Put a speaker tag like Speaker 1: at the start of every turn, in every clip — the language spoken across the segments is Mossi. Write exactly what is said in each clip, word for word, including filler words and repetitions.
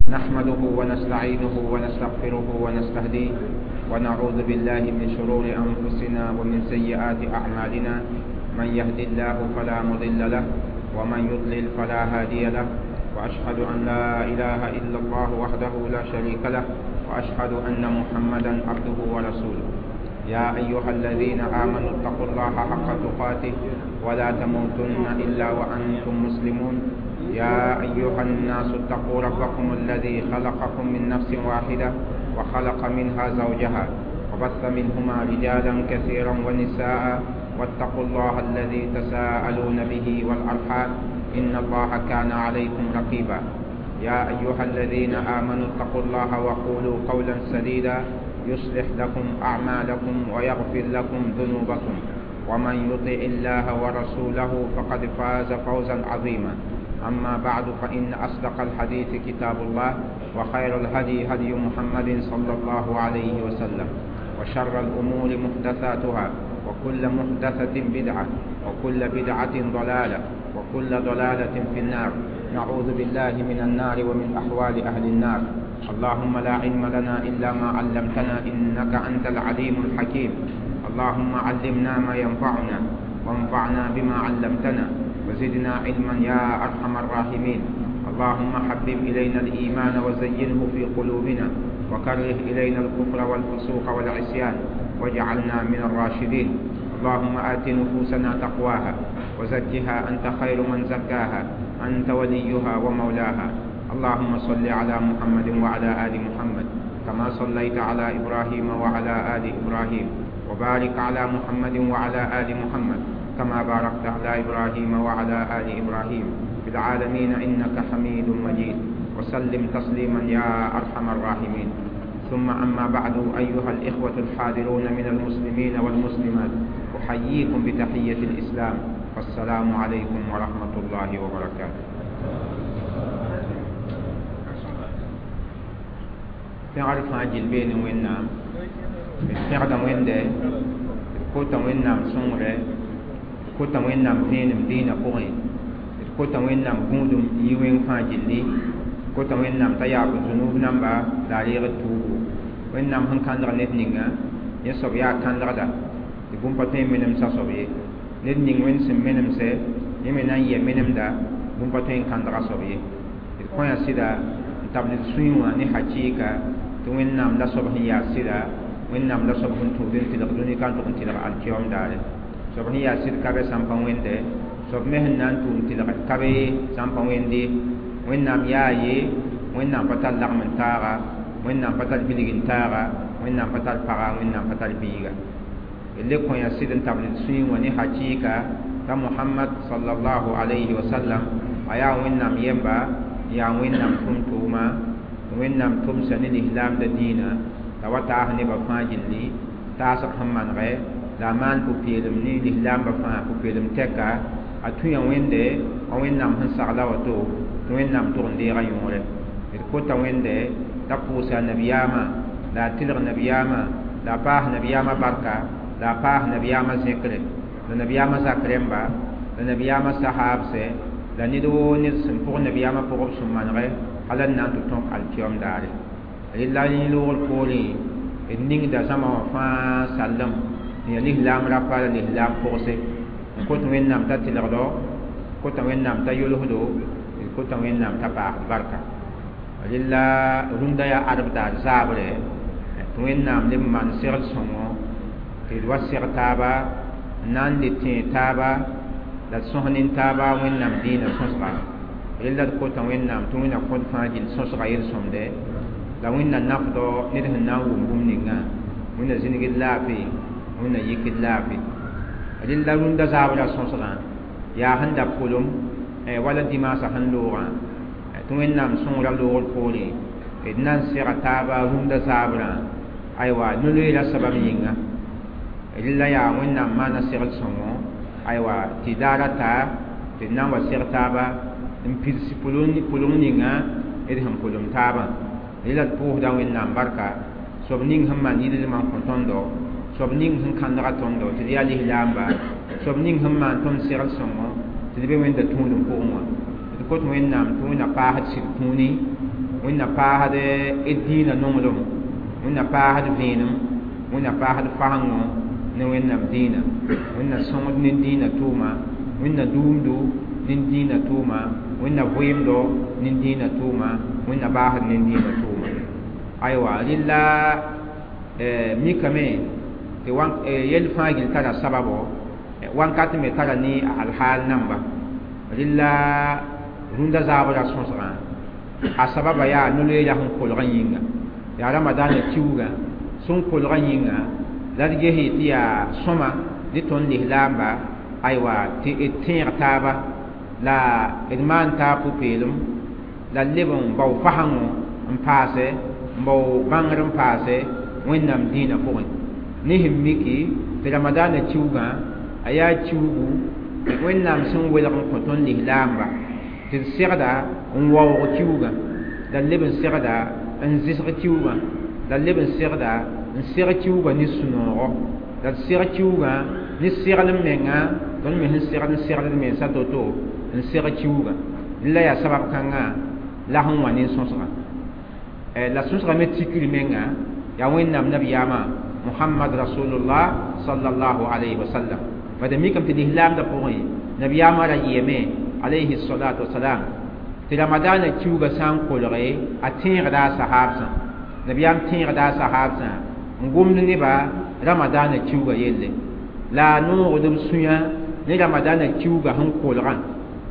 Speaker 1: نحمده ونستعينه ونستغفره ونستهديه ونعوذ بالله من شرور أنفسنا ومن سيئات أعمالنا. من يهد الله فلا مضل له ومن يضلل فلا هادي له، وأشهد أن لا إله إلا الله وحده لا شريك له، وأشهد أن محمدا عبده ورسوله. يا أيها الذين آمنوا اتقوا الله حق تقاته ولا تموتن إلا وأنتم مسلمون. يا أيها الناس اتقوا ربكم الذي خلقكم من نفس واحدة وخلق منها زوجها وبث منهما رجالا كثيرا ونساء، واتقوا الله الذي تساءلون به والأرحام إن الله كان عليكم رقيبا. يا أيها الذين آمنوا اتقوا الله وقولوا قولا سديدا يصلح لكم أعمالكم ويغفر لكم ذنوبكم، ومن يطع الله ورسوله فقد فاز فوزا عظيما. أما بعد، فإن أصدق الحديث كتاب الله، وخير الهدي هدي محمد صلى الله عليه وسلم، وشر الأمور محدثاتها، وكل محدثة بدعة، وكل بدعة ضلالة، وكل ضلالة في النار. نعوذ بالله من النار ومن أحوال أهل النار. اللهم لا علم لنا إلا ما علمتنا إنك أنت العليم الحكيم. اللهم علمنا ما ينفعنا، وانفعنا بما علمتنا، وزدنا علما يا أرحم الراحمين. اللهم حبب إلينا الإيمان وزينه في قلوبنا، وكره إلينا الكفر والفسوق والعصيان، واجعلنا من الراشدين. اللهم آت نفوسنا تقواها وزكها أنت خير من زكاها، أنت وليها ومولاها. اللهم صل على محمد وعلى آل محمد كما صليت على إبراهيم وعلى آل إبراهيم، وبارك على محمد وعلى آل محمد كما باركت على إبراهيم وعلى آل إبراهيم في العالمين إنك حميد مجيد. وسلم تسليما يا أرحم الراحمين. ثم أما بعد، أيها الإخوة الحاضرون من المسلمين والمسلمات، أحييكم بتحية الإسلام، والسلام عليكم ورحمة الله وبركاته. Pẽgr fãa gill beene Wẽnnaam, d pẽgda Wẽnde, d kota Wẽnnaam sõngre, d kota Wẽnnaam vẽenem dĩinã pʋgẽ, d kota Wẽnnaam gũudum n yi wẽng fãa gilli, d kota Wẽnnaam t'a yaab zunub namba la a reeg d tuubu. Wẽnnaam sẽn kãndg ned ninga, yẽ soab yaa kãndgda, tɩ bũmb pa tõe n menemsa soab ye. Ned ning Wẽnd sẽn menemsɛ, yẽ me na n yɛ menemda, bũmb pa tõe n kãndga soab ye. D kõ yaa sɩda n tabl d sũyẽ wã ne hakɩɩka tɩ Wẽnnaam la soab sẽn yaa sɩda, Wẽnnaam la soab sẽn tũud n tɩlg dũni ka n tʋg n tɩlg alkiyom daare. Soab sẽn yaa sɩd ka be sãn pa wẽnde, soab me sẽn na n tʋʋm tɩlg ka be sãn pa wẽnde. Wẽnnaam yaa ye, Wẽnnaam pa tar lagm n taaga, Wẽnnaam pa tar bilg n taaga, Wẽnnaam pa tar paga, Wẽnnaam pa tar biiga. D le kõ yaa sɩd n tabl d sũyẽ wã ne hakɩɩka t'a Mohamad sallallahu alayhi wa sallam a yaa Wẽnnaam yemba, yaa Wẽnnaam tʋm-tʋʋma, Wẽnnaam tʋmsa ne lislaamda dĩinã, la wa taas nebã fãa gilli, taasg sẽn manegɛ, la a maan pʋ-peelem ne lislaambã fãa pʋ-peelem tɛka, a tũya Wẽnde wa Wẽnnaam sẽn sagla woto, tɩ Wẽnnaam tʋg n deega yõore. D kota Wẽnde t'a pʋʋsa nabiyaamã, la a tɩlg nabiyaamã, la a paas nabiyaamã barka, la a paas nabiyaamã zẽkre, la nabiyaamã zak rẽmba, la nabiyaamã sahaabsɛ, la ned woo ned sẽn pʋg nabiyaamã pʋgb sẽn manegɛ hal n na n tɩ tõk alkiyom daare. Rella yẽ loogr poorẽ d ningda zãma wã fãa sallem n yaa lislaam rapa la lislaam pʋgse. N kot Wẽnnaam t'a tɩlgdo, kota Wẽnnaam t'a yolsdo, d kota Wẽnnaam t'a paasd barka. Rella rũndã yaa adb daar zaabre tɩ Wẽnnaam leb n maan segl sõngo tɩ d wa seg taaba, n na n le tẽeg taaba, la d sõs nin-taaba Wẽnnaam dĩinã sõsga. Rella d kota Wẽnnaam tɩ Wẽnna kõt fãa gill sõsga yel-sõmde, la Wẽnna nafdɔ ned sẽn na n wʋm bũmb ningã, Wẽnna zĩnigd laafɩ, Wẽnna yikd laafɩ. Rella rũndã zaabrã sõsgã yaa sẽn da pʋlem wala dimaasã sẽn loogã tɩ Wẽnnaam sõngrã loogr poorẽ d na n sega taaba rũndã zaabrã, aywa no-loeera sabab yĩnga. Rella yaa Wẽnnaam maana segl sõngo, aywa tɩ daara ta tɩ d na n wa seg taaba n pids pʋleng ninga d sẽn pʋlem taabã. Rella d pʋʋsda Wẽnnaam barka, soab ning sẽn maan yɩlmã n kõ tõndo, soab ning sẽn kãndga tõndo tɩ d yaa lislaamba, soab ning sẽn maan tõnd segl sõngo tɩ d be Wẽnda tũudem pʋgẽ wã. D kot Wẽnnaam tɩ Wẽnna paasd sɩd kũuni, Wẽnna paasd d dĩinã nonglem, Wẽnna paasd vẽenem, Wẽnna paasd fasengo ne Wẽnnaam dĩinã, Wẽnna sõngd ne dĩinã tʋʋma, Wẽnna duumdo ne dĩinã tʋʋma, Wẽnna vɩɩmdo ne dĩinã tʋʋma, Wẽnna baasd ne dĩinã tʋʋma. Aywa, rɩla mikame tɩ yell fãa gill tara sababo, wãnkat me tara ne a alhaal namba. Rɩla rũndã zaabra sõsgã a sababa yaa no-loeera sẽn kolgã yĩnga, yaa ramadaanã kiuugã sẽn kolgã yĩnga la d ges tɩ yaa sõma ne tõnd lislaamba, aywa, tɩ d tẽeg taaba la d maan taab pʋ-peelem la d leb n bao fasengo n paase n bao bãngr n paase Wẽnnaam dĩinã pʋgẽ. Ne sẽn miki tɩ ramadaanã kiuugã a yaa kiuugu Wẽnnaam sẽn welg n kõ tõnd lislaamba tɩ d segda n waoog kiuugã, la d leb n segda n zɩsg kiuugã, la d leb n segda n seg kiuugã ne sũ-noogo, la d seg kiuugã ne seglem menga, tõnd me sẽn segd n segd d mensã to-to n seg kiuugã. La yaa sabab kãngã la sẽn wã ne sõsgã. La sõsgã me tikr menga yaa Wẽnnaam nabiyaamã Muhammad Rasulullah sallallahu alayhi wa sallam. Bad mikame tɩ lislaamdã pʋgẽ nabiyaamã ra yɩame alayhi salatu wasalam tɩ ramadaanã kiuugã sã n kolge a tẽegda a sahaabsã, nabiyaam tẽegda a sahaabsã n gomd neba ramadaanã kiuugã yelle, la a noogd b sũyã ne ramadaanã kiuugã sẽn kolgã.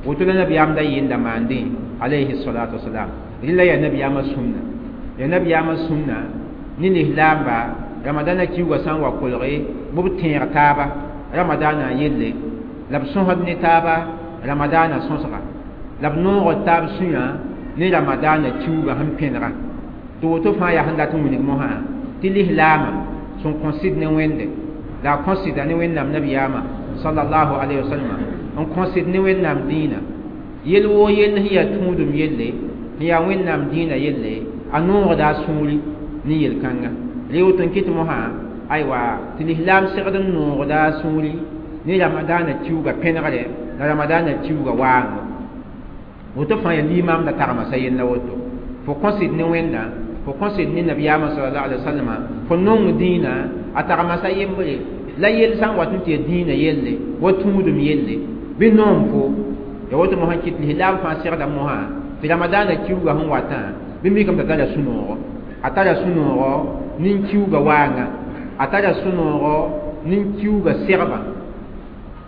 Speaker 1: Woto la nabiyaam da yɩnda maandẽ alayhi salatu wasalam. Rɩla yaa nabiyaamã sũnna, yaa nabiyaamã sũnna ne lislaamba ramadaanã kiuugã sã n wa kolge bɩ b tẽeg taaba ramadaanã yelle, la b sõsd ne taaba ramadaanã sõsga, la b noogd taab sũyã ne ramadaanã kiuugã sẽn pẽnega. Tɩ woto fãa yaa sẽn dat n wilg mosã tɩ lislaamã sẽn kõ sɩd ne Wẽnde, la a kõ sɩda ne Wẽnnaam nabiyaamã sallallahu alayhi wa sallam, n kõ sɩd ne Wẽnnaam dĩinã yel woo yell sẽn yaa tũudum yelle, sẽn yaa Wẽnnaam dĩinã yelle, a noogda a sũuri ne yel-kãnga. Rẽ woto n kɩt mosã, aywa, tɩ lislaam segd n noogda a sũuri ne ramadaanã kiuugã pẽnegre la ramadaanã kiuugã waango. Woto fãa yaa limaamda tagma sa yella woto. Fo kõ sɩd ne Wẽnda, fo kõ sɩd ne nabiyaamã sallallahu alaihi wasallam, fo nong dĩinã a tagma sa yembre, la yell sã n wat n tɩ yaa dĩinã yelle wa tũudum yelle bɩ noom fo. Ya woto mosã kɩt lislaam fãa segda mosã tɩ ramadaanã kiuugã sẽn watã bɩ mikame t'a tara sũ-noogo, a tara sũ-noogo nin-kiuugã waanga, a tara sũ-noogo nin-kiuugã segbã,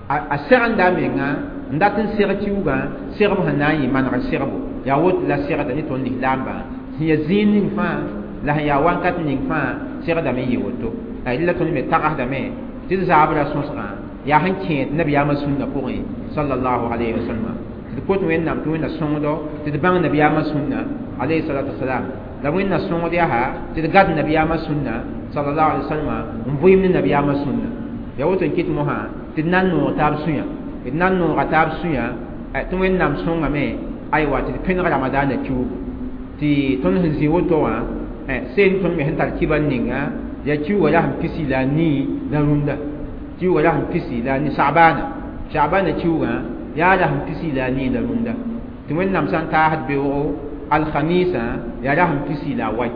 Speaker 1: a segenda a menga n dat n seg kiuugã segb sẽn na n yɩ manegr segbo. Yaa woto la segda ne tõnd lislaambã sẽn yaa zĩig ning fãa la sẽn yaa wãnkat ning fãa segdame n yɩ woto. La tõnd me tagsdame tɩ d zaabra sõsgã yaa sẽn kẽed nabiyaamã sũnna pʋgẽ sallallahu alayhi wa sallam, tɩ d kot Wẽnnaam tɩ Wẽnna sõngdo tɩ d bãng nabiyaamã sũnna alayhi salatu wasalam, la Wẽnna sõngd yaa tɩ d gad nabiyaamã sũnna sallallahu alayhi wa sallam n vɩɩm ne nabiyaamã sũnna. Yaa woto n kɩt mosã tɩ d na n noog taab sũyã, d na n nooga taab sũyã tɩ Wẽnnaam sõngame, aywa, tɩ d pẽneg ramadaanã kiuugu. Tɩ tõnd sẽn zĩ woto wã seen tõnd me sẽn tar kibar ninga yaa kiuugã ra sẽn pisi la a nii la rũndã, kiuugã ra sẽn pisi la a nii sabaana, sabaana kiuugã yaa ra sẽn pisi la a nii la rũndã. Tɩ Wẽnnaam sã n taasd beoogo alkhamisã yaa ra sẽn pisi la a wai.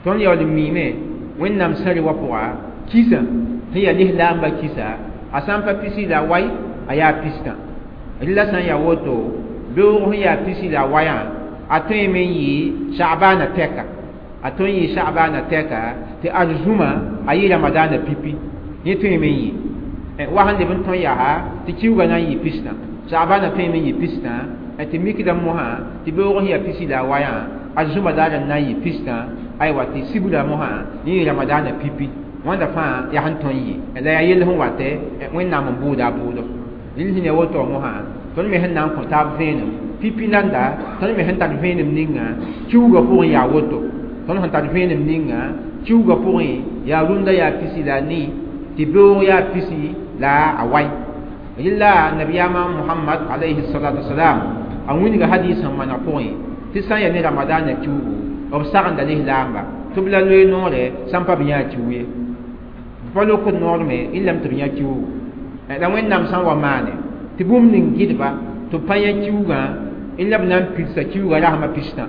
Speaker 1: Tõnd yaool n miime Wẽnnaam sẽre wã pʋga kisa sẽn yaa lislaambã kisa a sã n pa pisi la a wai a yaa pistã. Rɩla sã n yaa woto beoog sẽn yaa pisi la a wayã a tõeme n yɩ sabaana tɛka, a tõe n yɩ sabaana tɛka tɩ arzũma a yɩ ramadaanã pipi, yẽ tõeme n yɩ wa sẽn leb n tõe yaa tɩ kiuugã na n yɩ pistã, sabaana tõeme n yɩ pistã, tɩ mikdame mosã tɩ beoog sẽn yaa pisi la a wayã arzũma daar n na n yɩ pistã, aywa, tɩ sibra mosã yẽ yɩ ramadaanã pipi. Wãnda fãa yaa sẽn tõe n yɩ la yaa yell sẽn watɛ Wẽnnaam n bʋʋda a bʋʋdo. Rɩl sẽn ya woto mosã tõnd me sẽn na n kõ taab vẽenem pipi nanda, tõnd me sẽn tar vẽenem ninga kiuugã pʋgẽ yaa woto, tõnd sẽn tar vẽenem ninga kiuugã pʋgẽ yaa rũndã yaa pisi la a nii, tɩ beoog yaa pisi la a wai. Rɩla nabiyaamã Muhammad alayhi salatu wasalam a wilga hadis sẽn maneg pʋgẽ tɩ sã n yaa ne ramadaanã kiuugu b sagenda lislaamba tɩ b la loe noore sã n pa b yã kiu ye, b pa lokd noor me y lame tɩ b yã kiuugu. La Wẽnnaam sã n wa maane tɩ bũmb ning gɩdba tɩ b pa yã kiuugã y la b na n pilsa kiuugã rasmã pistã.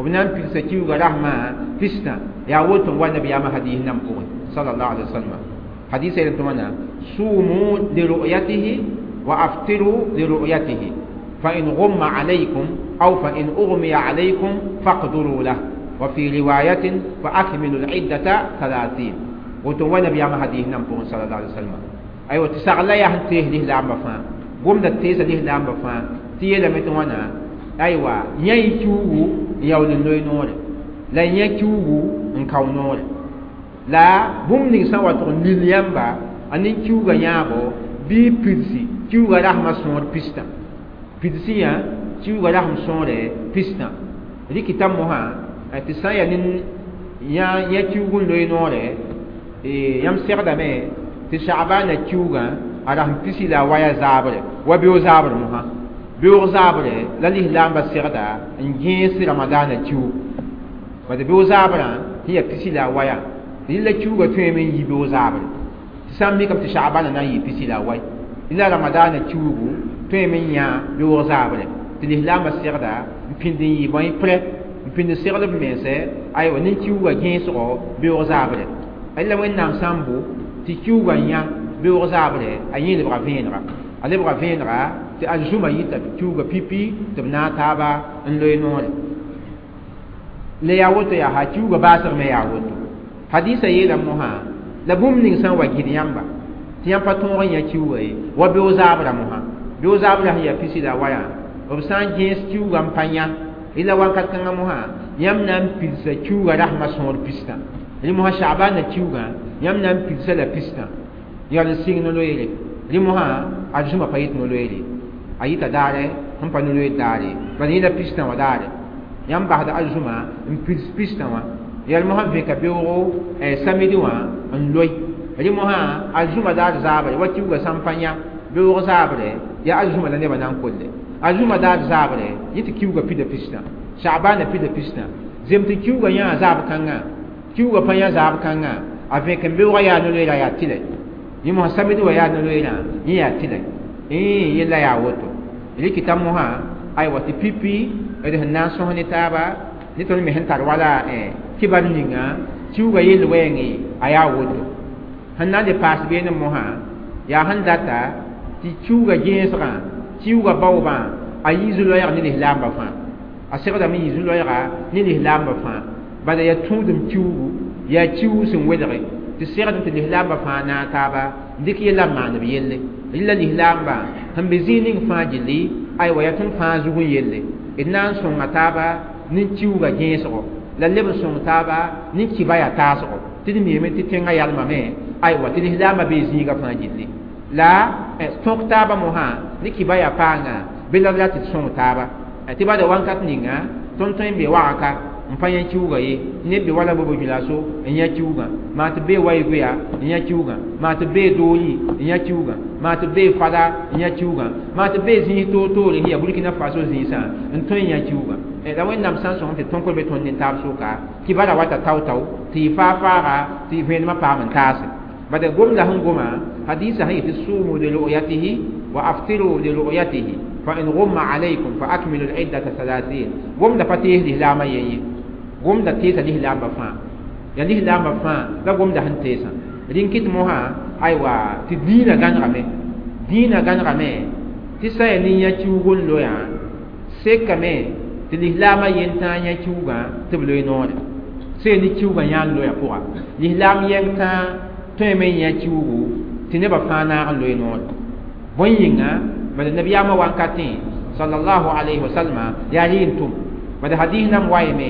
Speaker 1: B na n pidsa kiuugã rasmã pistã yaa woto n wa nabiyaamã hadis nam pʋgẽ sallallahu alaihi wasallam hadisa yel tɩ wãna sumu liru'yatihi wa aftiru liru'yatihi fa in ghumma alaykum aw fa in ughmiya alaykum faqduru lah wa fi riwayatin fa akmilu al-iddata thalathин woto n wa nabiyaamã hadis nam pʋgẽ sallallahu alaihi wasallam aywa tɩ sagl la yaa sẽn tees lislaambã fãa gomda teesa lislaambã fãa tɩ yeelame tɩ wãna aywa yã y kiuugu n yaool n loe noore la yã kiuugu n kao noore la bũmb ning sã n wa tʋg n lil yãmba a nin-kiuugã yãabo bɩ pidsi kiuugã rasmã sõor pistã pidsi yã kiuugã rasm sõore pistã rɩkɩta mosã tɩ sã n yaa nin yã kiuug n loe noore yãmb segdame tɩ sagbaana kiuugã a rasm pisi la a waya zaabre wa beoog zaabr mosã beoog zaabre la lislaambã segda n gẽes ramadaana kiuug bad beoog zaabrã sẽn yaa pisi la a waya rɩla kiuugã tõeme n yi beoog zaabre tɩ sã n mikame tɩ sagbaana na n yɩ pisi la a wai la ramadaana kiuugu tõeme n yã beoog zaabre tɩ lislaambã segda n pĩnd n yɩ bõe prɛ n pĩnd segl b mense aywa nin-kiuugã gẽesgo beoog zaabre la Wẽnnaam sã n bo tɩ kiuugã yã beoog zaabre a yẽ lebga vẽenega a lebga vẽenega tɩ arzũma yita kiuugã pipi tɩ b naag taaba n loe noore la yaa woto yaa ha kiuugã baasg me yaa woto hadisa yeelame mosã la bũmb ning sã n wa gɩd yãmba tɩ yãmb pa tõog n yã kiuugã ye wa beoog zaabrã mosã beoog zaabrã sẽn yaa pisi la a wayã b sã n gẽes kiuugã n pa yã la wakat kãngã mosã yãmb na n pidsa kiuugã rasmã sõor pistã rẽ mosã sagbaana kiuugã yãmb na n pidsa la pistã yaa n sɩng no-loeere rẽ mosã arzũma pa yit no-loeere a yita daare sẽn pa no-loeer daare bala yẽla pistã wã daare yãmb basda arzũma n pids pistã wã yaa mosã vẽka beoogo samedi wã n loe rẽ mosã arzũma daar zaabre wa kiuugã sã n pa yã beoog zaabre yaa arzũma la nebã na n kolle arzũma daar zaabre yẽ tɩ kiuugã pida pistã sagbaana pida pistã zem tɩ kiuugã yãa zaab kãngã kiuugã pa yã zaab kãngã a vẽk n beoogã yaa no-loeerã yaa tɩlɛ yẽ mosã samedi wã yaa no-loeerã yẽ yaa tɩlɛ yella yaa woto rɩkɩta mosã aywa tɩ pipi d sẽn na n sõs ne taaba ne tõnd me sẽn tar wala kibar ninga kiuugã yell wɛɛngẽ a yaa woto sẽn na n le paas beene mosã yaa sẽn data tɩ kiuugã gẽesgã kiuugã baoobã a yi zu-loɛɛg ne lislaambã fãa a segdame yɩ zu-loɛɛga ne lislaambã fãa bala yaa tũudem kiuugu yaa kiuug sẽn welge tɩ segdem tɩ lislaambã fãa naag taaba n dɩk yella n maan b yelle rɩla lislaambã sẽn be zĩig ning fãa gilli aywa yaa tõnd fãa zug n yelle d na n sõnga taaba ne kiuugã gẽesgo la leb n sõng taaba ne kiba yaa taasgo tɩ d miime tɩ tẽngã yalmame aywa tɩ lislaambã bee zĩigã fãa gilli la tõk taaba mosã ne kiba yaa paanga bɩ la la tɩ d sõng taaba tɩ bada wãnkat ninga tõnd tõe n be wagka n pa yã kiuugã ye neb be wala bobo julaso n yã kiuugã maa tɩ bee waɩ-goya n yã kiuugã maa tɩ bee doori n yã kiuugã maa tɩ bee fada n yã kiuugã maa tɩ bee zĩis toor-toore sẽn yaa Burkina Faso zĩisã n tõe n yã kiuugã la Wẽnnaam sã n sõsem tɩ tõnkr be tõnd nin-taab sʋka kibara wata tao-tao tɩ yɩ faa-faaga tɩ vẽenemã paam n taase bada gomda sẽn goma hadisa sẽn yetɩ sumu li ru'yatihi wa aftiru li ru'yatihi fa in ghumma alaykum fa akmilu al-iddata thalathin gomda pa tees lislaamã yen ye gomda teesa lislaambã fãa yaa lislaambã fãa la gomda sẽn teesã rĩn kɩt mosã aywa tɩ dĩinã gãnegame dĩinã gãnegame tɩ sã yaa nin-yã kiuug n loyã sekame tɩ lislaamã yen tãa yã kiuugã tɩ b loe noore sã yaa ne kiuugã yã n loyã pʋga lislaam yɛng tãa tõeme n yã kiuugu tɩ nebã fãa naag n loe noore bõe yĩnga bala nabiyaamã wankatẽ sallallahu alayhi wa sallama yaa rɩ n tʋm bala hadis nam wayame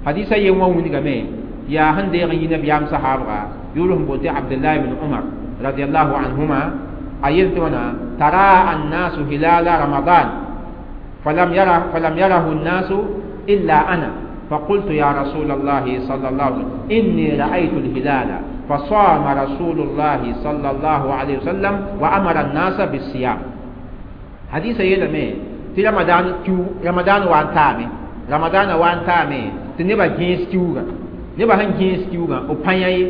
Speaker 1: hadisa yen wã wilgame yaa sẽn deeg n yi nabiyaam sahaabga yʋʋr sẽn boonte Abdullah ibn Umar radiallahu anhuma a yel tɩ wãna tara annasu hilala ramadan falam yara falam yarahu الناس إلا أنا فقلت يا رسول الله صلى الله عليه وسلم إني رأيت الهلال فصام رسول الله صلى الله عليه وسلم وأمر الناس بالصيام حديث يلمي تي رمضان كيو رمضان وان تامي رمضان وان تامي tɩ nebã gẽes kiuugã nebã sẽn gẽes kiuugã b pa yã ye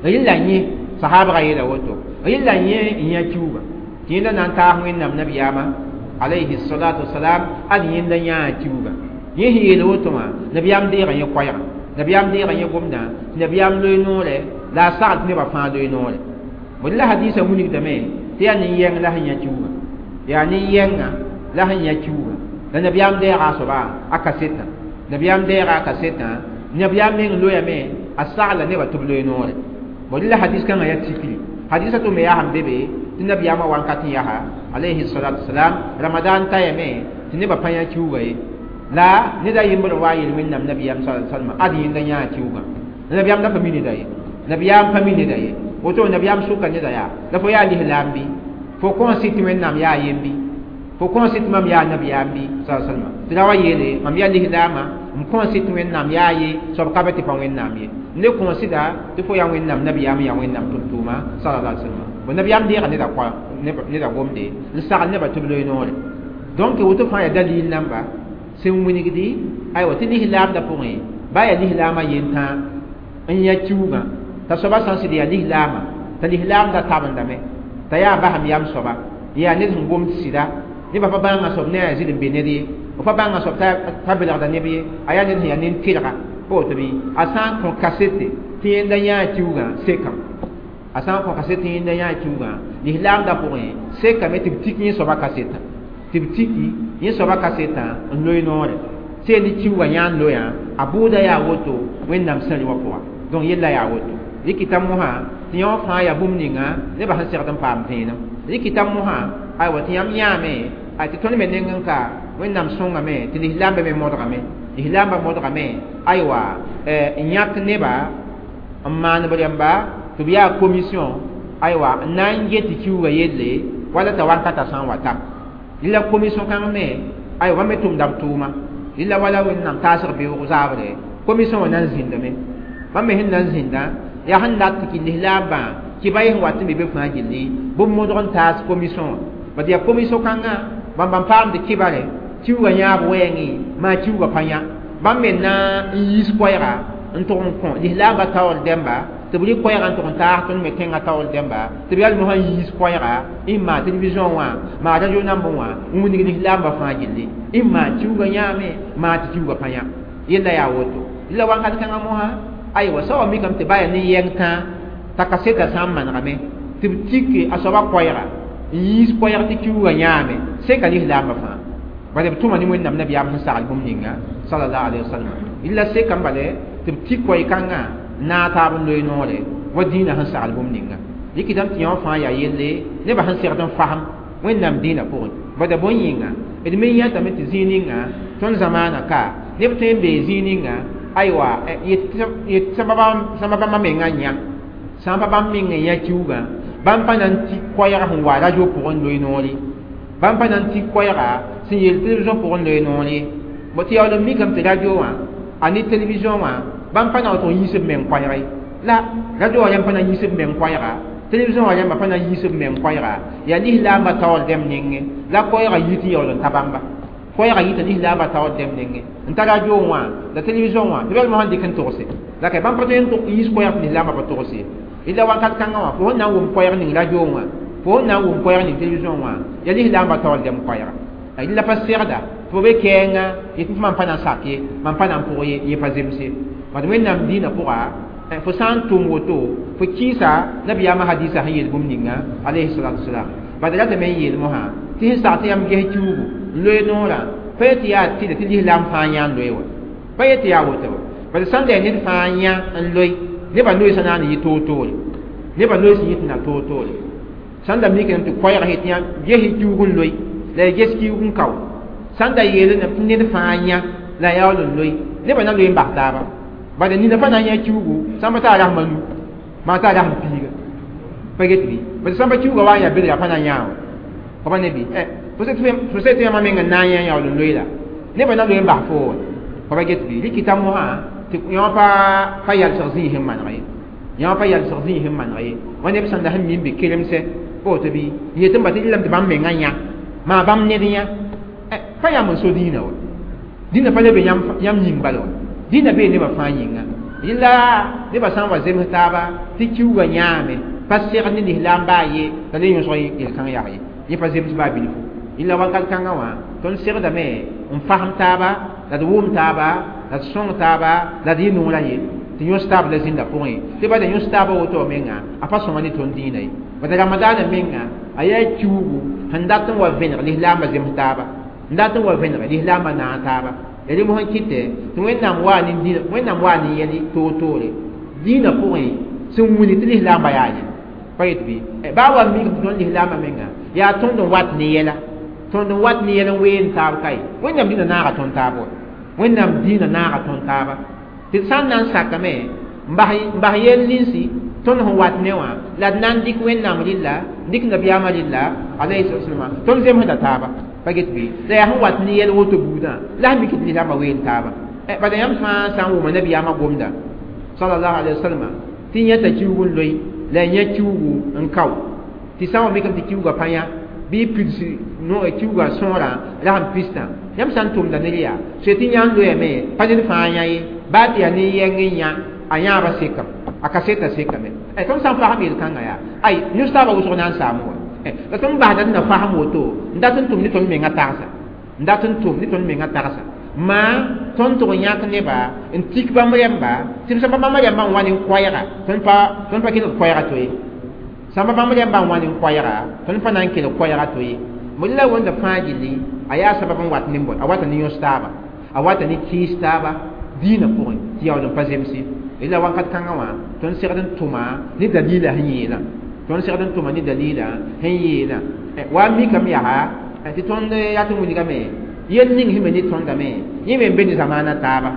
Speaker 1: rɩla yẽ sahaabgã yeela woto rɩla yẽ n yã kiuugã tɩ yẽnda na n taas Wẽnnaam nabiyaamã alayhi salatu wasalam ad yẽnda yãa kiuugã Yẽ sẽn yeel woto wã nabiyaam deega yẽ koɛɛga nabiyaam deega yẽ gomdã tɩ nabiyaam loe noorɛ la a sagl tɩ nebã fãa loe noorɛ bõe la hadiisã wilgdame tɩ yaa nin-yɛng la sẽn yã kiuugã yaa nin-yɛngã la sẽn yã kiuugã la nabiyaam deega a soaba a kasetã nabiyaam deega a kasetã nabiyaam meng loyame a sagla nebã tɩ b loe noorɛ bõe la hadis kãngã yaa tikri hadisã tʋ me yaa sẽn be be tɩ nabiyaamã wankat n yaa alayhi salatu wasalam ramadan tayame tɩ nebã pa yã kiuugã ye la ned a yembr n wa yel wẽnnaam nabiyaam sa salma ad yẽnda yãa kiuugã nabiyaam da pa mi neda ye nabiyaam pa mi neda ye woto nabiyaam sʋka neda yaa la fo yaa lislaam bɩ fo kõn sɩ tɩ wẽnnaam yaa yembi fo kõn sɩ tɩ mam yaa nabiyaam bɩ sa salma tɩ ra wa yeele mam yaa lislaamã m kõn sɩ tɩ wẽnnaam yaa ye soab ka be tɩ pa wẽnnaam ye ne kõn sɩda tɩ fo yaa wẽnnaam nabiyaam yaa wẽnnaam tʋm-tʋʋma sallallahu alaihi wasallam bo nabiyaam deega neda koa neda gomde n sagl nebã tɩ b loe noore donc woto fãa yaa dalil namba sẽn wilgdi aywa tɩ lislaamdã pʋgẽ ba yaa lislaamã yentã n yã kiuugã t'a soaba sã n sɩd yaa lislaamã t'a lislaamdã tabendame t'a yaa basem yam soaba yaa ned sẽn gomd sɩda nebã pa bãnga soab ne a zɩl n be ned ye f pa bãnga soab t'a belgda neb ye a yaa ned sẽn yaa nin-tɩrga pa woto bɩ a sã n kõ kasete tɩ yẽnda yãa kiuugã sekam a sã n kõ kaset tɩ yẽnda yãa kiuugã lislaamdã pʋgẽ sekame tɩ b tik yẽ soaba kasetã tɩ b tiki yẽ soaba kasetã n loe noore sẽn ne kiuugã yã n loyã a bʋʋda yaa woto wẽnnaam sẽri wã pʋga donc yella yaa woto rɩkɩta mosã tɩ yõ fãa yaa bũmb ninga nebã sẽn segd n paam vẽenem rɩkɩta mosã aywa tɩ yãmb yãame tɩ tõnd me neng n ka wẽnnaam sõngame tɩ lislaambã me modgame lislaambã modgame aywa n yãk neba n maan b rẽmba tɩ b yaa commission aywa n na n get tɩ kiuugã yelle wala t'a wankata sã n wa ta la commission kãng me aywa bãmb me tʋmda b tʋʋma la wala wẽnnaam taasg beoog zaabre commission wã na n zĩndame bãmb me sẽn na n zĩndã yaa sẽn dat tɩ kɩ lislaambã kɩ-ba sẽn wat n be be fãa gilli bɩ modg n taas commission wã bad yaa commission kãngã bãmb bãmb paamd kɩbare kiuugã yãab wɛɛngẽ maa kiuugã pa yã bãmb me na n yiis koɛɛga n tʋg n kõ lislaambã taoor dẽmba tɩ b rɩk koɛɛga n tʋg n taas tõnd me tẽngã taoor dẽmba tɩ b yaa mosã n yiis koɛɛga n maa television wã maa radio nambẽ wã n wilg lislaambã fãa gilli n maa kiuugã yãame maa tɩ kiuugã pa yã yella yaa woto la wakat kãngã mosã aywa soaba mikame tɩ ba yaa nin-yɛng tãa t'a kaseta sã n manegame tɩ b tike a soaba koɛɛga n yiis koɛɛg tɩ kiuugã yãame seka lislaambã fãa bala b tʋma ne wẽnnaam nabiyaam sẽn sagl bũmb ninga sallallahu alaihi wasallam illa seka n bale tɩ b tik koɛɛ-kãngã n naag taab n loe noore wa dĩinã sẽn sagl bũmb ninga rɩkɩtame tɩ yõ fãa yaa yelle nebã sẽn segd n fasem wẽnnaam dĩinã pʋgẽ bada bõe yĩnga d me yãtame tɩ zĩig ninga tõnd zamaana ka neb tõe n bee zĩig ninga aywa yet sã pa bãmba mengã yã sã n pa bãmb meng n yã kiuugã bãmb pa na n tik koɛɛg sẽn wa radio pʋgẽ n loe noor ye bãmb pa na n tik koɛɛga sẽn yeel television pʋgẽ n loe noor ye tɩ yaool n mikame tɩ radio wã a ne television wã bãmb pa na n tʋg n yiis b meng koɛɛg ye la radio wã rãmb pa na n yiis b meng koɛɛga television wã rãmba pa na n yiis b meng koɛɛga yaa lislaambã taoor dẽmb nengẽ la koɛɛgã yit n yaool n ta bãmba koɛɛgã yita lislaambã taoor dẽmb nengẽ n ta radio wã la television wã tɩ bɛl mosã n dɩk n togse la ka bãmb pa tõe n yiis koɛɛg tɩ lislaambã pa togse illa wakat kãngã wã fo sẽn na n wʋm koɛɛg ning radio wã fo sẽn na n wʋm koɛɛg ning television wã yaa lislaambã taoor dẽmb koɛɛga la pa segda tɩ fo be kɛɛngã yetɩ tɩ mam pa na n sak ye mam pa na n pʋg ye yẽ pa zemse bad wẽnnaam dĩinã pʋga fo sã n tʋm woto fo kɩɩsa nabiyaamã hadisa sẽn yeel bũmb ninga alayhi salatu wasalam bad ratame n yeel mosã tɩ sẽn sag tɩ yãmb ges kiuugu n loe noorã pa yetɩ yaa tɩda tɩ lislaam fãa yã n loe wa pa yetɩ yaa woto wa bad sã n da yaa ned fãa yã n loe nebã loeesã na n yɩ toor-toore nebã loees n yɩ tɩ na toor-toore sã n da mikame tɩ koɛɛg tɩ yãmb ges kiuug n loe la ya ges kiuug n kao sã n da yeelame tɩ ned fãa yã la yaool n loe nebã na loe n bas taaba bala nina pa na n yã kiuugu sãn pa taa rasmã nu maa taa rasm piiga pa get bɩ bad sãn pa kiuugã wa n yaa bel yaa pa na n yã wa fa pa ne bɩ fo se tɩ yãmba meng n na n yã yaool n loe la nebã na loe n bas fo wa fa pa get bɩ rɩkɩta mosã tɩ yõ pa pa yalsg zĩig sẽn maneg ye yõ pa yalsg zĩig sẽn maneg ye wa neb sẽn da sẽn mi n be kelemsɛ pa woto bɩ n yet n ba tɩ rɩlame tɩ bãmb mengã yã maa bãmb ned yã pa yãmb n so dĩinã wa dĩinã pa le be yãmb yĩng bala wa dĩinã bee nebã fãa yĩnga yella nebã sã n wa zems taaba tɩ kiuugã yãame pa segd ne lislaam baa ye t'a le yõsg yel-kãng yag ye yẽ pa zems baa bilfu yella wakat kãngã wã tõnd segdame n fasem taaba la d wʋm taaba la d sõng taaba la d yɩ noorã ye tɩ yõs taab la zĩnda pʋgẽ tɩ bada yõs taabã woto menga a pa sõma ne tõnd dĩinã ye bada ramadaanã menga a yaa kiugu sẽn dat n wa vẽneg lislaambã zems taaba n dat n wa vẽneg lislaambã naag taaba ya rẽ mosã kɩtɛ tɩ wẽnnaam waa ne dĩinã wẽnnaam waa ne yɛl toor-toore dĩinã pʋgẽ sẽn wilg tɩ lislaambã yaa ye pa yet bɩ baa wa mik tɩ tõnd lislaambã menga yaa tõnd n wat ne yɛla tõnd n wat ne yɛl n ween taab kae wẽnnaam dĩinã naaga tõnd taab wa wẽnnaam dĩinã naaga tõnd taaba tɩ d sã n na n sakame n bas yɛl ninsi tõnd sẽn wat ne wã la d na n dɩk wẽnnaam rɩlla dɩk nabiyaamã rɩlla alayhi salama tõnd zemsda taaba pa get bɩ la yaa sẽn wat ne yɛl woto buudã la sẽn mik tɩ lislaambã ween taaba bala yãmb fãa sã n wʋma nabiyaamã gomda sallallahu alayhi wa sallam tɩ yẽta kiugu n loe la yẽ kiugu n kao tɩ sã n wa mikame tɩ kiuga pa yã bɩ pids kiuga sõorã la sẽn pistã yãmb sã n tʋmda ned yaa soe tɩ yã n loyame pa ned fãa yã ye baa tɩ yaa nin-yɛng n yã a yãaba sekame a kaseta sekame tõnd sã n fasem yel-kãngã yaa ay yõs taabã wʋsg na n saam wa la tõnd basda d na fasem woto n dat n tʋm ne tõnd menga tagsa n dat n tʋm ne tõnd menga tagsa maa tõnd tʋg n yãk neba n tik bãmb rẽmba tɩ b sã bãmb rẽmbã n wa ne koɛɛga tõnd pa tõnd pa kelg koɛɛga to ye sã bãmb rẽmbã n wa ne koɛɛga tõnd pa na n kelg koɛɛga to ye la wẽnda fãa gilli a yaa sabab n wat ne a wata ne yõs taaba a wata ne kɩɩs taaba dĩinã pʋgẽ tɩ yaool n pa zemse la wakat kãngã wã tõnd segd n tʋma ne dalila sẽn yeelã tõnd segd n tʋma ne dalila sẽn yeelã wa mikame yaa tɩ tõnd yaa tɩ wilgame yel ning sẽn be ne tõndame yẽ me n be ne zamaana taaba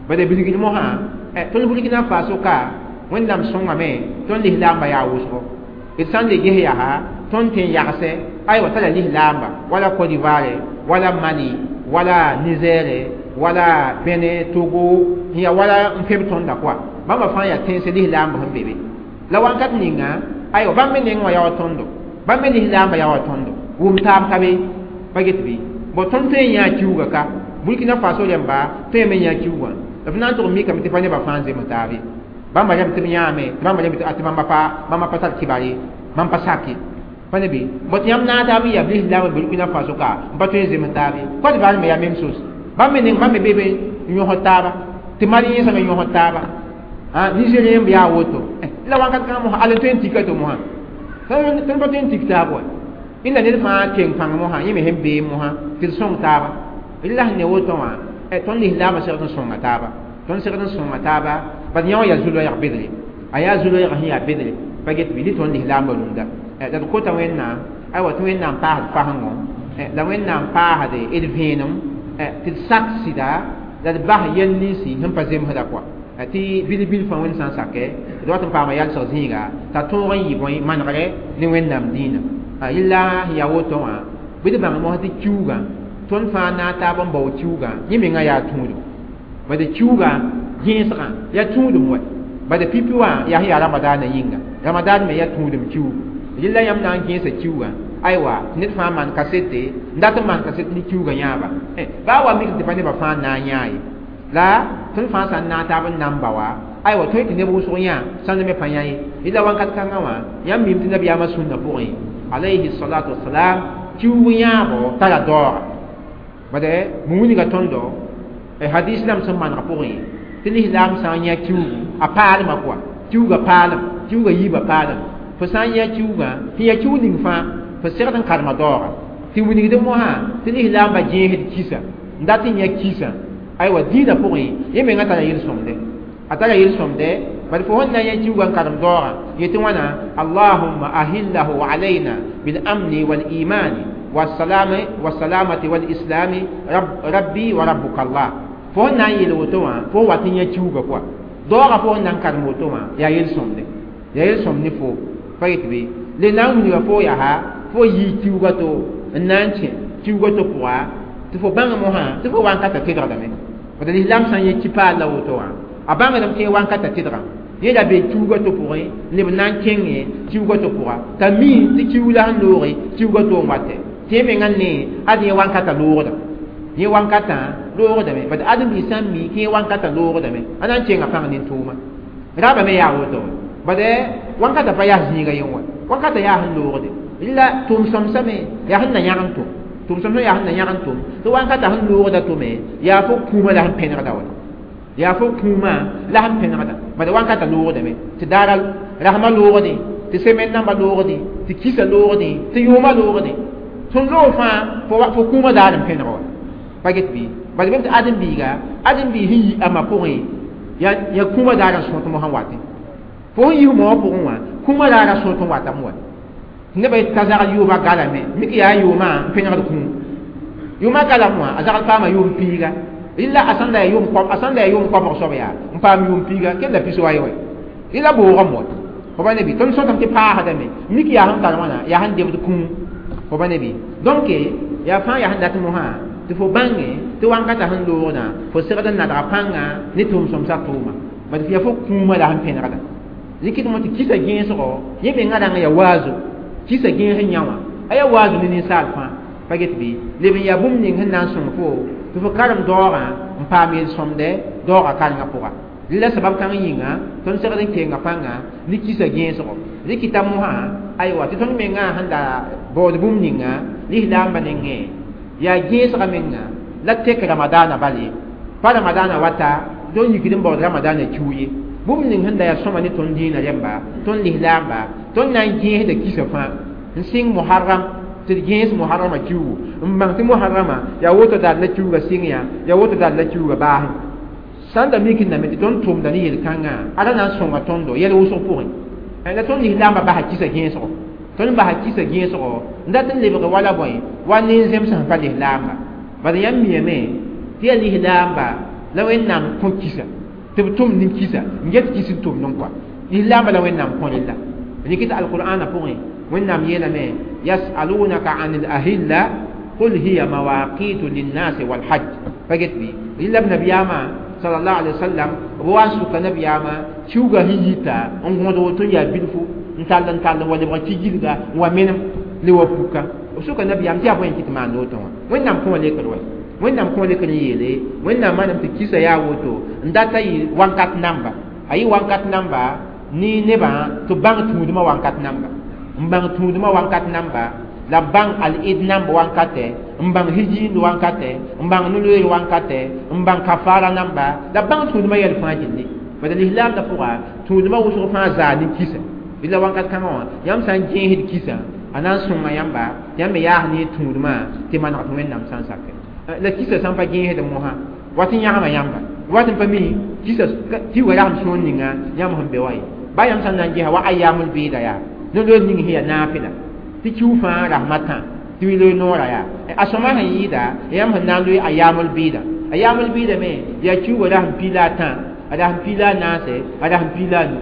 Speaker 1: bala bilgd mosã tõnd Burkina Faso ka wẽnnaam sõngame tõnd lislaambã yaa wʋsgo d sã n le ges yaa tõnd tẽ n yagsɛ aywa tara lislaamba wala Côte d'Ivoire wala Mali wala Niger wala Benin Togo ya wala n feb tõnda koa bãmba fãa yaa tẽns lislaambã sẽn be be la wãnkat ninga aywa bãmb me neng wã yaa wa tõndo bãmb me lislaambã yaa wa tõndo wʋm taab ka be pa get bɩ bon tõnd tõe n yãa kiuga ka Burkina Faso rẽmba tõe me yã kiugã la f na n tʋg mikame tɩ pa nebã fãa n zems taab ye bãmba rẽmb tɩ b yãame tɩ bãmba rẽmb tɩ bãmba pa bãmba pa tar kɩbar ye bãmb pa sak ye pa ne bɩ bõ tɩ yãmb naag taab n yaa lislaambã Burkina Faso ka n pa tõe n zems taab ye Côte d'Ivoire me yaa même chose bãmb me neng bãmb me be be n yõsd taaba tɩ Mali yẽsã me yõsd taaba Nigérien b yaa woto la wãnkat kãngã mosã al n tõe n tika to mosã tõnd pa tõe n tik taab wa illa ned fãa keng pãng mosã yẽ me sẽn bee mosã tɩ d sõng taaba la sẽn ne woto wã tõnd lislaambã segd n sõnga taaba tõnd segd n sõnga taaba bad yã wã yaa zu-loɛɛg bedre a yaa zu-loɛɛg sẽn yaa bedre pa get bɩ ne tõnd lislaambã rũndã la d kota wẽnnaam aywa tɩ wẽnnaam paasd fasengo la wẽnnaam paasd d vẽenem tɩ d sak sɩda la d bas yɛl ninsi sẽn pa zemsda koa tɩ bil-bil fãa wẽnd sã n sakɛ d wat n paama yalsg zĩiga t'a tõog n yɩ bõe manegre ne wẽnnaam dĩinã yella sẽn yaa woto wã bɩ d bãng mosã tɩ kiugã tõnd fãa naag taab n bao kiugã yẽ mengã yaa tũudum bad kiugã gẽesgã yaa tũudum wa bad pipi wã yaa sẽn yaa ramadaanã yĩnga ramadaan me yaa tũudum kiugu yella yãmb na n gẽesa kiugã aywa ned fãa maan kasete n dat n maan kaset ne kiugã yãaba baa wa mik tɩ pa nebã fãa na n yãa ye la tõnd fãa sã n naag taab n na n ba wa aywa tõe tɩ neb wʋsg yã sãnd me pa yã ye yella wãnkat kãngã wã yãmb mim tɩ nabiyaamã sũnna pʋgẽ alayhi salatu wasalam kiug yãabo tara daooga bad wilga tõndo hadis lam sẽn maneg pʋgẽ tɩ lislaam sã n yã kiugu a paalmã koa kiuga paalem kiuga yiibã paalem fo sã n yã kiugã sẽn ya kiug ning fãa fo segd n karema daooga tɩ wilgd mosã tɩ lislaambã gẽesd kisa n dat n yã kisa aywa dĩinã pʋgẽ yẽ mengã tara yel-sõmde a tara yel-sõmde bad fo sẽn na n yã kiugã n karem daoogã yetɩ wãna allahumma ahillahu alayna bilamni walimani والسلام والسلامة والإسلام رب ربي وربك الله fo na n yel woto wã fo wat n yã kiuga koa daoogã fo n na n karem woto wã yaa yel-sõmde yaa yel-sõmd ne fo pa yet bɩ le na n wilga fo yaa fo yii kiuga to n na n kẽ kiuga to pʋga tɩ fo bãng mosã tɩ fo wankata tɩdgdame bad lislaam sã n yẽ ki-paal la woto wã a bãngdame tɩ yẽ wankata tɩdgã yẽ la be kiuga to pʋgẽ leb na n kẽngẽ kiuga to pʋga t'a mi tɩ kiug la sẽn looge kiuga to n watɛ tɩ yẽ mengã ne ad yẽ wankata loogda yẽ wankatã loogdame bad ãdem-biis sã n mi tɩ yẽ wankatã loogdame a na n kenga pãng nin-tʋʋma raabã me yaa woto bad wankata pa yaa zĩiga yẽ wa wankata yaa sẽn loogde la tʋʋm-sõmsame yaa sẽn na yãg n tʋm Tʋm-sõm sẽn yaa sẽn na yãg n tʋm tɩ wãnkata sẽn loogda tʋme yaa fo kũumã la sẽn pẽnegda wa yaa fo kũumã la sẽn pẽnegda bala wãnkata loogdame tɩ daara rasmã loogdẽ tɩ semaine namba loogdẽ tɩ kisa loogdẽ tɩ yʋʋmã loogdẽ sẽn loog fãa fo kũumã daar n pẽneg wa pa get bɩ bala bem tɩ ãdem-biiga ãdem-biig sẽn yi a ma pʋgẽ yaa kũumã daar n sõt mosã watẽ fo sẽn yis moogã pʋgẽ wã kũumã daar a sõt n watame wa nebã ka zagl yʋʋma galame mik yaa yʋʋmã n pẽnegd kũum yʋʋmã galam wã a zagl paama yʋʋm piiga rɩla a sãn la yaa yʋʋm a sãn la yaa yʋʋm koabg soab yaa n paam yʋʋm piiga kell la pis wa ye wa rɩla boogame wa fo ba ne bɩ tõnd sõtame tɩ paasdame mik yaa sẽn tar wãna yaa sẽn debd kũum fo ba ne bɩ donc yaa fãa yaa sẽn dat mosã tɩ fo bãnge tɩ wãnkata sẽn loogdã fo segd n nadga pãnga ne tʋʋm-sõmsã tʋʋma bad yaa fo kũumã la sẽn pẽnegda rɩkɩd mo tɩ kisa gẽesgo yẽ mengã rãng yaa waazo kisa gẽes n yã wã a yaa waazo ne ninsaal fãa pa get bɩ leb n yaa bũmb ning sẽn na n sõng fo tɩ fo karem daoogã n paam yel-sõmdɛ daoogã karengã pʋga rɩla sabab kãng yĩnga tõnd segd n kenga pãnga ne kisa gẽesgo rɩkɩta mosã aywa tɩ tõnd mengã sẽn la baood bũmb ninga lislaambã nengẽ yaa gẽesga menga la tek ramadaana bal ye pa ramadaana wata tõnd yikd n baood ramadaana kiu ye bũmb ning sẽn da yaa sõma ne tõnd dĩinã rẽmba tõnd lislaamba tõnd na n gẽesda kisa fãa n sɩng muharram tɩ d gẽes muharrama kiugu n bãng tɩ muharrama yaa woto daar la kiuga sɩng yã yaa woto daar la kiuga baasẽ sãn da mik n dame tɩ tõnd tʋmda ne yel-kãngã ada na n sõnga tõndo yɛl wʋsg pʋgẽ la tõnd lislaambã basa kisa gẽesgo tõnd basa kisa gẽesgo n dat n lebg wala bõe wa nin-zems sẽn pa lislaamba bala yãmb miame tɩ yaa lislaamba la Wẽnnaam kõ kisa tɩ b tʋm nin-kisa n get kis n tʋmd n kɔa lislaamba la Wẽnnaam kõ rella rɩk tɩ alqur'ana pʋgẽ Wẽnnaam yeelame yasalunaka an al-ahilla qul hiya mawaqitu linnasi walhajj pa get bɩ rɩla b nabiyaamã sallallahu alaihi wasallam b wa n sʋka nabiyaamã kiuga sẽn yita n gõd woto n yaa bilfu n tall n tall n wa lebg ki-gilga n wa menem le wa puka b sʋka nabiyaam tɩ yaa bõe n kɩt maan woto wã Wẽnnaam kõ lekr wa Wẽnnaam kõ lekr n yeele Wẽnnaam manam tɩ kisa yaa woto n data yɩ wãnkat namba a yɩ wãnkat namba ne nebã tɩ bãng tũudmã wãnkat namba n bãng tũudmã wãnkat namba la bãng al-id namba wãnkatɛ n bãng hijiind wãnkatɛ n bãng no-loeer wãnkatɛ n bãng kafara namba la bãng tũudmã yɛl fãa gilli bala lislaamdã pʋga tũudmã wʋsg fãa zaa ne kisa la wãnkat kãngã wã yãmb sã n gẽesd kisa a na n sõnga yãmba yãmb me yaas ne tũudmã tɩ maneg tɩ Wẽnnaam sã n sakɛ la kisa sã n pa gẽesd mosã wat n yãgma yãmba wat n pa mi kisa tɩ wa rasem sõor ninga yãmb sẽn be wa ye ba yãmb sã n na n gesa wa ayamul bɩɩda yaa no-loeer ning sẽn yaa naafɩla tɩ kiu fãa rasmã tã tɩ wi loe noorã yaa a sõma sẽn yɩɩda yãmb sẽn na n loe ayamul bɩɩda ayamul bɩɩda me yaa kiuga rasem piig la a tã a rasem piig la a naase a rasem piig la a nu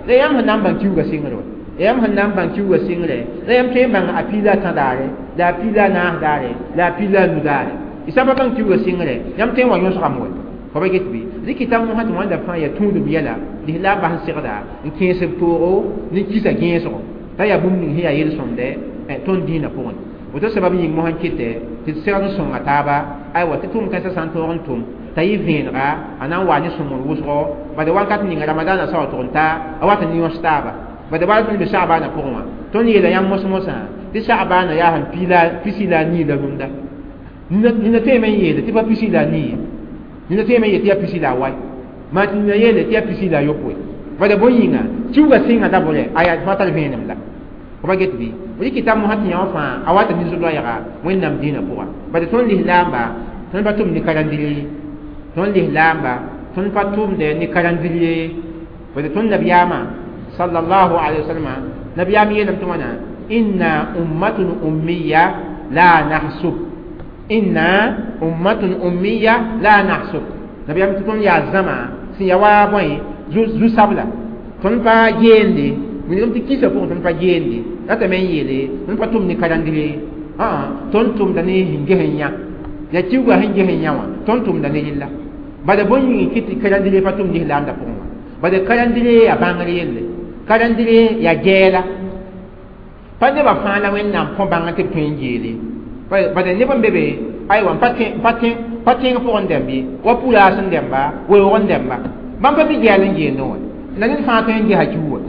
Speaker 1: la yãmb sẽn na n bãng kiuga sɩngr wa yãmb sẽn na n bãng kiuga sɩngre la yãmb tõe n bãng a piig la a tã daare la a piig la a naas daare la a piig la a nu daare y sã n pa bãng kiuga sɩngre yãmb tõe n wa yõsgame wa fo pa get bɩ rɩkɩta mosã tɩ wãnda fãa yaa tũudum yɛla lislaambã sẽn segda n kẽes b toogo ne kisa gẽesgo t'a yaa bũmb ning sẽn yaa yel-sõmdɛ tõnd dĩinã pʋgẽ woto sabab yĩng mosã n kɩtɛ tɩ d segd n sõnga taaba aywa tɩ tʋʋm kãensã sã n tõog n tʋm t'a yɩ vẽenega a na n wa ne sõmgr wʋsgo bala wãnkat ninga ramadaanã sa wa tʋg n ta a wat n yõs taaba bala wala tõnd be sagbaanã pʋgẽ wã tõnd yeela yãmb mos-mosã tɩ sagbaanã yaa sẽn pisi la a nii la rũndã nina tõeme n yeele tɩ pa pisi la a nii ye nina tõeme n yeel tɩ yaa pisi la a wai maa tɩ nina yeele tɩ yaa pisi la a yopoe bala bõe yĩnga kiuga sɩnga dabʋrɛ a yaa fãa tar vẽenem la fo pa get bɩ rɩkɩta mosã tɩ yã wã fãa a wata ne zu-loɛɛga Wẽnnaam dĩinã pʋga bala tõnd lislaamba tõnd pa tʋm ne karandiri tõnd lislaamba tõnd pa tʋmdɛ ne karandiri bala tõnd nabiyaamã sallallahu alaihi wasallam nabiyaam yeelame tɩ wãna inna ummatun ummiya la nahsub inna ummatun ummiya la nahsub nabiyaam tɩ tõnd yaa zãma sẽn yaa wa bõe zu-sabla tõnd pa geende wilgame tɩ kisa pʋgẽ tõnd pa geende ratame n yeele tõnd pa tʋm ne karandire tõnd tʋmda ne sẽn ges n yã yaa kiuga sẽn ges n yã wã tõnd tʋmda ne rella bala bõe yĩng kɩ tɩ karandire pa tʋm lislaamdã pʋgẽ wã bala karandire yaa bãngr yelle karandire yaa gɛɛla pa nebã fãa la Wẽnnaam kõ bãngr tɩ b tõe n geele bala neb n be be aywa pa tẽng pʋgẽ dɛmb ye wa pʋraas n dɛmba weoog n dɛmba bãmb pa mi gɛɛl n geendẽ wã la ned fãa tõe n gesa kiu wa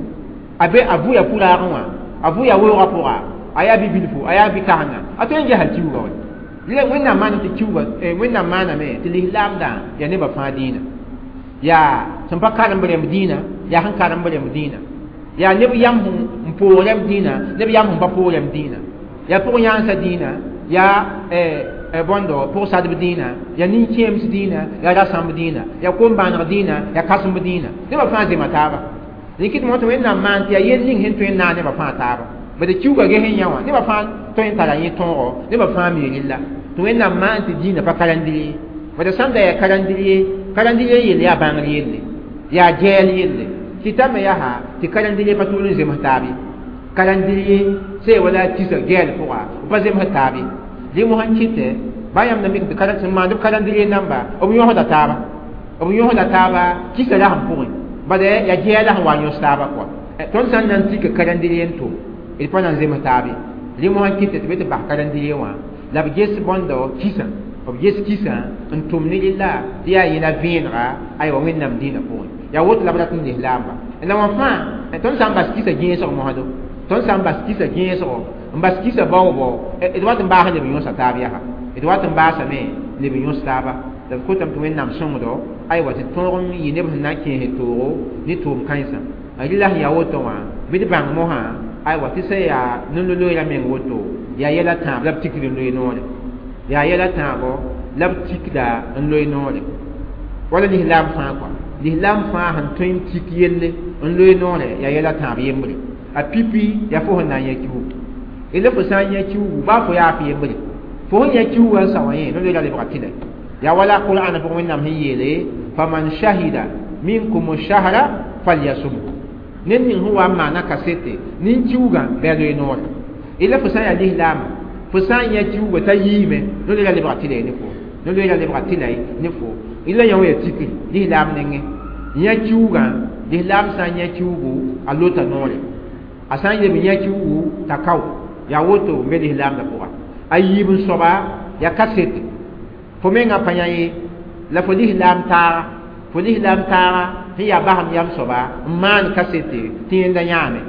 Speaker 1: a be a vʋya pʋraagẽ wã a vʋya weoogã pʋga a yaa bi-bilfu a yaa bi-kãsenga a tõe n gesa kiuga wa la wẽnnaam maaname tɩ kiuugã wẽnnaam maaname tɩ lislaamdã yaa nebã fãa dĩinã yaa sẽn pa karemb rẽmb dĩinã yaa sẽn karemb rẽmb dĩinã yaa neb yam n poog rẽmb dĩinã neb yam sẽn pa poog rẽmb dĩinã yaa pʋg-yãansa dĩinã yaa bõndo pʋg-sadb dĩinã yaa nin-kẽems dĩinã yaa rasãmb dĩinã yaa kom-bãaneg dĩinã yaa kãsemb dĩinã nebã fãa zema taaba rɩkɩd mo tɩ wẽnnaam maan tɩ yaa yel ning sẽn tõe n naag nebã fãa taaba bad kiuugã ges n yã wã nebã fãa tõe n tara yẽ tõogo nebã fãa mi rella tɩ wẽnnaam maan tɩ dĩinã pa karẽndr bad sãn da yaa karẽndr ye karẽndr yelle yaa bãngr yelle yaa gɛɛl yelle tɩ tame yaa tɩ karẽndr pa tʋʋl n zems taab ye karẽndr sẽn wala tɩsa gɛɛl pʋga b pa zems taab ye rẽ mosã n kɩtɛ ba yãmb na mik tɩ sẽn maand b karẽndr namba b yõsda taaba b yõsda taaba kɩsa rasem pʋgẽ bad yaa gɛɛla sẽn wa n yõs taaba kɔa tõnd sã n na n tika karẽndr n tʋm d pa na n zems taab ye rẽ mosã n kɩtɛ tɩ be tɩ bas karẽndr wã la b ges bõndo kɩsã b ges kɩsã n tʋm ne rella tɩ yaa yẽla vẽenega aywa wẽnnaam dĩinã pʋgẽ yaa woto la b rat n lislaamba la wã fãa tõnd sã n bas kɩsa gẽesg mosdo tõnd sã n bas kɩsa gẽesgo n bas kɩsa baoobao d wat n baas neb yõsa taab yaa d wat n baasame neb yõs taaba la b kotame tɩ wẽnnaam sõngdo aywa tɩ tõog n yɩ neb sẽn na n kẽes toogo ne tʋʋm kãensã rɩla sẽn yaa woto wã bɩ d bãng mosã aywa tɩ sẽn yaa nin-loeera meng woto yaa yɛla tãab la b tikd n loe noore yaa yɛla tãabo la b tikda n loe noore wala lislaam fãa kɔa lislaam fãa sẽn tõe n tik yelle n loe noore yaa yɛla tãab yembre a pipi yaa fo sẽn na n yã kiugu la fo sã n yã kiugu baa fo yaa f yembre fo sẽn yã kiugã n sao yẽ no-loeera lebga tɩlɛ yaa wala qur'an pʋgẽ wẽnnaam sẽn yeele faman shahida minkum shahra falyasumhu ned ning sẽn wa n maana kasete nin-kiugã bɩ a loe noore la fo sã n yaa lislaama fo sã n yã kiugã t'a yiime no-loeera lebga tɩlɛ ne fo no-loeera lebga tɩlɛ ne fo la yã wã yaa tikri lislaam nengẽ yã kiugã lislaam sã n yã kiugu a lota noore a sã n leb yã kiugu t'a kao yaa woto n be lislaamdã pʋga a yiib n soaba yaa kasete fo mengã pa yã ye la fo lislaam taaga fo lislaam taaga sẽn yaa basem yam soaba n maan kasete tɩ yẽnda yãame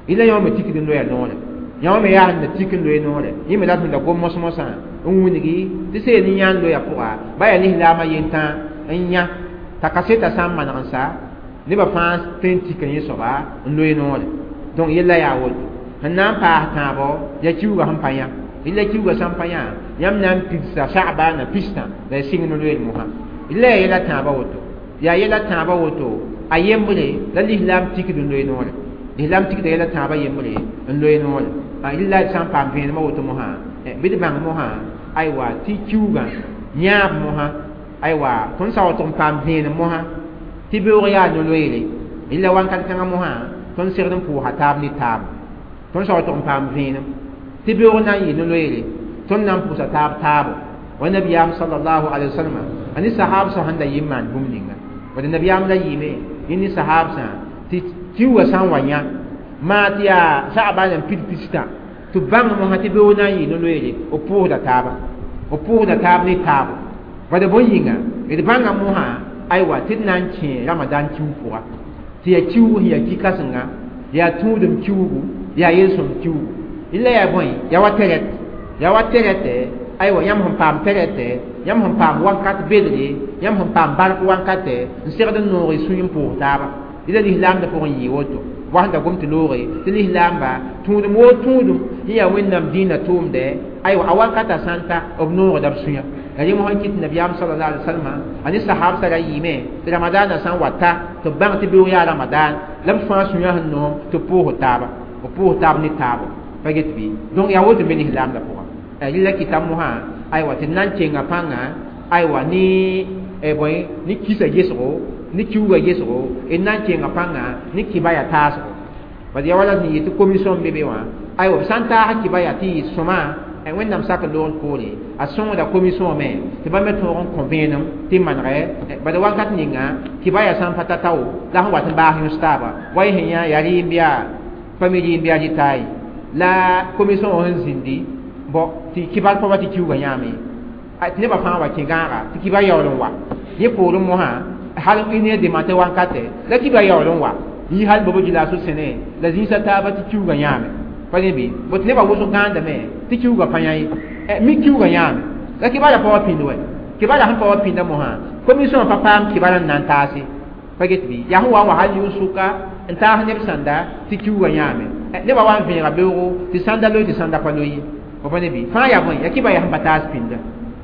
Speaker 1: la yã wã me tikd n loya noore yã wã me yaa sẽn na tik n loe noore yẽ me rat sẽn da gom mos-mosã n wilgi tɩ sẽn ne yãan loya pʋga ba yaa lislaamã yentã n yã t'a kaseta sã n maneg n sa nebã fãa tõe n tika yẽ soaba n loe noore donc yella yaa woto sẽn na n paas tãabo yaa kiuugã sẽn pa yã la kiuugã sã n pa yã yãmb na n pidsa sagbaana pistã la y sɩng no-loeer mosã la yaa yɛla tãabã woto yaa yɛla tãabã woto a yembre la lislaam tikd n loe noore lislaam tikda yɛla tãabã yembre n loe noore rɩla sã n paam vẽenemã woto mosã bɩ d bãng mosã aywa tɩ kiugã yãab mosã aywa tõnd sã wa tʋg n paam vẽenem mosã tɩ beoog yaa no-loeere rɩla wãnkat kãngã mosã tõnd segd n pʋʋsa taab ne taab tõnd sã wa tʋg n paam vẽenem tɩ beoog na n yɩ no-loeere tõnd na n pʋʋsa taab taabo wa nabiyaam sallallahu alaihi wasallam a ne sahab sã sẽn da yɩ n maan bũmb ninga bad nabiyaam la yɩɩme yẽ ne sahab sã tɩ kiugã sã n wa yã maa tɩ yaa sagba n pid pistã tɩ bãng mosã tɩ beoog na n yɩ no-loeere b pʋʋsda taaba b pʋʋsda taab ne taabo bad bõe yĩnga d bãnga mosã aywa tɩ d na n kẽ ramadan kiug pʋga tɩ yaa kiugu sẽn yaa ki-kãsenga yaa tũudem kiugu yaa yel-sõm kiugu la yaa bõe yaa wa tɛrɛt yaa wa tɛrɛtɛ aywa yãmb sẽn paam tɛrɛtɛ yãmb sẽn paam wakat bedre yãmb sẽn paam bark wankatɛ n segd n noog y sũy n pʋʋs taaba la lislaamdã pʋgẽ yɩ woto wa sẽn da gom tɩ looge tɩ lislaamba tũudem woo tũudum yẽ yaa wẽnnaam dĩinã tʋʋmdɛ aywa a wakata sã n ta b noogda b sũyã la rẽ mosã kɩt nabiyaam sallallahu alaihi wasallam a ne sahab sã ra yɩɩme tɩ ramadaanã sã n wa ta tɩ b bãng tɩ beoog yaa ramadan la b fãa sũyã sẽn noom tɩ b pʋʋs taaba b pʋʋs taab ne taabo pa get bɩ donc yaa woto me lislaamdã pʋga rɩla kɩta mosã aywa tɩ na n kenga pãnga aywa ne bõe ne kisa gesgo ne kiuugã gesgo d na n kenga pãnga ne kibaya taasgo bad yaa wala sẽn yɩ tɩ commission be be wã aywa b sã n taas kibaya tɩ yɩ sõma wẽnnaam sak loogr poore a sõngda commission me tɩ bãmb me tõog n kõ vẽenem tɩ manegɛ bad wakat ninga kibaya sã n pa ta tao la sẽn wat n baas yõs taaba wa y sẽn yã yaa rɩɩm yaa pa mi rɩɩm yaa rɩtaay la commission wã sẽn zĩndi bõ tɩ kibar pa wa tɩ kiuugã yãame tɩ nebã fãa wa kẽ gãaga tɩ kibar yaool n wa yẽ poorẽ mosã hal ne demate wankatɛ la kibar yaool n wa yɩ hal bobo gilaaso sẽne la zĩisã taaba tɩ kiuugã yãame pa ne bɩ bõ tɩ nebã wʋsg gãandame tɩ kiuugã pa yã ye mi kiuugã yãame La kibara pa wa pĩnd wɛ kibara sẽn pa wa pĩnda mosã commission pa paam kibara n na n taase pa get bɩ yaa sẽn wa n wa hal yʋng-sʋka n taas neb sãnda tɩ kiuugã yãame nebã wa n vẽega beoogo tɩ sãnda loe tɩ sãnda pa loe ye fo pa ne bɩ fãa yaa bõe yaa kɩba yaa sẽn pa taas pĩnda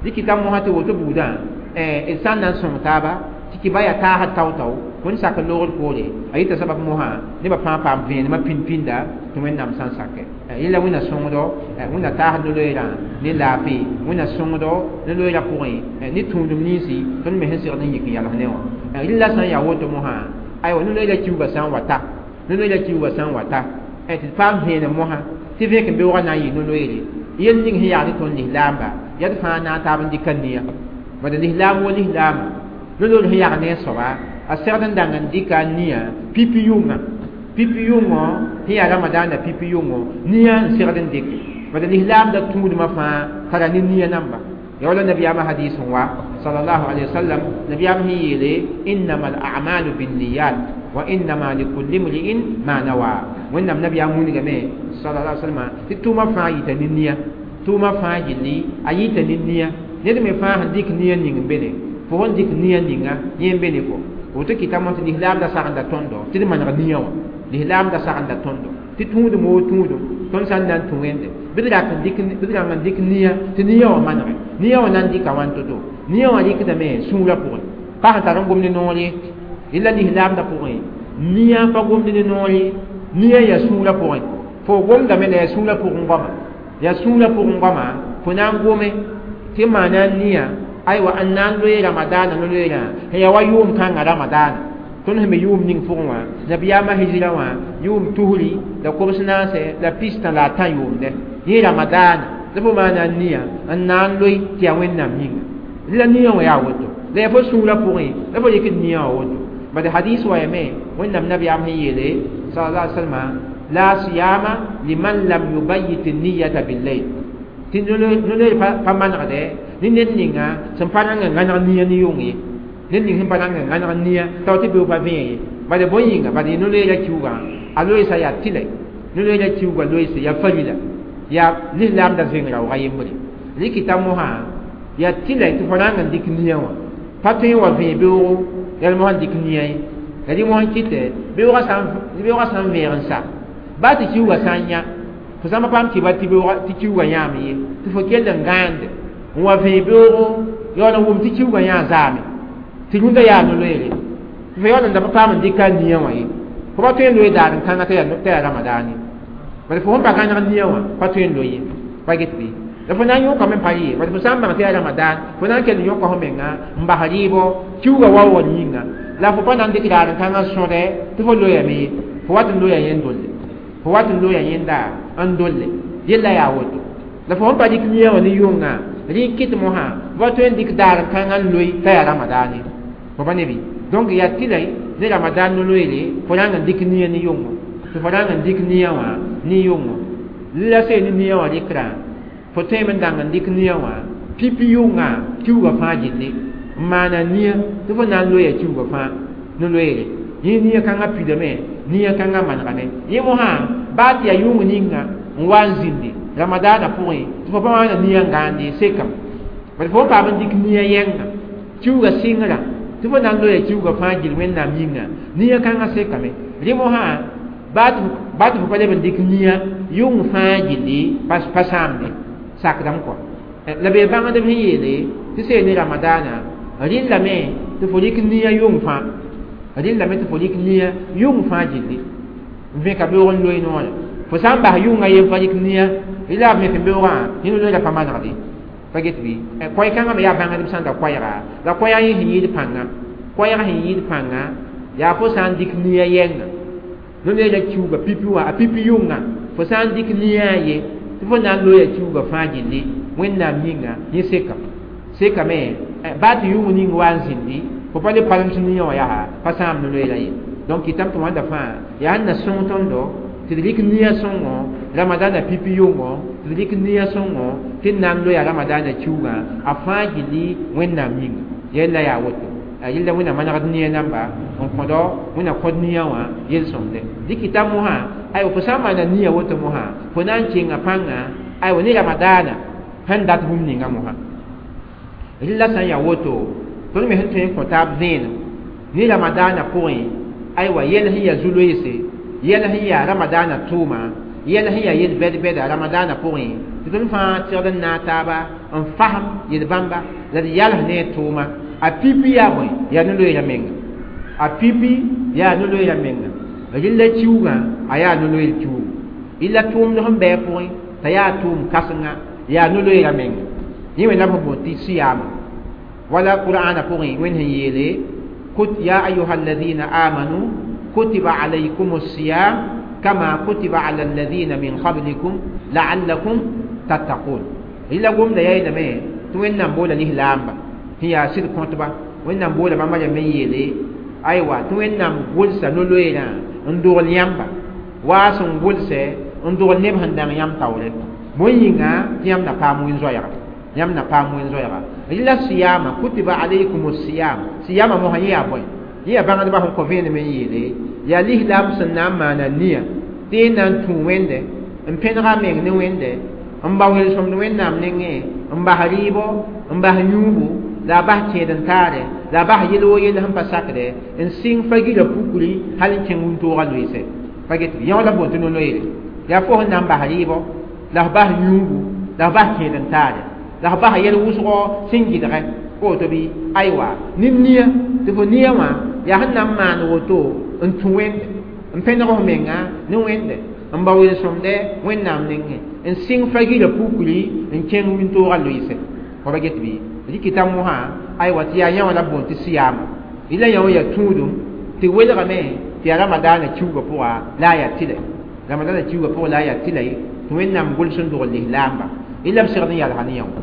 Speaker 1: dɩkɩta mosã tɩ woto buudã d sã n na n sõng taaba tɩ kɩba yaa taasd tao-tao wẽnd sak n loogd poore a yita sabab mosã nebã fãa paam vẽenemã pĩnd pĩnda tɩ wẽnnaam sã n sake yella wẽnna sõngdo wẽnna taasd no-loeerã ne laafɩ wẽnna sõngdo no-loeerã pʋgẽ ne tũudum ninsi tõnd me sẽn segd n yik n yals ne wã rɩla sã n yaa woto mosã aywa no-loeerã kiuugã sã n wa ta no-loeerã kiuugã sã n wa ta tɩ d paam vẽenem mosã tɩ vẽk n beoogã na n yɩ no-loeere yel ning sẽn yaag ne tõnd lislaamba yaa d fãa na n taab n dɩka nia bad lislaam wo lislaama no-loor sẽn yag ne a soaba a segd n dãng n dɩka a nia pipi yʋnga pipi yʋngõ sẽn yaa ramadaana pipi yʋngõ nia n segd n dɩke bad lislaamda tũudmã fãa tara ne nia namba ya wala nabiyaamã hadis n wa sallallahu alaihi wasallam nabiyaam sẽn yeele innama al-a'malu binniyat wa innama likulli imri'in ma nawa wẽnnaam nabiyaam wilgame sallallahu alaihi wasallam tɩ tʋʋmã fãa yita ne nia tʋʋmã fãa gilli a yita ne nia ned me fãa sẽn dɩk nia ning n be ne fo sẽn dɩk nia ninga yẽ n be ne fo woto kɩtame tɩ lislaamda sagenda tõndo tɩ d maneg nia wã lislaamda sagenda tõndo tɩ tũudum woo tũudum tõnd sã n na n tũ wẽnde bɩ d rak n dɩk bɩ d rãng n dɩk nia tɩ nia wã manege nia wã na n dɩka wãn to-to nia wã rɩkdame sũurã pʋgẽ pa sẽn tar n gomd noor ye rɩla lislaamda pʋgẽ nia pa gomd ne noor ye nia yaa sũurã pʋgẽ fo gomdame la yaa sũurã pʋgẽ goama yaa sũurã pʋgẽ goama fo na n gome tɩ maana nia aywa n na n loe ramadaana no-loeerã sẽn yaa wa yʋʋm kãngã ramadaana tõnd sẽn be yʋʋm ning pʋgẽ wã nabiyaamã hijra wã yʋʋm tusri la kobs naase la pistã la a tã yʋʋmdɛ yẽ ramadaana la fo maana nia n na n loe tɩ yaa wẽnnaam yĩnga la nia wã yaa woto la yaa fo sũurã pʋgẽ la fo rɩkd nia wã woto bad hadis wa yame wẽnnaam nabiyaam sẽn yeele sallallahu alaihi wasallam la siyama liman lam yubayyit niyata billayl tɩ no-loeer pa manegdɛ ne ned ninga sẽn pa rãng n gãneg nia ne yʋng ye ned ning sẽn pa rãng n gãneg nia tao tɩ beoog pa vẽe ye bad bõe yĩnga bad no-loeerã kiuugã a loeesa yaa tɩlɛ no-loeerã kiuugã loeese yaa farila yaa lislaamda zẽng raooga yembre rɩkɩta mosã yaa tɩlɛ tɩ fo rãng n dɩk nia wã pa tõe n wa vẽe beoogo yaa mosã n dɩk nia ye la rɩ mosã kɩtɛ beoogã sã n vẽeg n sa baa tɩ kiuugã sã n yã fo sã n pa paam kɩba tɩ kiuugã yãame ye tɩ fo kell n gãande n wa vẽe beoogo yaool n wʋm tɩ kiuugã yã zaame tɩ rũndã yaa no-loeere tɩ fo yaool n da pa paam n dɩka a nia wã ye fo pa tõe n loe daar n kãngã t'a yaa ramadaane bad fo sẽn pa gãneg nia wã pa tõe n loe ye pa get bɩ la fo na n yõkame n pa rɩ ye bad fo sã n bãng tɩ yaa ramadan fo na n kell n yõka fo menga n bas rɩɩbɔ kiuugã waoogd yĩnga la fo pa na n dɩk daar n kãngã sõdɛ tɩ fo loyame ye fo wat n loya yẽnd dolle fo wat n loya yẽnda n dolle yella yaa woto la fo sẽn pa dɩk nia wã ne yʋnga rɩ kɩt mosã fo pa tõe n dɩk daar n kãngã n loe t'a yaa ramadaane fo pa ne bɩ donc yaa tɩlɛ ne ramadan no-loeere fo rãng n dɩk nia ne yʋngo tɩ fo rãng n dɩk nia wã ne yʋngo la see ne nia wã rɩkrã fo tõeme n dãng n dɩk nia wã pipi yʋnga kiuugã fãa gilli n maana nia tɩ fo na n loeya kiuugã fãa no-loeere yẽ nia kãngã pidame nia kãngã manegame yẽ mosã baa tɩ yaa yʋng ninga n wa n zĩndi ramadaana pʋgẽ tɩ fo pa maana nia n gãande sekame bad fo n paam n dɩk nia yɛnga kiuugã sɩngrã tɩ fo na n loeya kiuugã fãa gill wẽnnaam yĩnga nia kãngã sekame rẽ mosã baa tɩ fo pa leb n dɩk nia yʋng fãa gilli pa sãamde sakdame kɔa la bee bãngdb sẽn yeele tɩ see ne ramadaana rɩllame tɩ fo rɩk nia yʋng fãa rɩllame tɩ fo rɩk nia yʋng fãa gilli n vẽka beoog n loe noorã fo sã n bas yʋnga yen pa rɩk nia rɩla b vẽk n beoogã yẽ no-loeerã pa manegde pa get bɩ koɛɛ-kãngã me yaa bãngdb sã n da koɛɛga la koɛɛg yẽ sẽn yɩɩd pãnga koɛɛg sẽn yɩɩd pãnga yaa fo sã n dɩk nia yɛnga no-loeerã kiuugã pipi wã a pipi yʋnga fo sã n dɩk nia ye tɩ fo na n loeya kiuugã fãa gilli wẽnnaam yĩnga yẽ sekame sekame baa tɩ yʋng ning wa n zĩndi fo pa le palems nia wã yaa pa sãam no-loeerã ye donc kɩtame tɩ wãnda fãa yaa sẽn na sõng tõndo tɩ d rɩk nia sõngo ramadaana pipi yʋngo tɩ d rɩk nia sõngo tɩ d na n loeya ramadaana kiuugã a fãa gilli wẽnnaam yĩnga yella yaa woto yella wẽnna manegd nia namba n kõdo wẽnna kõd nia wã yel-sõmde dɩkɩta mosã aywa fo sã n maana nia woto mosã fo na n kẽnga pãnga aywa ne ramadaana sẽn dat bũmb ninga mosã Rɩla sã n yaa woto tõnd me sẽn tõe n kõ taab vẽenem ne ramadaanã pʋgẽ aywa yɛl sẽn yaa zu-loeese yɛl sẽn yaa ramadaanã tʋʋma yɛl sẽn yaa yel-bɛd-bɛda ramadaanã pʋgẽ tɩ tõnd fãa segd n naag taaba n fasem yel-bãmba la d yals ne a tʋʋma a pipi yaa bõe yaa no-loeerã menga a pipi yaa no-loeerã menga rɩlla kiuugã a yaa no-loeer kiuugu illa tʋʋmd sẽn bɩ a pʋgẽ t'a yaa tʋʋm kãsenga yaa no-loeerã menga yẽ wẽnnaam sẽn boond tɩ siyaama wala qur'aana pʋgẽ wẽnd sẽn yeele kut ya ayuha alladhina amanu kutiba alaykum الصيام كما كتب على الذين من قبلكم لعلكم تتقون rɩla gomda yayeelame tɩ wẽnnaam boola lislaamba sẽn yaa sɩd kõtba wẽnnaam boola bãmba rãmb n yeele aywa tɩ wẽnnaam gʋlsa no-loeerã n dogl yãmba waa sẽn gʋlsɛ n dogl neb sẽn dãng yãmb taoore bõe yĩnga tɩ yãmb na paam wẽn-zoɛɛga yãmb na paam wẽn-zoɛɛga rɩla siyama kutiba alaykum siyam siyama mosã yẽ yaa bõe yẽ yaa bãngdbã sẽn kõ vẽenem n yeele yaa lislaam sẽn na n maana nia tɩ yẽ na n tũ wẽnde n pẽnega meng ne wẽnde n ba welsõmd wẽnnaam nengẽ n bas rɩɩbo n bas yũubu la a bas kẽed n taare la a bas yel wo yell sẽn pa sakdɛ n sɩng fa-gila pukri hal n kẽng wĩntoogã loeesɛ pa get bɩ yã la boond tɩ no-loeere yaa fo sẽn na n bas rɩɩbɔ la f bas yũubu la f bas kẽed n taare la f bas yɛl wʋsgɔ sẽn gɩdgɛ woto bɩ aywa ne nia tɩ fo nia wã yaa sẽn na n maan woto n tũ wẽnde n pẽneg f menga ne wẽnde n ba welsõmdɛ wẽnnaam nengẽ n sɩng fa-gila pukri n kẽng wĩntoogã loeesɛ fo pa get bɩ rɩkɩta mosã aywa tɩ yaa yã wã la b boond tɩ siyaama rɩla yã wã yaa tũudum tɩ welgame tɩ yaa ramadaanã kiuugã pʋga la a yaa tɩlɛ ramadaanã kiuugã pʋgã la a yaa tɩlɛ tɩ wẽnnaam gʋls n dogl lislaamba rɩla b segd n yalsa ne yã wã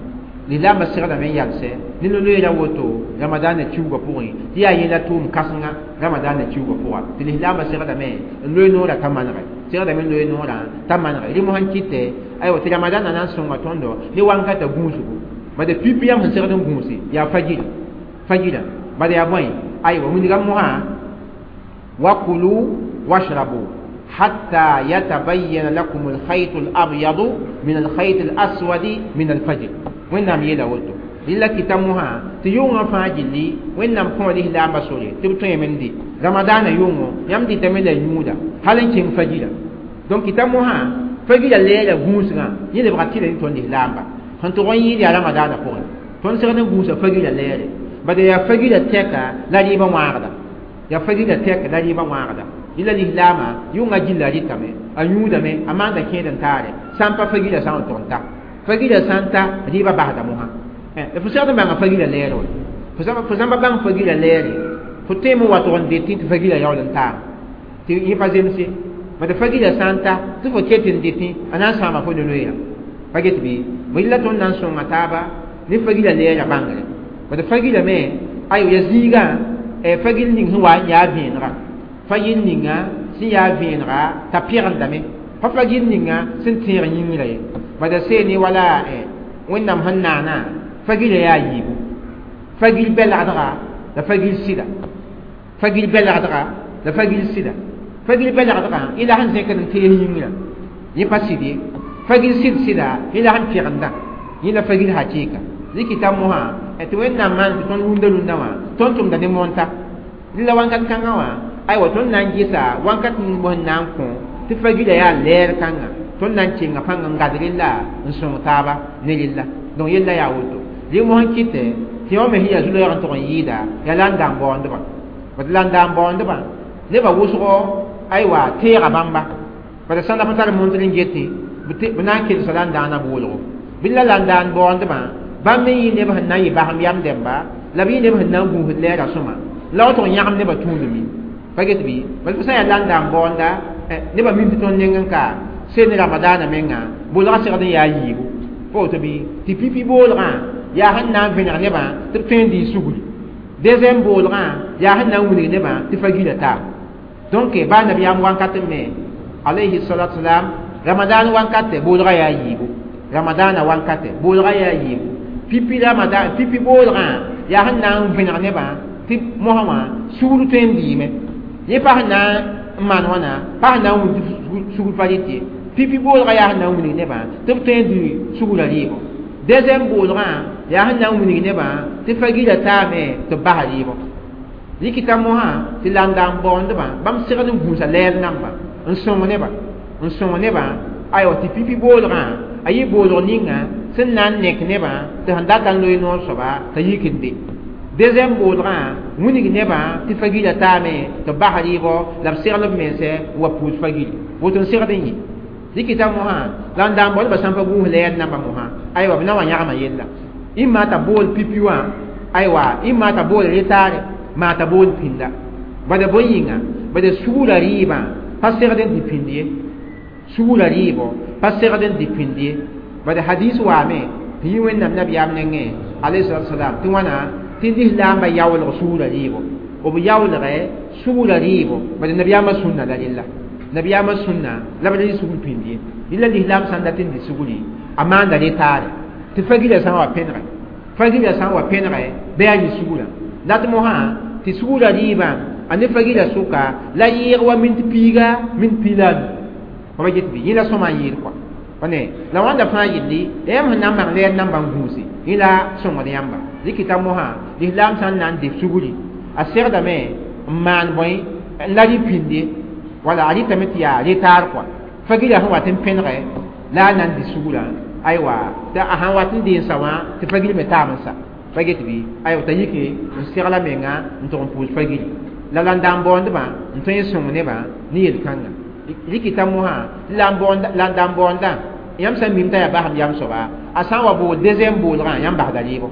Speaker 1: lislaambã segdame n yalsɛ ne no-loeerã woto ramadaanã kiuugã pʋgẽ tɩ yaa yẽla tʋʋm kãsenga ramadaanã kiuugã pʋga tɩ lislaambã segdame n loe noorã t'a manegɛ segdame n loe noorã t'a manegɛ rɩ mosã n kɩtɛ aywa tɩ ramadaanã na n sõnga tõndo ne wankata gũusgo bad pipi yãmb sẽn segd n gũuse yaa fajira fajira bad yaa bõe aywa wilga mosã wakulu washrabu hatta yatabayyana lakum alkhayt alabyad min alkhayt alaswad min alfajr wẽnnaam yeela woto rɩla kɩta mosã tɩ yʋngã fãa gilli wẽnnaam kõ lislaambã sore tɩ b tõeme n dɩ ramadaanã yʋngo yãmb dɩtame la yũuda hal n kẽng fajira donc kɩta mosã fajira leera gũusgã yẽ lebga tɩla ne tõnd lislaamba sẽn tʋg n yɩɩd yaa ramadaanã pʋgẽ tõnd segd n gũusa fajira leere bad yaa fajira tɛka la rɩɩbã wãagda yaa fajira tɛka la rɩɩbã wãagda rɩla lislaamã yʋngã gilla rɩtame a yũudame a maanda kẽed n taare sã n pa fajira sã n tʋg n ta fajira sã n ta rɩɩbã basda mosã fo segd n bãnga fajira leere wa fo sã n pa bãng fajira leere fo tõeme n wa tʋg n detẽ tɩ fajira yaool n taam tɩ yẽ pa zemse bad fajira sã n ta tɩ fo ket n detẽ a na n sãama fo no-loeerã pa get bɩ rɩla tõnd na n sõnga taaba ne fajira leerã bãngre bad fajira me ayo ya zĩigã fagil ning sẽn wa n yaa vẽenega fagil ninga sẽn yaa vẽenega t'a pɛgendame pa fagil ninga sẽn tẽeg yĩngrã ye bad a seene wala wẽnnaam sẽn naana fagila yaa yiibu fagil bɛlgdga la fagil sɩda fagil bɛlgdga la fagil sɩda fagil bɛlgdgã y la sẽn zẽkd n tees yĩngrã yẽ pa sɩd ye fagil sɩd sɩda yẽ la sẽn pɛgenda yẽ la fagil hakɩɩka rɩkɩta mosã tɩ wẽnnaam maan tɩ tõnd rũndã rũndã wã tõnd tʋmda ne monta la wankat kãngã wã aywa tõnd na n gɩsa wankat ning bõe na n kõ tɩ fagila yaa lɛɛr kãnga tõnd na n kenga pãng n gad rella n sõng taaba ne rella donc yella yaa woto rɩ mos n kɩtɛ tɩ yõ me sẽn yaa zu-loɛɛg n tʋg n yɩɩda yaa la n dãn baoondbã bad la n dãn baoondbã nebã wʋsgo aywa teega bãmba bad sãn da pa tar montr n getẽ b na n kelsa la n dãana boolgo bɩ la la n daan baoondbã bãmb me yɩ neb sẽn na n yɩ basem yam dẽmba la b yɩ neb sẽn na n gũusd lɛɛrã sõma la wa tʋg yãgem nebã tũudme pa get bɩ bad fo sã n yaa la n daan baoonda nebã mim tɩ tõnd neng n ka sel ne ramadaanã menga bolgã segd n yaa yiibu pa woto bɩ tɩ pipi boolgã yaa sẽn na n vẽneg nebã tɩ b tõe n dɩ sugri deuxième boolgã yaa sẽn na n wilg nebã tɩ fa gila taab donc baa nabiyaam wankat n me alayhi salatu salam ramadan wankatɛ boolgã yaa yiibu ramadaanã wankatɛ boolgã yaa yiibu pipi ramadan pipi boolgã yaa sẽn na n vẽneg nebã tɩ mosã wã sugr tõe n dɩɩme yẽ pa sẽn na n maan wãna pa sẽn na n wilg tɩ sugr pa rɩt ye pipi boolgã yaa sẽn na n wilg nebã tɩ b tõe n dɩ sugrã rɩɩbɔ deuxième boolgã Yaa sẽn na n wilg nebã tɩ fa gila taame tɩ b basa rɩɩbɔ. Rɩkɩta mosã tɩ la n da n baoondbã bãmb segd n gũusa lɛɛr namba n sõng nebã n sõng nebã aywa tɩ pipi boolgã a yɩ boolg ninga sẽn na n nek nebã tɩ sẽn data n loe noor soaba t'a yik n be. Deuxième boolgã wilg nebã tɩ fa gila taame tɩ b bas rɩɩbɔ la b segl b mense n wa puus fa-gili woto n segd n yɩ. Rɩkɩta mosã la n da n baoodbã sãn pa gũus lɛɛr namba mosã aywa b na wa yãgma yella ĩmma t'a bool pipi wã aywa ĩmma t'a bool retaare maa t'a bool pĩnda bada bõe yĩnga bada sugurã rɩɩbã pa segd n dɩ pĩnd ye sugurã rɩɩbɔ pa segd n dɩ pĩnd ye bada hadis waame tɩ yɩ wẽnnaam nabiyaam nengẽ alayhi salatu wasalam tɩ wãna tɩ lislaambã yaoolg sugurã rɩɩbɔ b yaoolgɛ sugurã rɩɩbɔ bada nabiyaamã sũnna la rella nabiyaamã sũnna la b rɩ sugr pĩnd ye rɩla lislaam sãn dat n dɩ sugri a maanda retaare tɩ fa-gilã sã n wa pẽnegɛ fa-gilã sã n wa pẽnegɛ bɩ a yɩ sugurã la tɩ mosã tɩ sugurã rɩɩbã a ne fa-gilã sʋka la yɩɩg wa mint piiga mint piig la a nu pa ba get bɩ yẽ la sõma n yɩɩd kɔa pa ne la wãnda fãa yelli yãmb sẽn na n maan lɛɛr nambã n gũuse yẽ la sõngd yãmba rɩkɩta mosã lislaam sã n na n dɩ sugri a segdame n maan bõe n la rɩ pĩnde wala a rɩtame tɩ yaa retaar kɔa fa-gilã sẽn wat n pẽnegɛ la a na n dɩ sugrã aywa tɩ a sãn wat n dee n sa wã tɩ fa-gil me taam n sa pa get bɩ aywa t'a yike n segla menga n tʋg n pʋʋs fa-gili la la n da n baoondbã n tõe n sõng nebã ne yel-kãnga rɩkɩta mosã la n da n baoondã yãmb sã n mim t'a yaa basem yam soaba a sã n wa bool deuxième boolgã yãmb basda rɩɩbɔ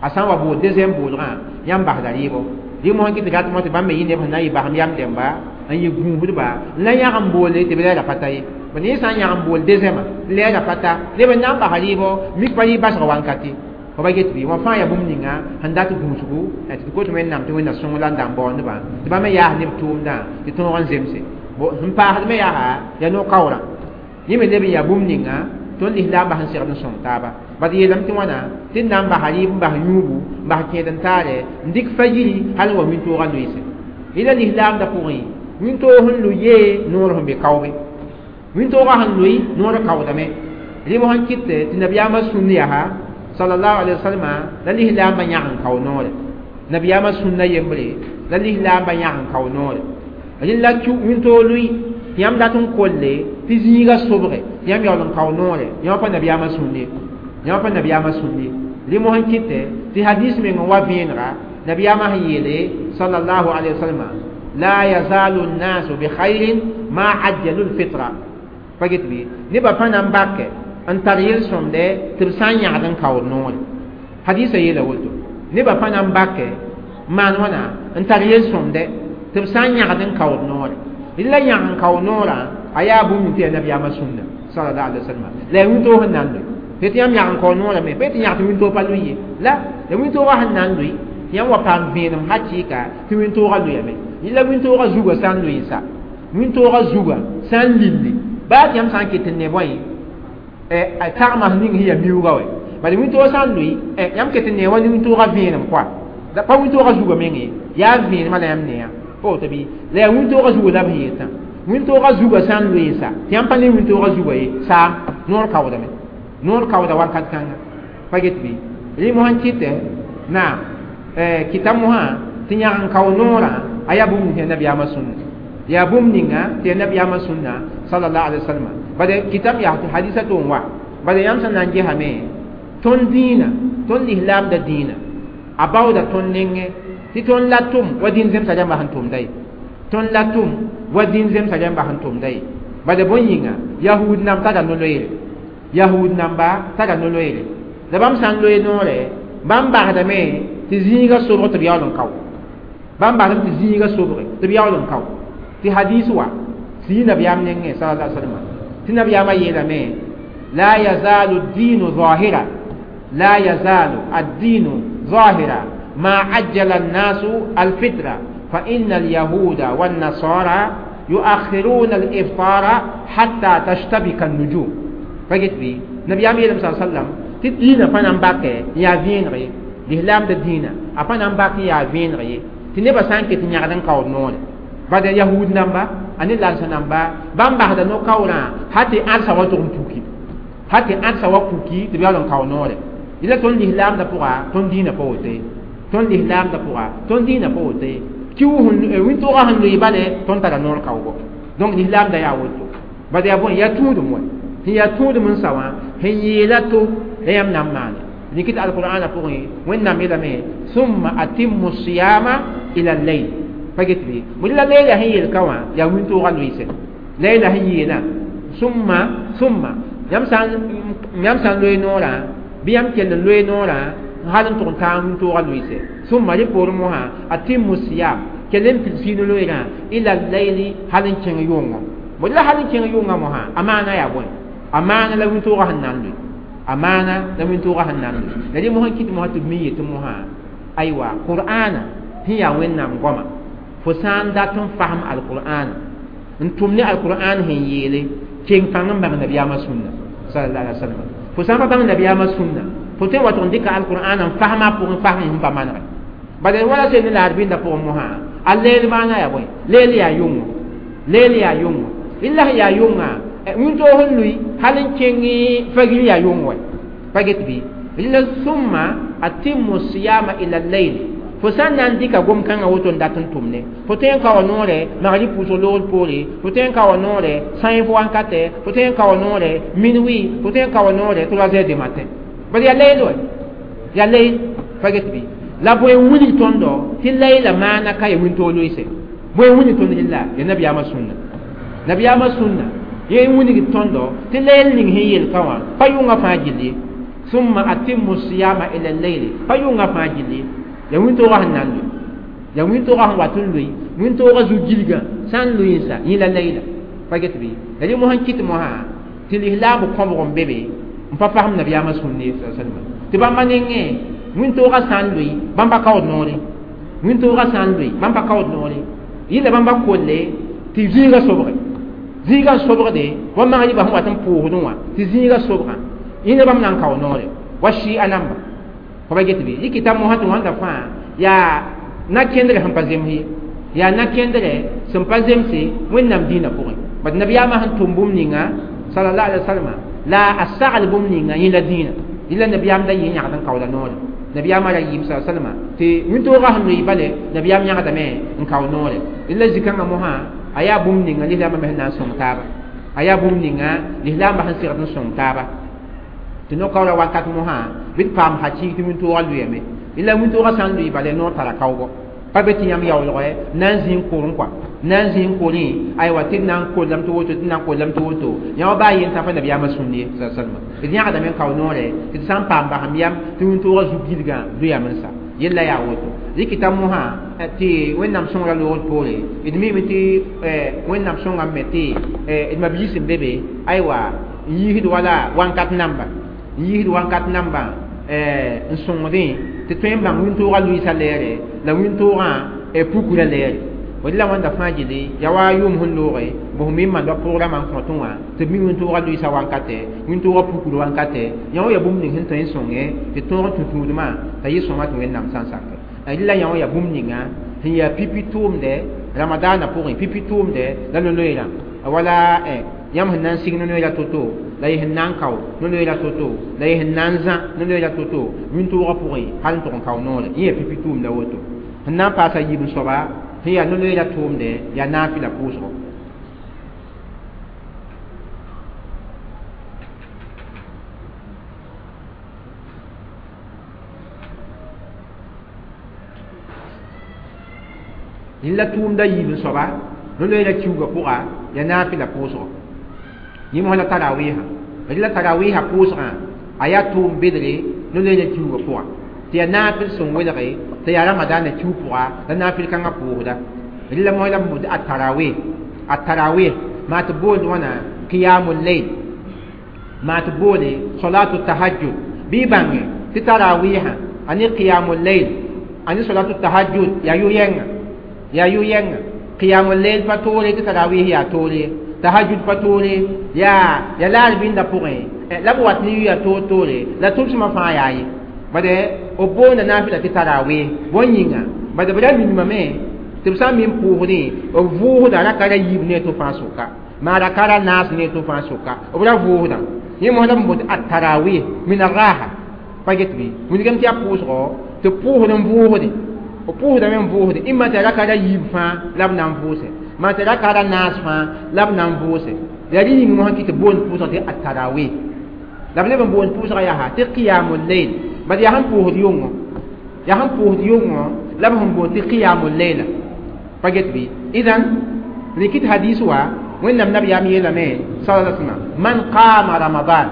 Speaker 1: a sã n wa bool deuxième boolgã yãmb basda rɩɩbɔ rɩ mosã kɩ tɩ rat mosã tɩ bãmb me yɩ neb sẽn na n yɩ basem yam dẽmba n yɩ gũusdba la yãg n boole tɩ b lɛɛra pa ta ye b ne sã n yãg n bool deuxième lɛɛra pa ta neb n na n basa rɩɩbɔ mik pa rɩ basg wankate fa ba get bɩ wã fãa yaa bũmb ninga sẽn dat gũusgu tɩ d kot wẽnnaam tɩ wẽnna sõng la n da n baoondbã tɩ bãmb me yaas neb tʋʋmdã tɩ tõog n zemse sẽn paasd me yaa yaa no-kaoorã yẽ me leb n yaa bũmb ninga tõnd lislaambã sẽn segd n sõng taaba bad yeelame tɩ wãna tɩ d na n basa rɩɩb n bas yũubu n bas kẽed n taare n dɩk fa-yiri hal n wa wĩntoogã loeese yẽla lislaamdã pʋgẽ wĩntoog sẽn lʋ yee noor sẽn be kaoobe wĩntoogã sẽn loe noor kaoodame rɩ sẽn kɩt tɩ nabiyaamã sũnd yaa sallallahu alaihi wasallam la lislaambã yãg n kao noore nabiyaamã sũnna yembre la lislaambã yãg n kao noore rẽn la wĩntoog lʋɩ tɩ yãmb dat n kolle tɩ zĩiga sobge tɩ yãmb yaool n kao noore yãmb pa nabiyaamã sũnd ye yãmb pa nabiyaamã sũnd ye rɩ mosã kɩtɛ tɩ hadis meng n wa vẽenega nabiyaamã sẽn yeele sallallahu alaihi wasallam la yazalu nnasu bikhairin ma ajjalu lfitra pa get bɩ nebã pa na n bakɛ n tar yel-sõmdɛ tɩ b sã n yãgd n kaood noore hadisa yeela woto nebã pa na n bakɛ n maan wãna n tar yel-sõmdɛ tɩ b sã n yãgd n kaood noore la yãg n kao noorã a yaa bũmb ning tɩ yaa nabiyaamã sũnna sallallahu alaihi wasallam la yaa wĩntoog sẽn na n loe tɩ yãmb yãg n kao noorame pa tɩ yãg tɩ wĩntoog pa loe ye la la wĩntoogã sẽn na n loe tɩ yãmb wa paam vẽenem hakɩɩka tɩ wĩntoogã loeame la wĩntoogã zugã sã n loe n sa wĩntoogã zugã sã n lilli baa tɩ yãmb sã n ket n ne bõe tagmã ning sẽn yaa miuugã wɛ bala wĩntoogã sã n loe yãmb ket n ne wa ne wĩntoogã vẽenem kɔa pa wĩntoogã zugã meng ye yaa vẽenemã la yãmb neya pa woto bɩ la yaa wĩntoogã zugã la b sẽn yetã wĩntoogã zugã sã n loe n sa tɩ yãmb pa ne wĩntoogã zugã ye saam noor kaoodame noor kaooda wakat kãnga pa get bɩ rɩ mosã n kɩtɛ naam kɩta mosã tɩ yãg n kao noorã a yaa bũmb ning tɩ yaa nabiyaamã sũnna yaa bũmb ninga tɩ yaa nabiyaamã sũnna sallallahu alaihi wasallam bala kɩtame yaa tɩ hadisa tʋ n wa bala yãmb sẽn na n gesame tõnd dĩinã tõnd lislaamda dĩinã a baooda tõnd nengẽ tɩ tõnd la tʋm wa dĩn zemsa rãmbã sẽn tʋmda ye tõnd la tʋm wa dĩn zemsa rãmbã sẽn tʋmda ye bala bõe yĩnga yahud namba tara no-loeere yahud namba tara no-loeere la bãmb sã n loe noore bãmb basdame tɩ zĩiga sobg tɩ b yaool n kao bãmb basdame tɩ zĩiga sobge tɩ b yaool n kao tɩ hadis wa tɩ yɩ nabiyaam nengẽ sallallahu alaihi wasallam tɩ nabiyaamã yeelame la yazalu ad-dinu zahira la yazalu ad-dinu zahira ما عجل الناس الفطرة فإن اليهود والنصارى يؤخرون الإفطار حتى تشتبك النجوم فقلت بي نبي عمي صلى الله عليه وسلم تدين فانا باكي يا فينغي الإسلام دينا أفانا باكي يا فينغي تنبا سانكي تنيغدن كاو نون بعد يهود نمبا أني لانسا نمبا بام بعد نو كاورا حتى أنسا وترم بوكي حتى أنسا وبوكي تبيالون كاو نون ila tõnd lislaamdã pʋga tõnd dĩinã pa woto ye tõnd lislaamdã pʋga tõnd dĩinã pa woto ye kiu wĩntoogã sẽn loe bale tõnd tara noor kaoogo donc lislaamdã yaa woto bad yaa bõe yaa tũudum wɛ sẽn yaa tũudum n sa wã sẽn yeela to la yãmb na n maane dɩk tɩ alqur'ana pʋgẽ wẽnnaam yeelame summa atimmu siyama ila layl pa get bɩ bõe la leila sẽn yeel ka wã yaa wĩntoogã loɩse leila sẽn yeelã summa summa yãmb sã yãmb sã n loe noorã bɩ yãmb kell n loe noorã hal n tʋg n taa wĩntoogã loɩse summa rẽ poorẽ mosã atimmu siyam kell n pid sɩɩd loeerã ila layli hal n kẽng yʋngõ bõe la hal n kẽng yʋngã mosã a maana yaa bõe a maana la wĩntoogã sẽn na n loe a maana la wĩntoogã sẽn na n loe la rẽ mosã kɩt mosã tɩ b mi yetɩ mosã aywa qur'ana sẽn yaa wẽnnaam goama fo sã n dat n fasem alqur'ana n tʋm ne alqur'an sẽn yeele keng pãng n bãng nabiyaamã sũnna sallallahu alaihi wasallam fo sã n pa bãng nabiyaamã sũnna fo tõe n wa tʋg n dɩka alqur'an n fasma pʋgẽ fasem sẽn pa manegɛ bala wala sẽn ne la arbĩndã pʋgẽ mosã a leel maana yaa bõe leel yaa yʋngo leel yaa yʋngo illa sẽn yaa yʋngã wĩntoog sẽn lʋɩ hal n kẽng fagir yaa yʋng wɛ pa get bɩ rɩla summa atimmu siyama ila layl fo sã n na n dɩka gom-kãngã woto n dat n tʋmne fo tõe n ka wa noorɛ magrib pʋʋsg loogr poore fo tõe n ka wa noorɛ sãenf wankatɛ fo tõe n ka wa noorɛ minuit fo tõe n ka wa noorɛ trois heures du matin bad yaa layl wɛ yaa layl pa get bɩ la bõe n wilg tõndo tɩ layla maana ka ya wĩntoog loɩse bõe n wilg tõnd rɩlla ya nabiyaamã sũnna nabiyaamã sũnna yẽ n wilg tõndo tɩ layl ning sẽn yel ka wã pa yʋngã fãa gill ye summa atimmu siyama ila layli pa yʋngã fãa gill ye ya wĩntoogã sẽn na n loe ya wĩntoogã sẽn wat n loe wĩntoogã zu-gilgã sã n loe n sa yẽ la layla pa get bɩ la rẽ mosã n kɩt mosã tɩ lislaam kõbg n be be n pa fasem nabiyaamã sũnd ye salma tɩ bãmba nengẽ wĩntoogã sã n loe bãmba kaood noore wĩntoogã sã n loe bãmba kaood noore yɩla bãmba kolle tɩ zĩigã sobge zĩigã n sobgde wa magribã sẽn wat n pʋʋsdẽ wã tɩ zĩigã sobgã yẽne bãmb na n kao noore wa sɩɩ namba fo pa get bɩ yikɩta mosã tɩ wãnda fãa yaa na-kẽndrɛ sẽn pa zems ye yaa na-kẽndrɛ sẽn pa zemse wẽnnaam dĩinã pʋgẽ bad nabiyaamã sẽn tʋm bũmb ninga sallallahu alaihi wasallam la a sagl bũmb ninga yẽ la dĩinã yẽla nabiyaam da yɩ yãgd n kaooda noore nabiyaamã ra yɩɩm sa salama tɩ wĩntoogã sẽn loe bale nabiyaam yãgdame n kao noore la zĩ-kãngã mosã a yaa bũmb ninga lislaambã me sẽn na n sõng taaba a yaa bũmb ninga lislaambã sẽn segd n sõng taaba tɩ no-kaoora wakat mosã bɩ d paam hakɩɩg tɩ wĩntoogã loeame la wĩntoogã sã n loe bale noor tara kaoogo pa be tɩ yãmb yaoolgɛ na n zĩ n korẽ kɔa na n zĩ n korẽ aywa tɩ d na n kollame tɩ woto tɩ d na n kollame tɩ woto yã wa baa yen tã pa nabiyaamã sũnd ye salma d yãgdame n kao noorɛ tɩ d sã n paam basem yam tɩ wĩntoogã zu-gilgã loeame n sa yella yaa woto rɩkɩta mosã tɩ wẽnnaam sõngrã loogr poore d miime tɩ wẽnnaam sõngame me tɩ d mabiis n be be aywa n yiisd wala wankat namba n yiisd wankat namba n sõngdẽ tɩ tõe n bãng wĩntoogã lʋɩɩsã lɛɛre la wĩntoogã pukra lɛɛre d la wãnda fãa gilli yaa wa yʋʋm sẽn looge bõs mi n manda programa n kõtẽ wã tɩ b mi wĩntoogã lʋɩɩsã wankatɛ wĩntoogã pukr wankatɛ yã wã yaa bũmb ning sẽn tõe n sõnge tɩ tõog n tũ tũudmã t'a yɩ sõma tɩ wẽnnaam sã n sakɛ rɩla yã wã yaa bũmb ninga sẽn yaa pipi tʋʋmdɛ ramadaanã pʋgẽ pipi tʋʋmdɛ la no-loeerã wala yãmb sẽn na n sig no-loeerã to-to la y sẽn na n kao no-loeerã to-to la y sẽn na n zã no-loeerã to-to wĩntoogã pʋgẽ hal n tʋg n kao noore yẽ yaa pipi tʋʋmdã woto sẽn na n paasa yiib soaba sẽn yaa no-loeerã tʋʋmdɛ yaa naafɩla pʋʋsgo la tʋʋmda yiib soaba no-loeerã kiuugã pʋga yaa naafɩla pʋʋsgo yẽ mosã la tarawiisã la tarawiisã pʋʋsgã a yaa tʋʋm bedre no-loeerã kiuugã pʋga tɩ yaa naafɩl sẽn welge tɩ yaa ramadaanã kiu pʋga la naafɩl kãngã pʋʋsda la mosã la b boond a tarawih a tarawih maa tɩ boond wãna qiyamul layl maa tɩ boole salatu tahajjud bɩ y bãnge tɩ tarawiisã a ne qiyamul layl a ne salatu tahajjud yaa yʋ-yɛnga yaa yʋ-yɛnga qiyamul layl pa toore tɩ tarawih yaa toore tahajjud pa toore yaa ya laar bĩndã pʋgẽ la b wat ne yʋya toor-toore la tʋbsmã fãa yaa ye bad b boonda naafɩla tɩ tarawih bõe yĩnga bad b ra minimame tɩ b sã n min pʋʋsdẽ b vʋʋsda raka ra yiib ne to fãa sʋka maa raka ra naas ne to fãa sʋka b ra vʋʋsdã yẽ mosã la b bot a tarawih min arraha Pa get bɩ wilgame tɩ yaa pʋʋsgɔ tɩ pʋʋsd n vʋʋsde b pʋʋsdame n vʋʋsde ĩmma tɩ raka ra yiib fãa la b na n vʋʋse maa tɩ raka ra naas fãa la b na n vʋʋse yaa rẽ yĩng mosã kɩ tɩ boond pʋʋsg tɩ atarawih la b leb n boond pʋʋsgã yaa tɩ qiyamul layl bad yaa sẽn pʋʋsd yʋngõ yaa sẽn pʋʋsd yʋngõ la b sẽn boond tɩ qiyamul layla pa get bɩ idan rɩkɩt hadis wa wẽnnaam nabiyaam yeelame sala sallam man qama ramadan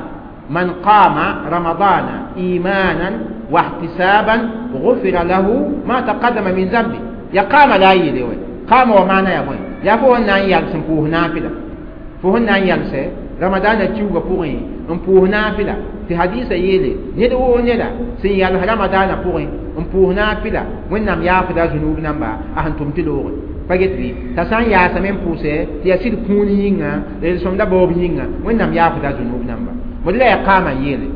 Speaker 1: man qama ramadana imanan واحتسابا غفر له ما تقدم من ذنبه يا قام لا يلي قام ومعنى يا بوي يا فو نان يالس بوه نافله fo sẽn na n yalsɛ ramadaana kiuugã pʋgẽ n pʋʋs naafɩla tɩ hadiisã yeele ned woo neda sẽn yals ramadaanã pʋgẽ n pʋʋs naafɩla wẽnnaam yaafda a zunub namba a sẽn tʋm tɩ loogẽ pa get bɩ t'a sã n yaasame n pʋʋsɛ tɩ yaa sɩd kũun yĩnga la yel-sõmda baoob yĩnga wẽnnaam yaafda a zunub namba mod la yaa qaama n yeele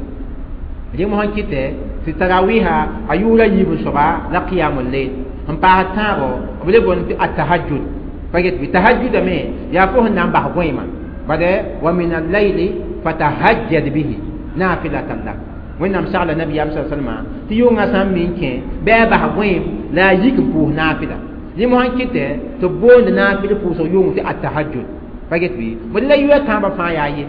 Speaker 1: rẽ mosã kɩtɛ tɩ tarawiha a yʋʋra yiib n soaba la qiyamul layl n paas tãabo b le boond tɩ atahajud pa get bɩ tahajudame yaa fo sẽn na n bas gõeema bade wa min al-layli fatahajjad bihi nafilatan lak wẽnnaam sagla nabiyaam sa salma tɩ yʋngã sã n min kẽ bɩ a bas gõeem la a yik n pʋʋs naafɩla rẽ mosã kɩtɛ tɩ b boond naafɩl pʋʋsg yʋng tɩ atahajud pa get bɩ mod la yʋa tãabã fãa yaa ye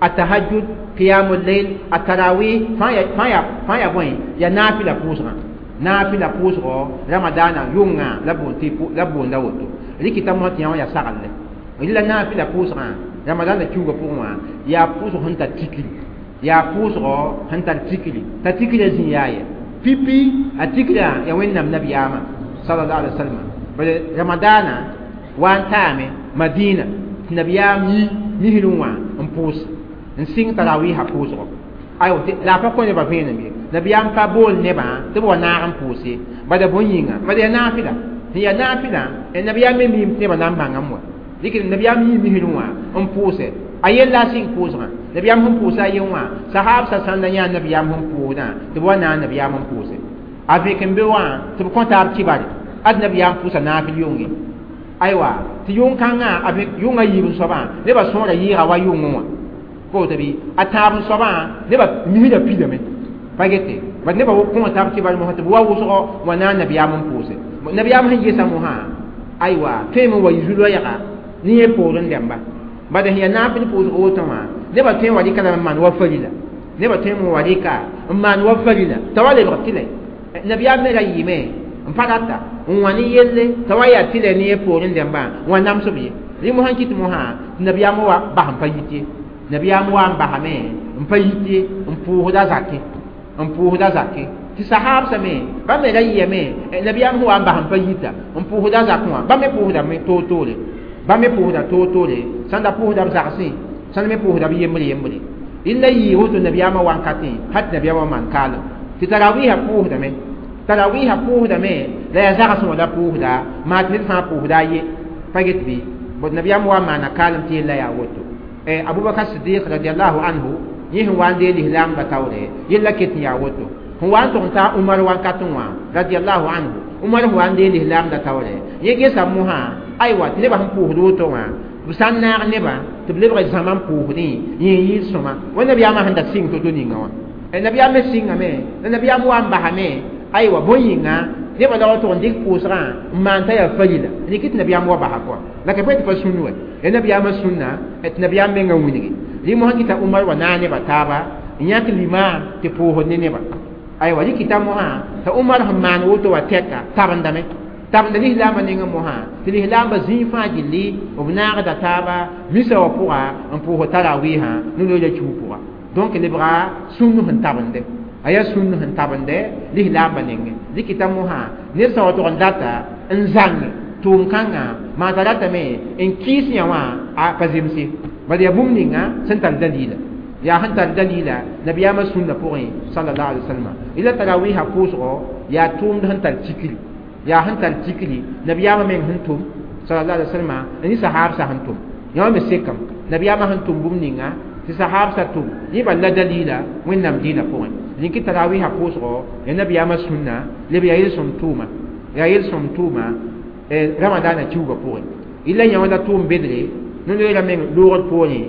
Speaker 1: atahajud qiyamul layl atarawih fãa yaa ya bõe ya naafɩla pʋʋsgã naafɩla pʋʋsgɔ ramadaana yʋngã la boond tɩ la boonda woto rɩkɩta mosã tɩ yã wã yaa saglle la naafɩla pʋʋsgã ramadana kiuugã pʋgẽ wã yaa pʋʋsg sẽn tar tikri yaa pʋʋsgɔ sẽn tar tikri t'a tikrã zĩ yaa ye pipi a tikrã yaa wẽnnaam nabiyaamã sallallahu alaihi wasallam bala ramadana wa n taame madina tɩ nabiyaam yi misrẽ wã n pʋʋs n sɩng tarawiisã pʋʋsgɔ aywa la a pa kõ nebã vẽenem ye nabiyaam pa bool nebã tɩ b wa naag n pʋʋs ye bada bõe yĩnga bada yaa naafɩla sẽn yaa naafɩlã nabiyaam me miim tɩ nebã na n bãngame wa dɩk nabiyaam yii misrẽ wã n pʋʋse a yella a sɩng pʋʋsgã nabiyaam sẽn pʋʋsa a yen wã sahaab sa sãn da yã nabiyaam sẽn pʋʋsdã tɩ b wa naag nabiyaam n pʋʋse a vẽk n be wã tɩ b kõ taab kibare ad nabiyaam pʋʋsa naafɩl yʋnge aywa tɩ yʋng-kãngã a yʋngã yiib n soabã nebã sõora yɩɩga wa yʋngẽ wã koto bɩ a tãab n soabã nebã misrã pidame pa gete bad nebã kõ taab kibare mosã tɩ b wa wʋsgɔ wa naag nabiyaam n pʋʋse nabiyaam sẽn gesa mosã aywa tõeme n wa yɩ zu-loɛɛga ne yẽ poorẽ dẽmba bad sẽn yaa naafɩl pʋʋsg woto wã nebã tõe n wa rɩka lame n maan wa farila nebã tõe n wa rɩka n maan wa farila t'a wa lebg tɩlɛ nabiyaam me ra yɩɩme n pa rata n wã ne yelle t'a wa yaa tɩlɛ ne yẽ poorẽ dẽmbã n wa namsb ye rẽ mosã kɩt mosã tɩ nabiyaam wa bas n pa yit ye nabiyaam wa n basame n pa yit ye n pʋʋsda zakẽ n pʋʋsda zakẽ tɩ sahaabsã me bãmb me ra yɩame nabiyaam sẽn wa n bas n pa yita n pʋʋsda zakẽ wã bãmb me pʋʋsdame toor-toore bãmb me pʋʋsda toor-toore sãn da pʋʋsda b zagsẽ sãn me pʋʋsda b yembre yembre rẽnda yɩɩ woto nabiyaamã wankatẽ hal tɩ nabiyaamã maan kaalem tɩ tarawiisã pʋʋsdame tarawiisã pʋʋsdame la yaa zagsẽ wã la pʋʋsda maa tɩ ned fãa pʋʋsda a ye pa get bɩ bõe nabiyaam wa n maana kaalem tɩ yella yaa woto abubakar sidiq radiallahu anhu yẽ sẽn wa n dee lislaambã taoore yella ket n yaa woto sẽn wa n tʋg n taa umar wankatẽ wã radiallahu anhu umar sẽn wa n dee lislaamda taoore yẽ gesa mosã aywa tɩ nebã sẽn pʋʋsd woto wã b sã n naag nebã tɩ b lebg zãma n pʋʋsdẽ yẽ n yɩɩl sõma wa nabiyaamã sẽn da sɩng to-to ninga wã nabiyaam me sɩngame la nabiyaam wa n basame aywa bõe yĩnga nebã la wa tʋg n dɩk pʋʋsgã n maan t'a yaa farila rɩk tɩ nabiyaam wa basa kɔa la ka pa tɩ pa sũn wa ya nabiyaamã sũnna tɩ nabiyaam menga wilgi rẽ mosã kɩta umar wa naag nebã taaba n yãk limaam tɩ pʋʋsd ne nebã aywa rɩkɩta mosã t'a umar sẽn maan woto wa tɛka tabendame tabenda lislaambã nengẽ mosã tɩ lislaambã zĩig fãa gilli b naagda taaba misa wã pʋga n pʋʋs tarawiisã no-loeera kiu pʋga donc lebga sũn sẽn tabende a yaa sũn sẽn tabende lislaambã nengẽ rɩkɩta mosã ned sã wa tʋg n data n zãng tʋʋm-kãngã maa t'a ratame n kɩɩs yã wã a pa zemse bad yaa bũmb ninga sẽn tar dalila yaa sẽn tar dalila nabiyaamã sũnna pʋgẽ sallallahu alaihi wasallam ila tarawiisã pʋʋsgɔ yaa tʋʋmd sẽn tar tikri yaa sẽn tar tikri nabiyaamã meng sẽn tʋm sallallahu alaihi wasallam ne sahaabsã sẽn tʋm yã me sekam nabiyaamã sẽn tʋm bũmb ninga tɩ sahaabsã tʋm yẽ bal la dalila wẽnnaam dĩinã pʋgẽ rĩkɩ tarawiisã pʋʋsgɔ ya nabiyaamã sũnna leb yaa yel-sõm tʋʋma yaa yel-sõm tʋʋma ramadaana kiuugã pʋgẽ illa yã wã la tʋʋm bedre no-loeera meng loogd poorẽ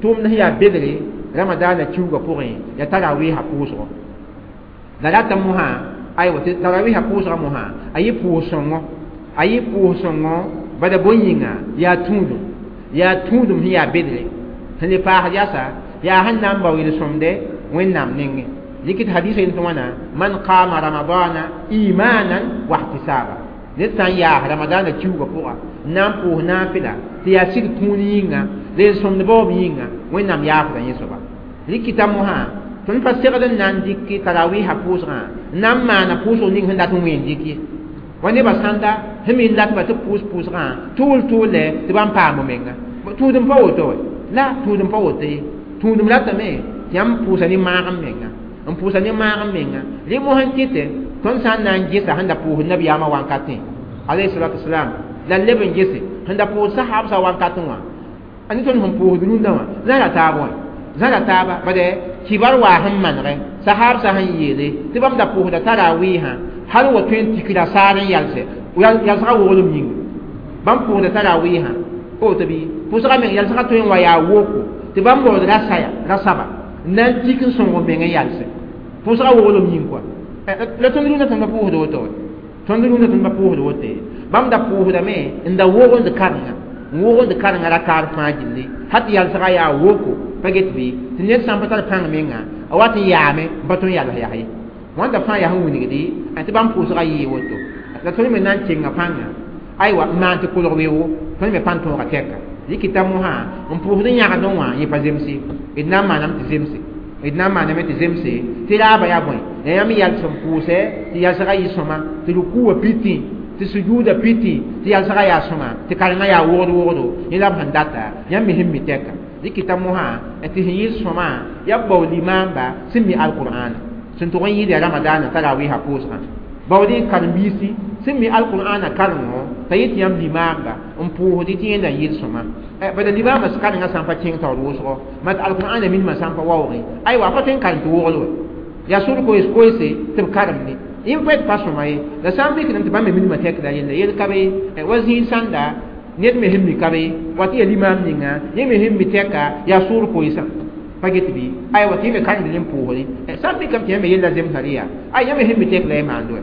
Speaker 1: tʋʋmd sẽn yaa bedre ramadaana kiuugã pʋgẽ yaa tarawiisã pʋʋsgɔ La rata mosã aywa tɩ tarawiisã pʋʋsgã mosã a yɩ pʋʋs-sõngo a yɩ pʋʋs-sõngo bada bõe yĩnga yaa tũudum yaa tũudum sẽn yaa bedre sẽn le paasd yasa yaa sẽn na n bao yel-sõmde wẽnnaam nengẽ dɩk tɩ hadisa yel tɩ wãna man qama ramadana imanan wa ihtisaba ned sã n yaas ramadana kiuugã pʋga n na n pʋʋs naafɩla tɩ yaa sig kũun yĩnga la yel-sõmd baoob yĩnga wẽnnaam yaafda yẽ soaba rɩkɩta mosã tõnd pa segd n na n dɩk tarawiisã pʋʋsgã n na n maana pʋʋsg ning sẽn dat n wẽen dɩk ye wa nebã sãnda sẽn me n datba tɩ b pʋʋs pʋʋsgã tʋʋl tʋʋlɛ tɩ bãmb paam menga tũudem pa woto wɛ la tũudem pa woto ye tũudem ratame tɩ yãmb pʋʋsa ne maag n menga n pʋʋsa ne maag n menga rẽ mos n kɩtɛ tõnd sã n na n gesa sẽn da pʋʋsd nabiyaamã wankatẽ alayhi salatu wasalam la leb n gese sẽn da pʋʋs sahabsã wankatẽ wã a ne tõnd sẽn pʋʋsd rũndã wã zãra taab wã zãra taaba bade kibar waa sẽn manegɛ sahabsã sẽn yeele tɩ bãmb da pʋʋsda tarawiisã hal wa tõe n tikra saar n yalsɛ yalsgã woglem yĩnga bãmb pʋʋsda tarawiisã woto bɩ pʋʋsgã meng yalsgã tõe n wa yaa woko tɩ bãmb baood ra saya ra saba n na n tik n sõng meng n yalsɛ pʋʋsgã woglem yĩng kɔa la tõnd rũndã tõnd pa pʋʋsd woto wɛ tõnd rũndã tõnd pa pʋʋsd woto ye bãmb da pʋʋsdame n da wogend karenga n wogend karenga rakaar fãa gilli ha tɩ yalsgã yaa woko pa get bɩ tɩ ned sã n pa tar pãng menga a wat n yaame n pa tõe n yals yaa ye wãnda fãa yaa sẽn wilgdi tɩ bãmb pʋʋsgã yɩɩ woto la tõnd me na n kenga pãnga aywa n maan tɩ kolg weoogo tõnd me pa n tõoga tɛka rɩkɩta mosã n pʋʋsd n yãgdẽ wã yẽ pa zemse d na n maaname tɩ zemse d na n maaname tɩ zemse tɩ raaba yaa bõe la yãmb yals n pʋʋsɛ tɩ yalsgã yɩ sõma tɩ rukuwã piti tɩ sujuuda piti tɩ yalsgã yaa sõma tɩ karengã yaa wogd wogdo yẽ la b sẽn data yãmb me sẽn mi tɛka rɩkɩta mosã tɩ sẽn yɩ sõma yaa b bao limaamba sẽn mi alqur'ana sẽn tʋg n yɩɩd yaa ramadaana tarawiisã pʋʋsgã baood y karen-biisi sẽn mi alqur'ana karengo t'a yet yãmb limaamba n pʋʋsd tɩ yẽnda n yɩl sõma bala limaambã karengã sã n pa kẽng taoor wʋsgo mat alqur'ana minimã sã n pa waoogẽ aywa a pa tõe n karem tɩ wogl wɛ yaa sʋr koees koeese tɩ b karemde yẽ pa pa sõma ye la sã n mikdame tɩ bãmb me minimã tɛkda yella yel ka be wa zĩig sãnda ned me sẽn mi ka be wa tɩ yaa limaam ninga yẽ me sẽn mi tɛka yaa sʋʋr koeesã pa get bɩ aywa tɩ yẽ me karemd n pʋʋsdẽ sã n mikame tɩ yã me yella zemsã rɩ yaa ay yã me sẽn mi tɛk la y maand wɛ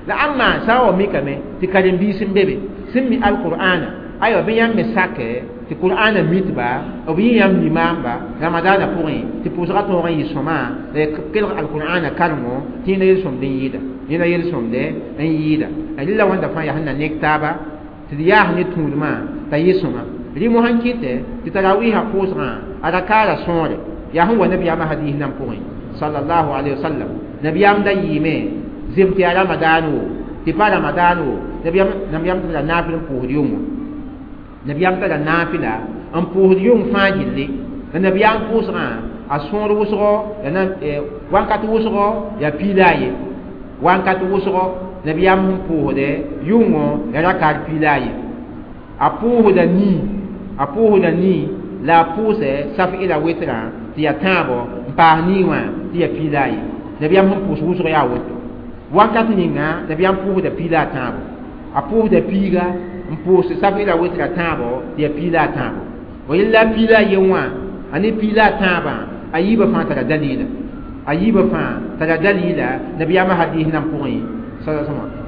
Speaker 1: la ãmba sã n wa mikame tɩ karen-biis n be be sẽn mi alqur'ana aywa bɩ yãmb me sakɛ tɩ qur'ana mitba b yɩ yãmb limaamba ramadaana pʋgẽ tɩ pʋʋsgã tõog n yɩ sõma la kelg alqur'ana karengo tɩ yẽna yel-sõmd n yɩɩda yẽna yel-sõmde n yɩɩda rɩla wãnda fãa yaa sẽn na nek taaba tɩ d yaas ne tũudmã t'a yɩ sõma rɩ mosã n kɩtɛ tɩ tarawiisã pʋʋsgã a rakaara sõore yaa sẽn wa nabiyaamã hadiis nan pʋgẽ sallallahu alayhi wa sallam nabiyaam da yɩɩme zem tɩ yaa ramadaan wo tɩ pa ramadaan wo nabiyaam tara naafɩl n pʋʋsd yʋngo nabiyaam tara naafɩla n pʋʋsd yʋng fãa gilli la nabiyaam pʋʋsgã a sõor wʋsgo wankat wʋsgo yaa piila a ye wankat wʋsgo nabiyaam sẽn pʋʋsdɛ yʋngo yaa rakaar piila a ye a pʋʋsda nii a pʋʋsda nii la a pʋʋsɛ saf-ɩla wetrã tɩ yaa tãabo n paas nii wã tɩ yaa piila a ye nabiyaam sẽn pʋʋs wʋsg yaa woto wakat ninga nabiyaam pʋʋsda piila a tãabo a pʋʋsda piiga n pʋʋs saf-ɩla wetrã tãabo tɩ yaa piila a tãabo wa yella piila a ye wã a ne piila a tãabã a yiibã fãa tara dalila a yiibã fãa tara dalila nabiyaamã hadiis nan pʋgẽ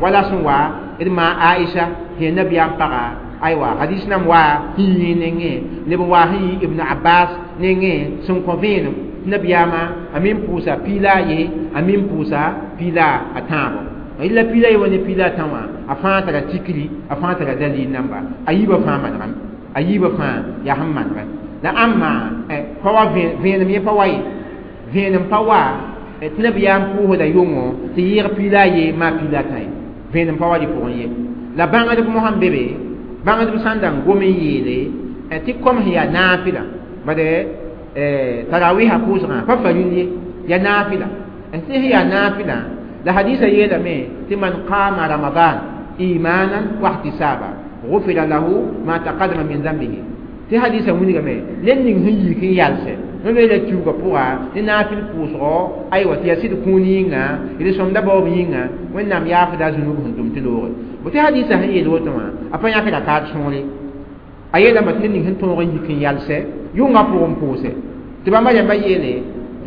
Speaker 1: wala sẽn wa d maa aisha sẽn nabiyaam paga aywa hadis nam wa sẽn yɩ nengẽ leb n wa sẽn yɩ ibn abbas nengẽ sẽn kõ vẽenem nabiyaamã a min pʋʋsa piila a ye a min pʋʋsa piila a tãabo yella piila ye wa ne piila a tã wã a fãa tara tikri a fãa tara dalil namba a yiibã fãa manegame a yiibã fãa yaa sẽn manegɛ la ãmba pa wa vẽenem yẽ pa wa ye vẽenem pa wa tɩ nabiyaam pʋʋsda yʋngo tɩ yɩɩg piila a ye maa piila a tã ye vẽenem pa wa rɩ pʋgẽ ye la bãngdb mosã n be be bãngdb sã n da n gom n yeele tɩ kom sẽn yaa naafɩla bade tarawiisã pʋʋsgã pa faril ye yaa naafɩla tɩ sẽn yaa naafɩla la hadisa yeelame tɩ man qama ramadan imanan wa ihtisaba غفر له ما تقدم من ذنبه tɩ hadisa wilgame ned ning sẽn yik n yalsɛ wẽnd la kiuugã pʋga ne naafɩl pʋʋsgɔ aywa tɩ yaa sɩd kũun yĩnga d sõmda baoob yĩnga wẽnnaam yaafda a zunub sẽn tʋm tɩ looge bo tɩ hadisa sẽn yeel woto wã a pa yãk rakaat sõore a yeelame tɩ ned ning sẽn tõog n yik n yalsɛ yʋngã pʋgẽ pʋʋsɛ tɩ bãmba rãmbã yeele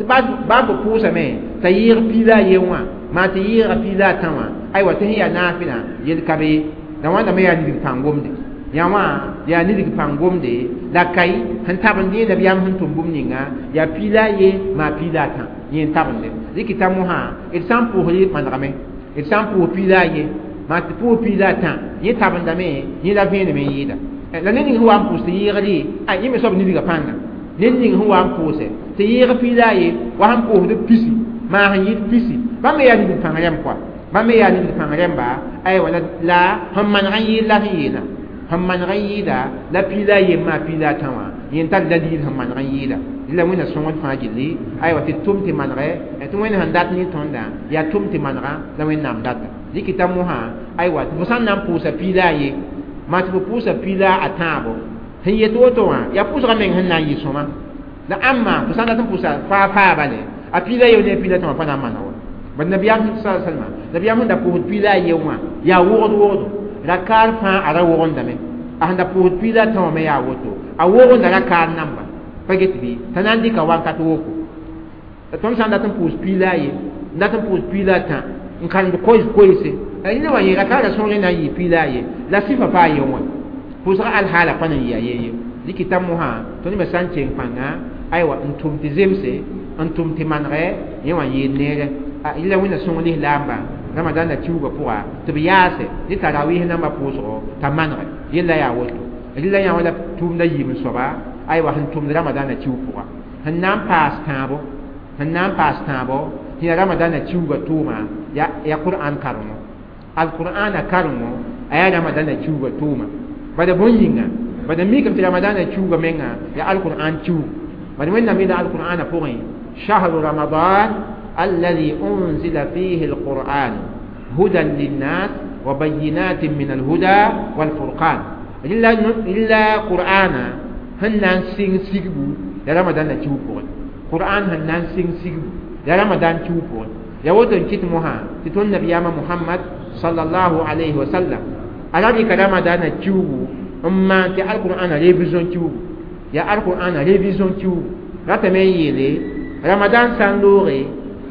Speaker 1: Tɩ baa fo pʋʋsame t'a yɩɩg piig la a ye wã maa tɩ yɩɩga piig la a tã wã aywa tɩ sẽn yaa naafɩlã yel ka be ye la wãnda me yaa nidg pãng gomde yã wã yaa nidg pãng gomde la kai sẽn tabend yẽ nabiyaam sẽn tʋm bũmb ninga yaa piig la a ye maa piig la a tã yẽ n tabende rɩkɩta mosã d sã n pʋʋsd manegame d sã n pʋʋs piig la a ye maa tɩ pʋʋs piig la a tã yẽ tabendame yẽ la vẽenem n yɩɩda la ned ning sẽn wa n pʋʋs tɩ yɩɩgd a yẽ me soab nidgã pãnga ned ning sẽn wa n pʋʋse tɩ yɩɩg piig la a ye wa sẽn pʋʋsd pisi maa sẽn yɩɩd pisi bãmb me yaa nidg pãng rẽmb koa bãmb me yaa nidg pãng rẽmba aywa la sẽn maneg n yɩɩd la sẽn yeelã sẽn maneg n yɩɩda la piig la a yem maa piig la a tã wã yẽ tar dalil sẽn maneg n yɩɩda la wẽnna sõngd fãa gilli aywa tɩ tʋm tɩ manegɛ tɩ wẽnd sẽn dat ne tõndã yaa tʋm tɩ manega la wẽnnaam data rɩkɩta mosã aywa tɩ fo sã n na n pʋʋsa piig la a ye maa tɩ fo pʋʋsa piig la a tãabo sẽn yet woto wã yaa pʋʋsgã meng sẽn na n yɩ sõma la ãmma fo sã n dat n pʋʋsa faa faa bale a piig la ye ne a piig la tã wã pa na n maneg wa bad nabiyaam sa salma nabiyaam sẽn da pʋʋsd piig la a ye wã yaa wogd wogdo rakaar fãa a ra wogendame a sẽn da pʋʋsd piig la a tã wã me yaa woto a wogenda rakaar namba pa get bɩ t'a na n dɩka wankat woko la tõnd sã n dat n pʋʋs piig la a ye n dat n pʋʋs piig la a tã n karemd koees koeese rẽnd wa yẽ rakaarã sõor na n yɩ piig la a ye la sɩfa pa a ye wã pʋʋsga alhaala pa na n yɩ a ye ye dɩkɩta mosã tõnd me sã n keng pãnga aywa n tʋm tɩ zemse n tʋm tɩ manegɛ yẽ wã n yeel neere yẽla wẽnna sõng lislaamba ramadãnda kiuugã pʋga tɩ b yaase ne tarawɩs nambã pʋʋsgo t'a manege yella yaa woto rɩla yã wã la tʋʋmda yiib n soaba aywa sẽn tʋmd ramadãnda kiug pʋga sẽn na n paas tãabo sẽn na n paas tãabo tɩ yaa ramadãnda kiuugã tʋʋma yaa qur'an karengo alqur'ana karengo a yaa ramadãnda kiuugã tʋʋma bada bõn yĩnga bada mikame tɩ ramadãnda kiuugã menga yaa alqur'an kiuug bad wẽnnaam yeela alqur'ana pʋgẽ شهر رمضان الذي أنزل فيه القرآن هدى للناس وبينات من الهدى والفرقان إلا إلا قرآن هنان سين سيغبو يا رمضان تشوفون قرآن هنان سين سيغبو يا رمضان تشوفون يا ودن كيت موها تتون نبي محمد صلى الله عليه وسلم على ذلك رمضان تشوفو أما تي القرآن révision تشوفو يا القرآن révision تشوفو راتمي يلي رمضان سان loore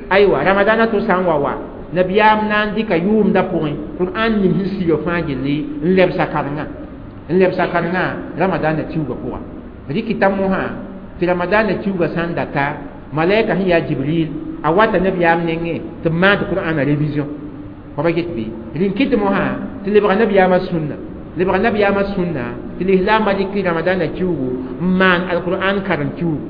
Speaker 1: aywa ramadana to sã n wa wa nabiyaam na n dɩka yʋʋmda pʋgẽ qur'an ning sẽn siga fãa gilli n lebsa karengã n lebsa karengã ramadana kiuugã pʋga rɩkɩta mosã tɩ ramadana kiuugã sã n data malaika sẽn yaa jibril a wata nabiyaam nengẽ tɩ b maan tɩ qur'ana révision fa ba get bɩ rĩn kɩt mosã tɩ lebga nabiyaamã sũnna lebga nabiyaamã sũnna tɩ lislaambã dɩk ramadana kiuugu n maan alqur'an karen kiuugu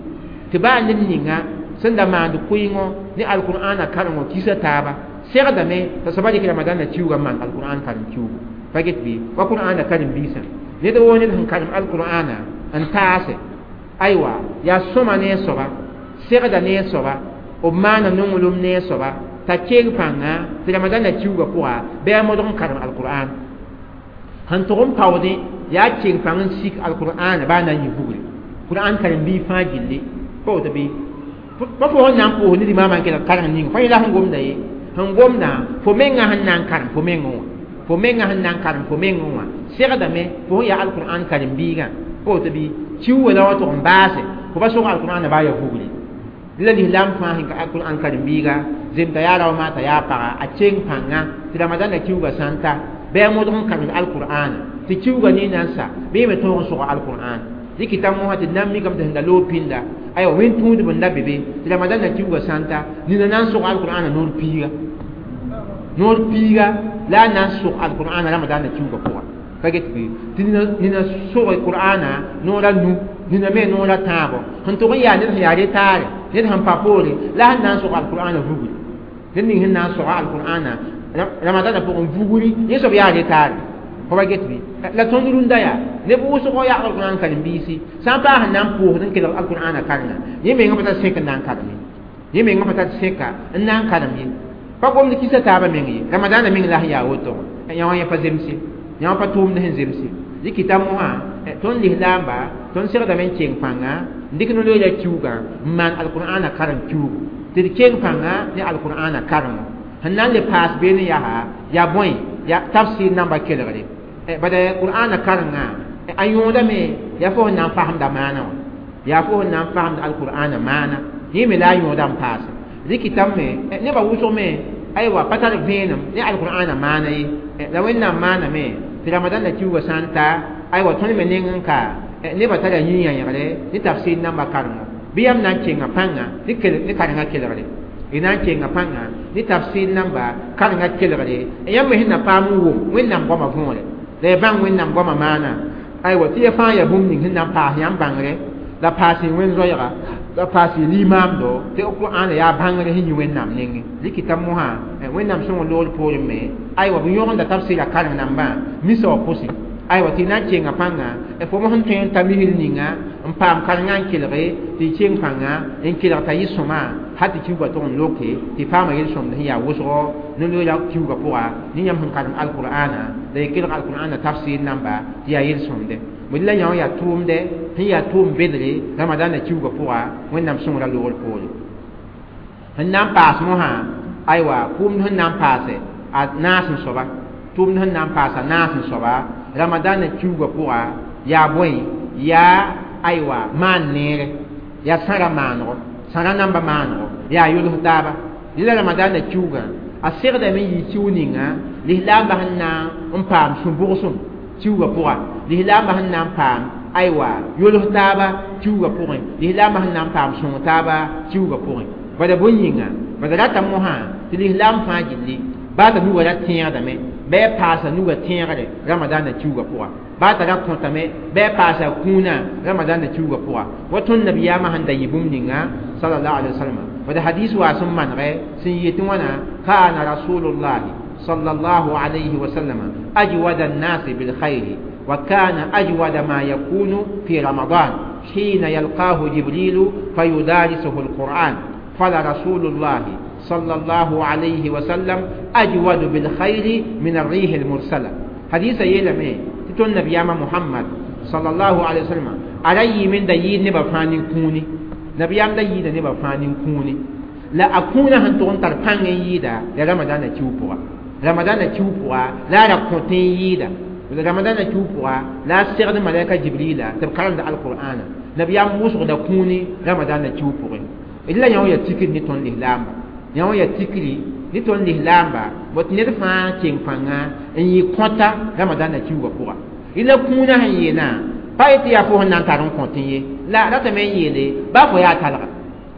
Speaker 1: tɩ baa ned ninga sẽn da maand kʋɩngõ ne alqur'ana karengo kisa taaba segdame t'a soaba dɩk ramadana kiuugã n maan alqur'an karen kiuugu pa get bɩ wa qur'ana karen-biisã ned woo ned sẽn karem alqur'ana n taase aywa yaa sõma ne a soaba segda ne a soaba b maana nonglem ne a soaba t'a keng pãnga tɩ ramadana kiuugã pʋga bɩ a modg n karem alqur'an sẽn tʋg n paoodẽ yaa keng pãng n sik alqur'ana baa na n yɩ vugre qur'an karen-biig fãa gilli pa woto bɩ pa fo sẽn na n pʋʋs ned imaamã n kelg kareng ning fa yẽla sẽn gomda ye sẽn gomda fo mengã sẽn na n karem fo mengẽ wã fo mengã sẽn na n karem fo mengẽ wã segdame fo sẽn yaa alqur'an karen-biigã pa woto bɩ kiuugã la wa tʋg n baase fo pa sog alqur'ana baa ya vugre la lislaam fãa sẽn ka alqur'an karen-biiga zemta yaa rao maa t'a yaa paga a keng pãnga tɩ ramadãnda kiuugã sã n ta bɩ a modg n karemd alqur'ana tɩ kiuugã ne na n sa bɩ me tõog n sog alqur'an dɩkɩta mosã tɩ d na n mikame tɩ sẽn da loog pĩnda aywa wẽn tũudb n la be be tɩ ramadãnda kiuugã sã n ta nina na n sog alqur'ana noor piiga noor piiga la a na n sog alqur'ana ramadãnda kiuugã pʋga pa get bɩ tɩ nina sog qur'ana noor a nu nina me noor a tãabo sẽn tʋg n yaa ned sẽn yaa retaare ned sẽn pa poore la sẽn na n sog alqur'ana vugri ned ning sẽn na n soga alqur'ana ramadãnda pʋgẽ vugri yẽ soab yaa retaare fo pa get bɩ la tõnd rũndã yaa neb wʋsgo yaa alqur'an karen-biisi sã n paas n na n pʋʋsd n kelg alqur'ana karenga yẽ mengã pa tar sẽk n na n karem ye yẽ mengã pa tar sẽka n na n karem ye pa gomd kisa taabã meng ye ramadãnda meng la sẽn yaa woto yã wã yẽ pa zemse yã wã pa tʋʋmd sẽn zemse dɩkɩta mosã tõnd lislaamba tõnd segdame n keng pãnga n dɩk no-loeera kiuugã n maan alqur'ana karem kiuugu tɩ d keng pãnga ne alqur'ana karengo sẽn na n le paas beene yaa yaa bõe yaa tafsir namba kelgre bada qur'ana karenga a yõodame yaa fo sẽn na n fasemda maana wã yaa fo sẽn na n fasemd alqur'ana maana yẽ me la a yõoda n paase rɩkɩtame nebã wʋsg me aywa pa tar vẽenem ne alqur'ana maana ye la wẽnnaam maaname tɩ ramadãnda kiuugã sã n ta aywa tõnd me neng n ka nebã tara yĩ-yãegre ne tafsir nambã karengo bɩ yãmb na n kenga pãnga ne karengã kelgre y na n kenga pãnga ne tafsir namba karengã kelgre yãmb me sẽn na paam n wʋm wẽnnaam goamã võore la y bãng wẽnnaam goamã maana aywa tɩ ya fãa yaa bũmb ning sẽn na n paas yãmb bãngre la paas y wẽn-zoɛɛga la paas y limaamdo tɩ qur'ana yaa bãngre sẽn yĩ wẽnnaam nengẽ rɩkɩta mosã wẽnnaam sõng loor poorẽ me aywa b yõgenda tafsɩra kareng nambã misa wã pʋsẽ aywa tɩ na n kenga pãnga fo mos n tõe n ta misr ninga n paam karengã n kelge tɩ y keng pãnga n kelg t'a yɩ sõma hal tɩ kiuugã tʋg n loke tɩ paama yel-sõmd sẽn yaa wʋsgo no-loeera kiuugã pʋga ne yãmb sẽn karem alqur'ana la y kelg alqur'ana tafsir namba tɩ yaa yel-sõmde bõe la yã wã yaa tʋʋmdɛ sẽn yaa tʋʋm bedre ramadãnda kiuugã pʋga wẽnnaam sõngrã loogr poore sẽn na n paas mosã aywa kʋʋmd sẽn na n paase a naas n soaba tʋʋmd sẽn na n paas a naas n soaba ramadãnda kiuugã pʋga yaa bõe yaa aywa maan neere yaa sãra maanego sãra namba maanego yaa yols taaba la ramadãnda kiuugã a segdame n yɩ kiu ninga lislaambã sẽn na n paam sũ-bʋgsem kiuugã pʋga lislaambã sẽn na n paam aywa yols taaba kiuugã pʋgẽ lislaambã sẽn na n paam sõng taaba kiuugã pʋgẽ bala bõe yĩnga bala rata mosã tɩ lislaam fãa gilli baa t'a nugã ra tẽegdame bɩ a paasa nugã tẽegre ramadãnda kiuugã pʋga baa t'a ra kõtame bɩ a paasa kũunã ramadãnda kiuugã pʋga wa tõnd nabiyaamã sẽn da yɩ bũmb ninga sallallahu alaihi wasallam wala hadis wa sẽn manegɛ sẽn yetɩ wãna kana rasulullahi sallallahu alayhi wasallam ajwada الناس بالخير وكان أجود ما يكون في رمضان حين يلقاه جبريل فيدارسه القرآن فلرسول الله صلى الله عليه وسلم أجود بالخير من الريح المرسلة حديث يلمي تتون نبي محمد صلى الله عليه وسلم علي من دايد نبا فانين كوني نبي أم دايد نبا فانين كوني لا أكون هنتون تربان يدا لرمضان تشوفوا رمضان تشوفوا لا ركوتين يدا رمضان تشوفوا لا سيرد ملائكة جبريل تبقى القرآن نبي أم وسق كوني رمضان تشوفوا إلا يوم يتكل نتون الإسلام yã ya tikri ne tõnd lislaamba bot ned fãa keng pãnga n yɩ kõta ramadãnda kiuugã pʋga la kũunã sẽn yeelã pa yetɩ yaa fo sẽn na n tar n kõtẽ ye la ratame n yeele baa fo yaa talga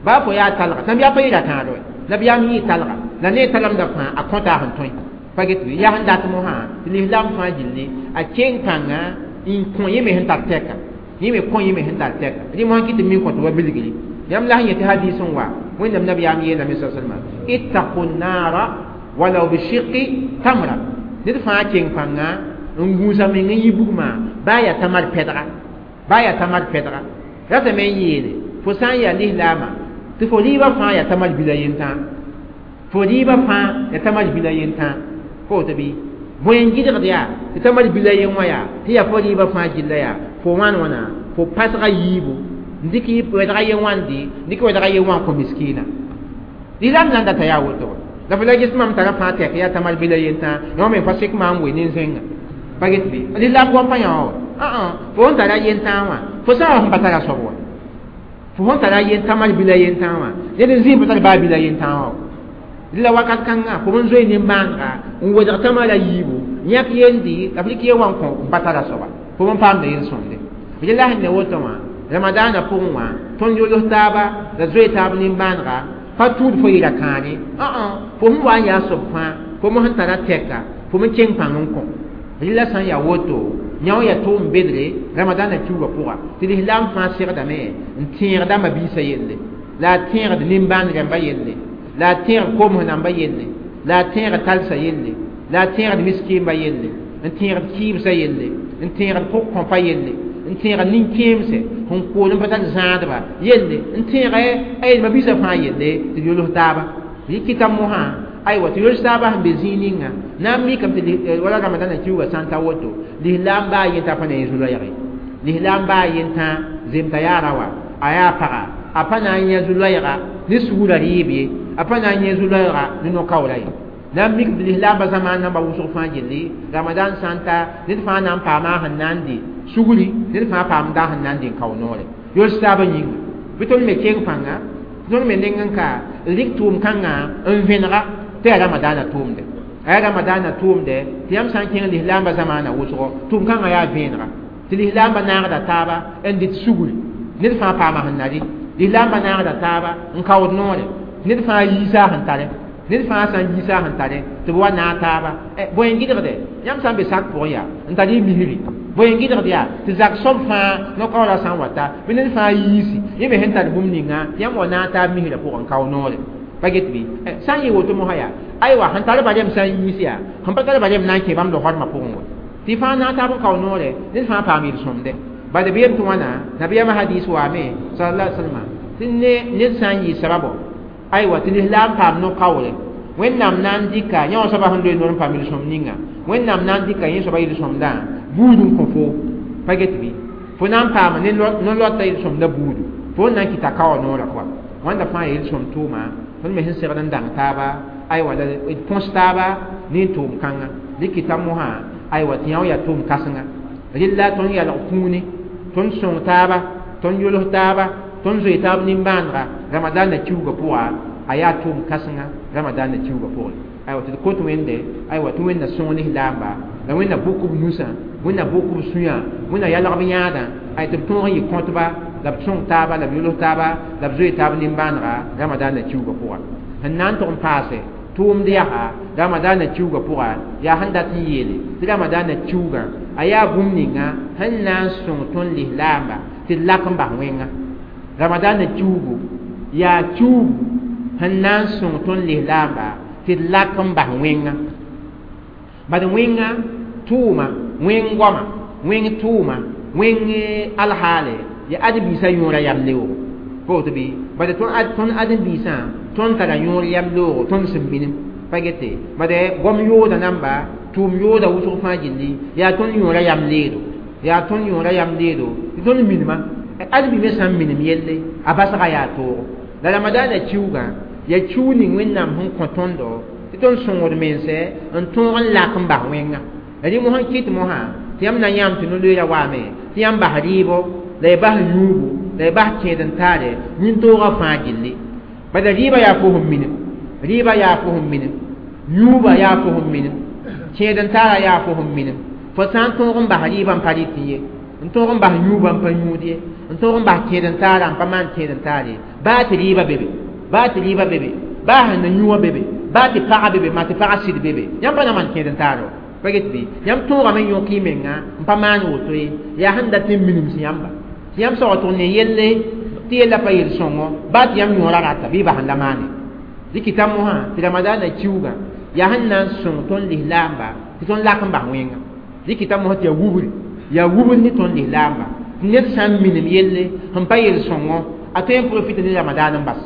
Speaker 1: baa fo yaa talga nabiyaam pa yɩra tãado nabiyaam yɩ talga la ne talamda fãa a kõta sẽn tõe pa get bɩ yaa sẽn dat mosã tɩ lislaam fãa gilli a keng pãnga n kõ yẽ me sẽn tar tɛka yẽ me kõ yẽ me sẽn tar tɛka rẽ mosã kɩ tɩ min kõt wa bilgri yãmb la sẽn yetɩ hadis n wa wẽnnaam nabiyaam yeelame sa salma ittaqu nara walaw bishiqi tamra ned fãa keng pãnga n gũusa meng n yi bugmã baa yaa tamar pɛdga baa yaa tamar pɛdga ratame n yeele fo sã n yaa lislaamã tɩ fo rɩɩbã fãa yaa tamar bila yentã fo rɩɩbã fãa yaa tamar bila yentã fo woto bɩ bõe n gɩdgd yaa tɩ tamar bila yen wã yaa tɩ yaa fo rɩɩbã fãa gilla yaa fo wãn wãna fo pasga yiibu ndɩk wɛdga ye wãnde dɩk wɛdga ye wã kõ miskiina lislaam na n data yaa woto la fo la ges mam tara fãa tɛk yaa tamar bila yentã yõ me pa sek maam we nin-zẽnga pa get bɩ lislaam goam pa yã wã fo sẽn tara yentã wã fo sã wã sẽn pa tara soab wa fo sẽn tara yen tamar bila yentã wã ned n zĩig pa tar baa bila yentã wã la wakat kãnga fo n zoe nin-bãanga n wedg tamara yiibu yãk yendi la f rɩk ye wã n kõ n pa tara soaba fo n paamda yel-sõmde b la sẽn ne woto wã ramadãnã pʋgẽ wã tõnd yols taaba la zoe taab nin-bãanega pa tũud fo yɩra kãane fo sẽn wa n yaa soab fãa fo me sẽn tara tɛka fo me keng pãng n kõ rɩla sã n yaa woto yã wã yaa tʋʋm bedre ramadãnã kiuugã pʋga tɩ lislaam fãa segdame n tẽegda mabiisã yelle la a tẽegd nin-bãan rãmba yelle la a tẽegd koms namba yelle la a tẽegd talsã yelle la a tẽegd miskiimba yelle n tẽegd kɩɩbsã yelle n tẽegd pʋg-kõpa yelle n tẽegd nin-kẽemsɛ sẽn kool n pa tar zãadba yelle n tẽega a yel mabiisã fãa yelle tɩ d yols taaba yɩ kɩta mosã aywa tɩ yols taaba sẽn be zĩig ninga na n mikame tɩ wala ramadãnã kiuugã sã n ta woto lislaam baa yentã pa na yẽ zu-loɛɛge lislaam baa yentã zemta yaara wa a yaa paga a pa na n yẽ zu-loɛɛga ne sugurã rɩɩb ye a pa na n yẽ zu-loɛɛga ne no-kaoora ye na n mik tɩ lislaambã zamaan namba wʋsg fãa gilli ramadan sã n ta ned fãa na n paama sẽn na n dɩ sugri ned fãa paamda sẽn na n dɩ n kao noore yols taabã yĩnga bɩ tõnd me keng pãnga Tõnd me neng n ka rɩk tʋʋm kãngã n vẽnega tɩ yaa ramadaana tʋʋmde a yaa ramadaana tʋʋmde tɩ yãmb sã n kẽng lislaambã zamaana wʋsgo tʋʋm kãngã yaa vẽenega tɩ lislaambã naagda taaba n dɩt sugri ned fãa paama sẽn na rɩ lislaambã naagda taaba n kaood noore ned fãa yiisa sẽn tare ned fãa sã n yiisa sẽn tare tɩ b wa naag taaba bõe n gɩdgde yãmb sã n be sak pʋgẽ yaa n tar y misri bõe n gɩdgd yaa tɩ zak soab fãa no-kaoorã sã n wata bɩ ned fãa yiisi yẽ me sẽn tar bũmb ninga tɩ yãmb wa naag taab misrã pʋgẽ n kao noore pa get bɩ sã n yɩ woto mosã yaa aywa sẽn tar barem sã n yiis yaa sẽn pa tar barem na n kẽ bãmb losormã pʋgẽ wa tɩ fãa naag taab n kao noore ned fãa paam yel-sõmde bad b yem tɩ wãna nabiyaamã hadis waame sallallahu alaihi wasallam tɩ ne ned sã n yɩ sababo aywa tɩ lislaam paam no-kaoore wẽnnaam na n dɩka yã wã soaba sẽn loe noor n paam yel-sõm ninga wẽnnaam na n dɩka yẽ soaba yel-sõmdã buud n kõ fo pa get bɩ fo na n paama ne no-loata yel-sõmdã buudu fo n na n kɩta kaoa noorã pʋga wãnda fãa ya yel-sõm tʋʋma tõnd me sẽn segd n dãng taaba aywa la d põs taaba ne tʋʋm kãnga dɩk kɩta mosã aywa tɩ yã yaa tʋʋm kãsenga rella tõnd yalg kũuni tõnd sõng taaba tõnd yols taaba tõnd zoe taab nimbãanega ramadaanã kiuugã pʋga a yaa tʋʋm kãsenga ramadaanã kiuugã pʋgẽ aywa tɩ d kot wẽnde aywa tɩ wẽnna sõng lislaamba la wẽnna bʋk b nusã wẽnna bʋk b sũyã wẽnna yalg b yãadã ay tɩ b tõog n yɩ kõtba la b sõng taaba la b yols taaba la b zoe taab nimbãanega ramadaanã kiuugã pʋga sẽn na n tʋg n paase tʋʋmd yaa ramadaanã kiuugã pʋga yaa sẽn dat n yeele tɩ ramadaanã kiuugã a yaa bũmb ninga sẽn na n sõng tõnd lislaamba tɩ d lak n bas wẽnga ramadaanã kiuugu yaa kiuugu sẽn na n sõng tõnd lislaamba tɩ d lak n bas wẽnga bad wẽnga tʋʋma wẽng goama wẽng tʋʋma wẽng alhaale yaa ãdem-biisã yõora yam leoogo pa woto bɩ bad tõnd ãdem-biisã tõnd tara yõor yam leoogo tõnd sẽn minim pa gete bad goam yooda namba tʋʋm yooda wʋsg fãa gilli yaa tõnd yõora yam leedo yaa tõnd yõora yam leedo tɩ tõnd minima ãdem-bi me sã n minim yelle a basga yaa toogo la ramadaanã kiuugã yaa kiuug ning wẽnnaam sẽn kõ tõndo tɩ tõnd sõngd mense n tõog n lak n bas wẽnga la rẽ mosã n kɩt mosã tɩ yãmb na yãam tɩ no-loeera waame tɩ yãmb bas rɩɩbo la y bas yũubu la y bas kẽed n taare nin-toogã fãa gilli bala rɩɩbã yaa fo sẽn minim rɩɩbã yaa fo sẽn minim yũubã yaa fo sẽn minim kẽed n taara yaa fo sẽn minim fo sã n tõog n bas rɩɩbã n pa rɩt ye n tõog n bas yũubã n pa yũud ye n tõog n bas kẽed n taara n pa maan kẽed n taar ye baa tɩ rɩɩbã be be baa tɩ rɩɩbã be be baa sẽn na yũ wã be be baa tɩ pagã be be maa tɩ pagã sɩd be be yãmb pa na maan kẽed n taar wa pa get bɩ yãmb tõogame n yõk y menga n pa maan woto ye yaa sẽn dat n minems yãmba tɩ yãmb saoog tʋg ne yelle tɩ yella pa yel-sõngo baa tɩ yãmb yõora rata bɩ y bas n la maane dɩk kɩta mosã tɩ ramadaanã kiuugã yaa sẽn na n sõng tõnd lislaamba tɩ tõnd lak n bas wẽnga dɩk kɩta mosã tɩ yaa wubri yaa wubr ne tõnd lislaamba tɩ ned sã n minem yelle sẽn pa yel-sõngo a tõe n profite ne ramadaan n bas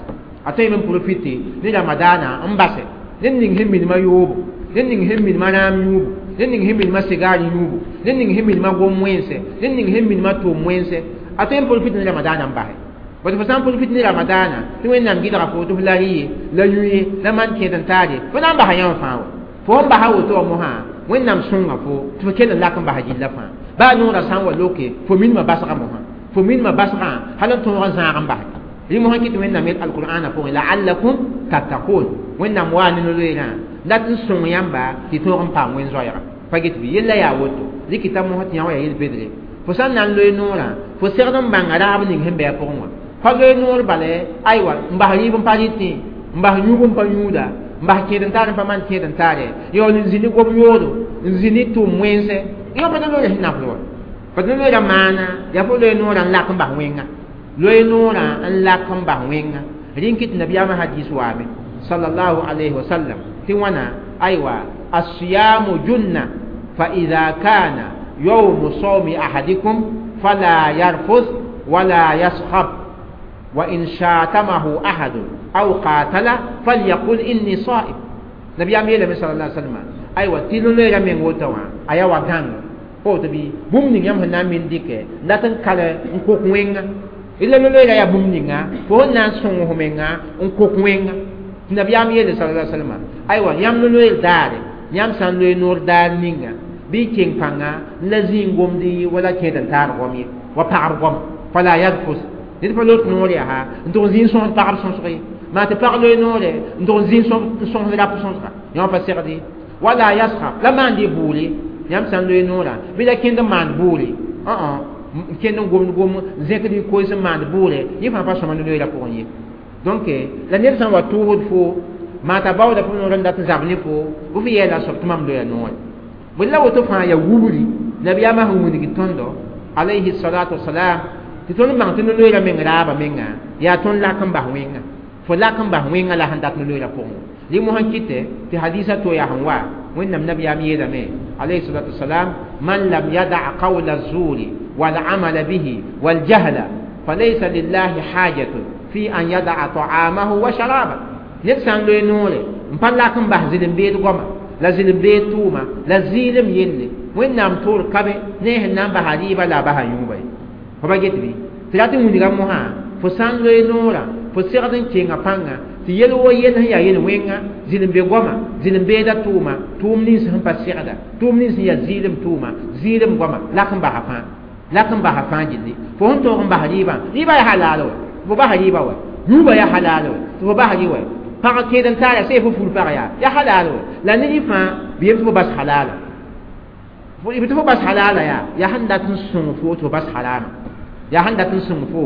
Speaker 1: a tõe n profite ne ramadaanã n base ned ning sẽn minimã yoobo ned ning sẽn minimã rãam yũubu ned ning sẽn minimã sigaar yũubu ned ning sẽn minimã gom wẽnse ned ning sẽn minimã tʋʋm wẽnse a tõe n profite ne ramadaanã n base bad fo sã n profite ne ramadaanã tɩ wẽnnaam gɩdga fo tɩ f la rɩ ye la yũ ye la maan kẽed n taar ye fo na n basa yãmb fãa wa fo sẽn basa woto wã mosã wẽnnaam sõnga fo tɩ fo kell n lak n basa gilla fãa baa noorã sã n wa loke fo minimã basga mosã fo minimã basgã hal n tõog n zãag n base rẽ mosã kɩ tɩ wẽnnaam yel alqur'ana pʋgẽ la'allakum tattaqun wẽnnaam waa ne no-loeerã dat n sõng yãmba tɩ tõog n paam wẽn-zoɛɛga pa get bɩ yella yaa woto dɩk kɩta mosã tɩ yã wa yaa yel-bedre fo sã n na n loe noorã fo segd n bãnga raab ning sẽn bɩ a pʋgẽ wã pa loe noor bale aywa n bas rɩɩb n pa rɩtẽ n bas yũub n pa yũuda n bas kẽed n taar n pa maan kẽed n taare yaool n zĩ ne gob yoodo n zĩ ne tʋʋm wẽnse yã pa da loeera sẽn nafd wa pa da loeera maana yaa fo loe noorã n lak n bas wẽnga loe noorã n lak n bas wẽnga rẽ n kɩt nabiyaamã hadis waame sallallahu alayhi wa sallam tɩ wãna aywa الصيام جنة فإذا كان يوم صوم أحدكم فلا يرفث ولا يصخب وإن شاتمه أحد أو قاتل فليقل إني صائم نبي أمي صلى الله عليه وسلم أيوة تلو ليرا من وتوا أيوا غان fo bi bũmb ning yãmb sẽn na n min dɩkɛ dat n kal n kok wẽnga ila loeera yaa bũmb ninga fo sẽn na n sõng f menga n kok wẽnga tɩ nabiyaam yeele sala salama aywa yãmb loeer daare yãmb sã n loe noor daar ninga bɩ y keng pãnga la zĩig gomd wala kẽed n taar goam ye wa pagb goam fala yarfus Ned pa loog noor yaa n tʋg n zĩig sõsd pagb sõsg ye maa tɩ pag loe noore n tʋg n zĩig sõsd rap sõsga yã pa segd ye wala yaskhab la maand y buule yãmb sã n loe noorã bɩ la kẽnd n maand buure n kẽnd n gomd gom zẽkd y koees n maand buure yẽ fãa pa sõma ne loeera pʋgẽ ye donc la ned sã n wa tʋʋsd fo maa t'a baooda fo noor n dat n zab ne fo bɩ f yɛɛla soab tɩ mam loya noore bõe la woto fãa yaa wubri nabiyaamã sẽn wilg tõndo alayhi salatu wasalam tɩ tõnd bãng tɩ no-loeera meng raaba menga yaa tõnd lak n bas wẽnga fo lak n bas wẽnga la sẽn dat no-loeera pʋgẽ rɩ mosã kɩtɛ tɩ hadisa to yaa sẽn wa wẽnnaam nabiyaam yeelame alayhi salatu wasalam man lam yada qawla zuri والعمل به والجهل فليس لله حاجة في أن يدع طعامه وشرابه ned sã n loe noore n pa lak n bas zɩlem beed goama la zɩlem beed tʋʋma la zɩɩlem yelle wẽnnaam toor ka be ne sẽn na n basa rɩɩba la a basa yũuba ye fo pa get bɩ tɩ rat n wilga mosã fo sã n loe noorã fo segd n kenga pãnga tɩ yel wo yel sẽn yaa yel wẽnga zɩlem be goama zɩlem beeda tʋʋma tʋʋm nins sẽn pa segda tʋʋm nins sẽn yaa zɩɩlem tʋʋma zɩɩlem goama lak n basa fãa lak n basa fãa gilli fo sẽn tõog n bas rɩɩbã rɩɩbã yaa halal wa fo basa rɩɩba wa yũubã yaa halal wa tɩ fo bas rɩ wa pag kẽed n taara see fo fur pag yaa yaa halal wa la ne rɩ fãa bɩ yem tɩ fo bas halala tɩ fo bas halala yaa yaa sẽn dat n sõng fo tɩ fo bas harama yaa sẽn dat n sõng fo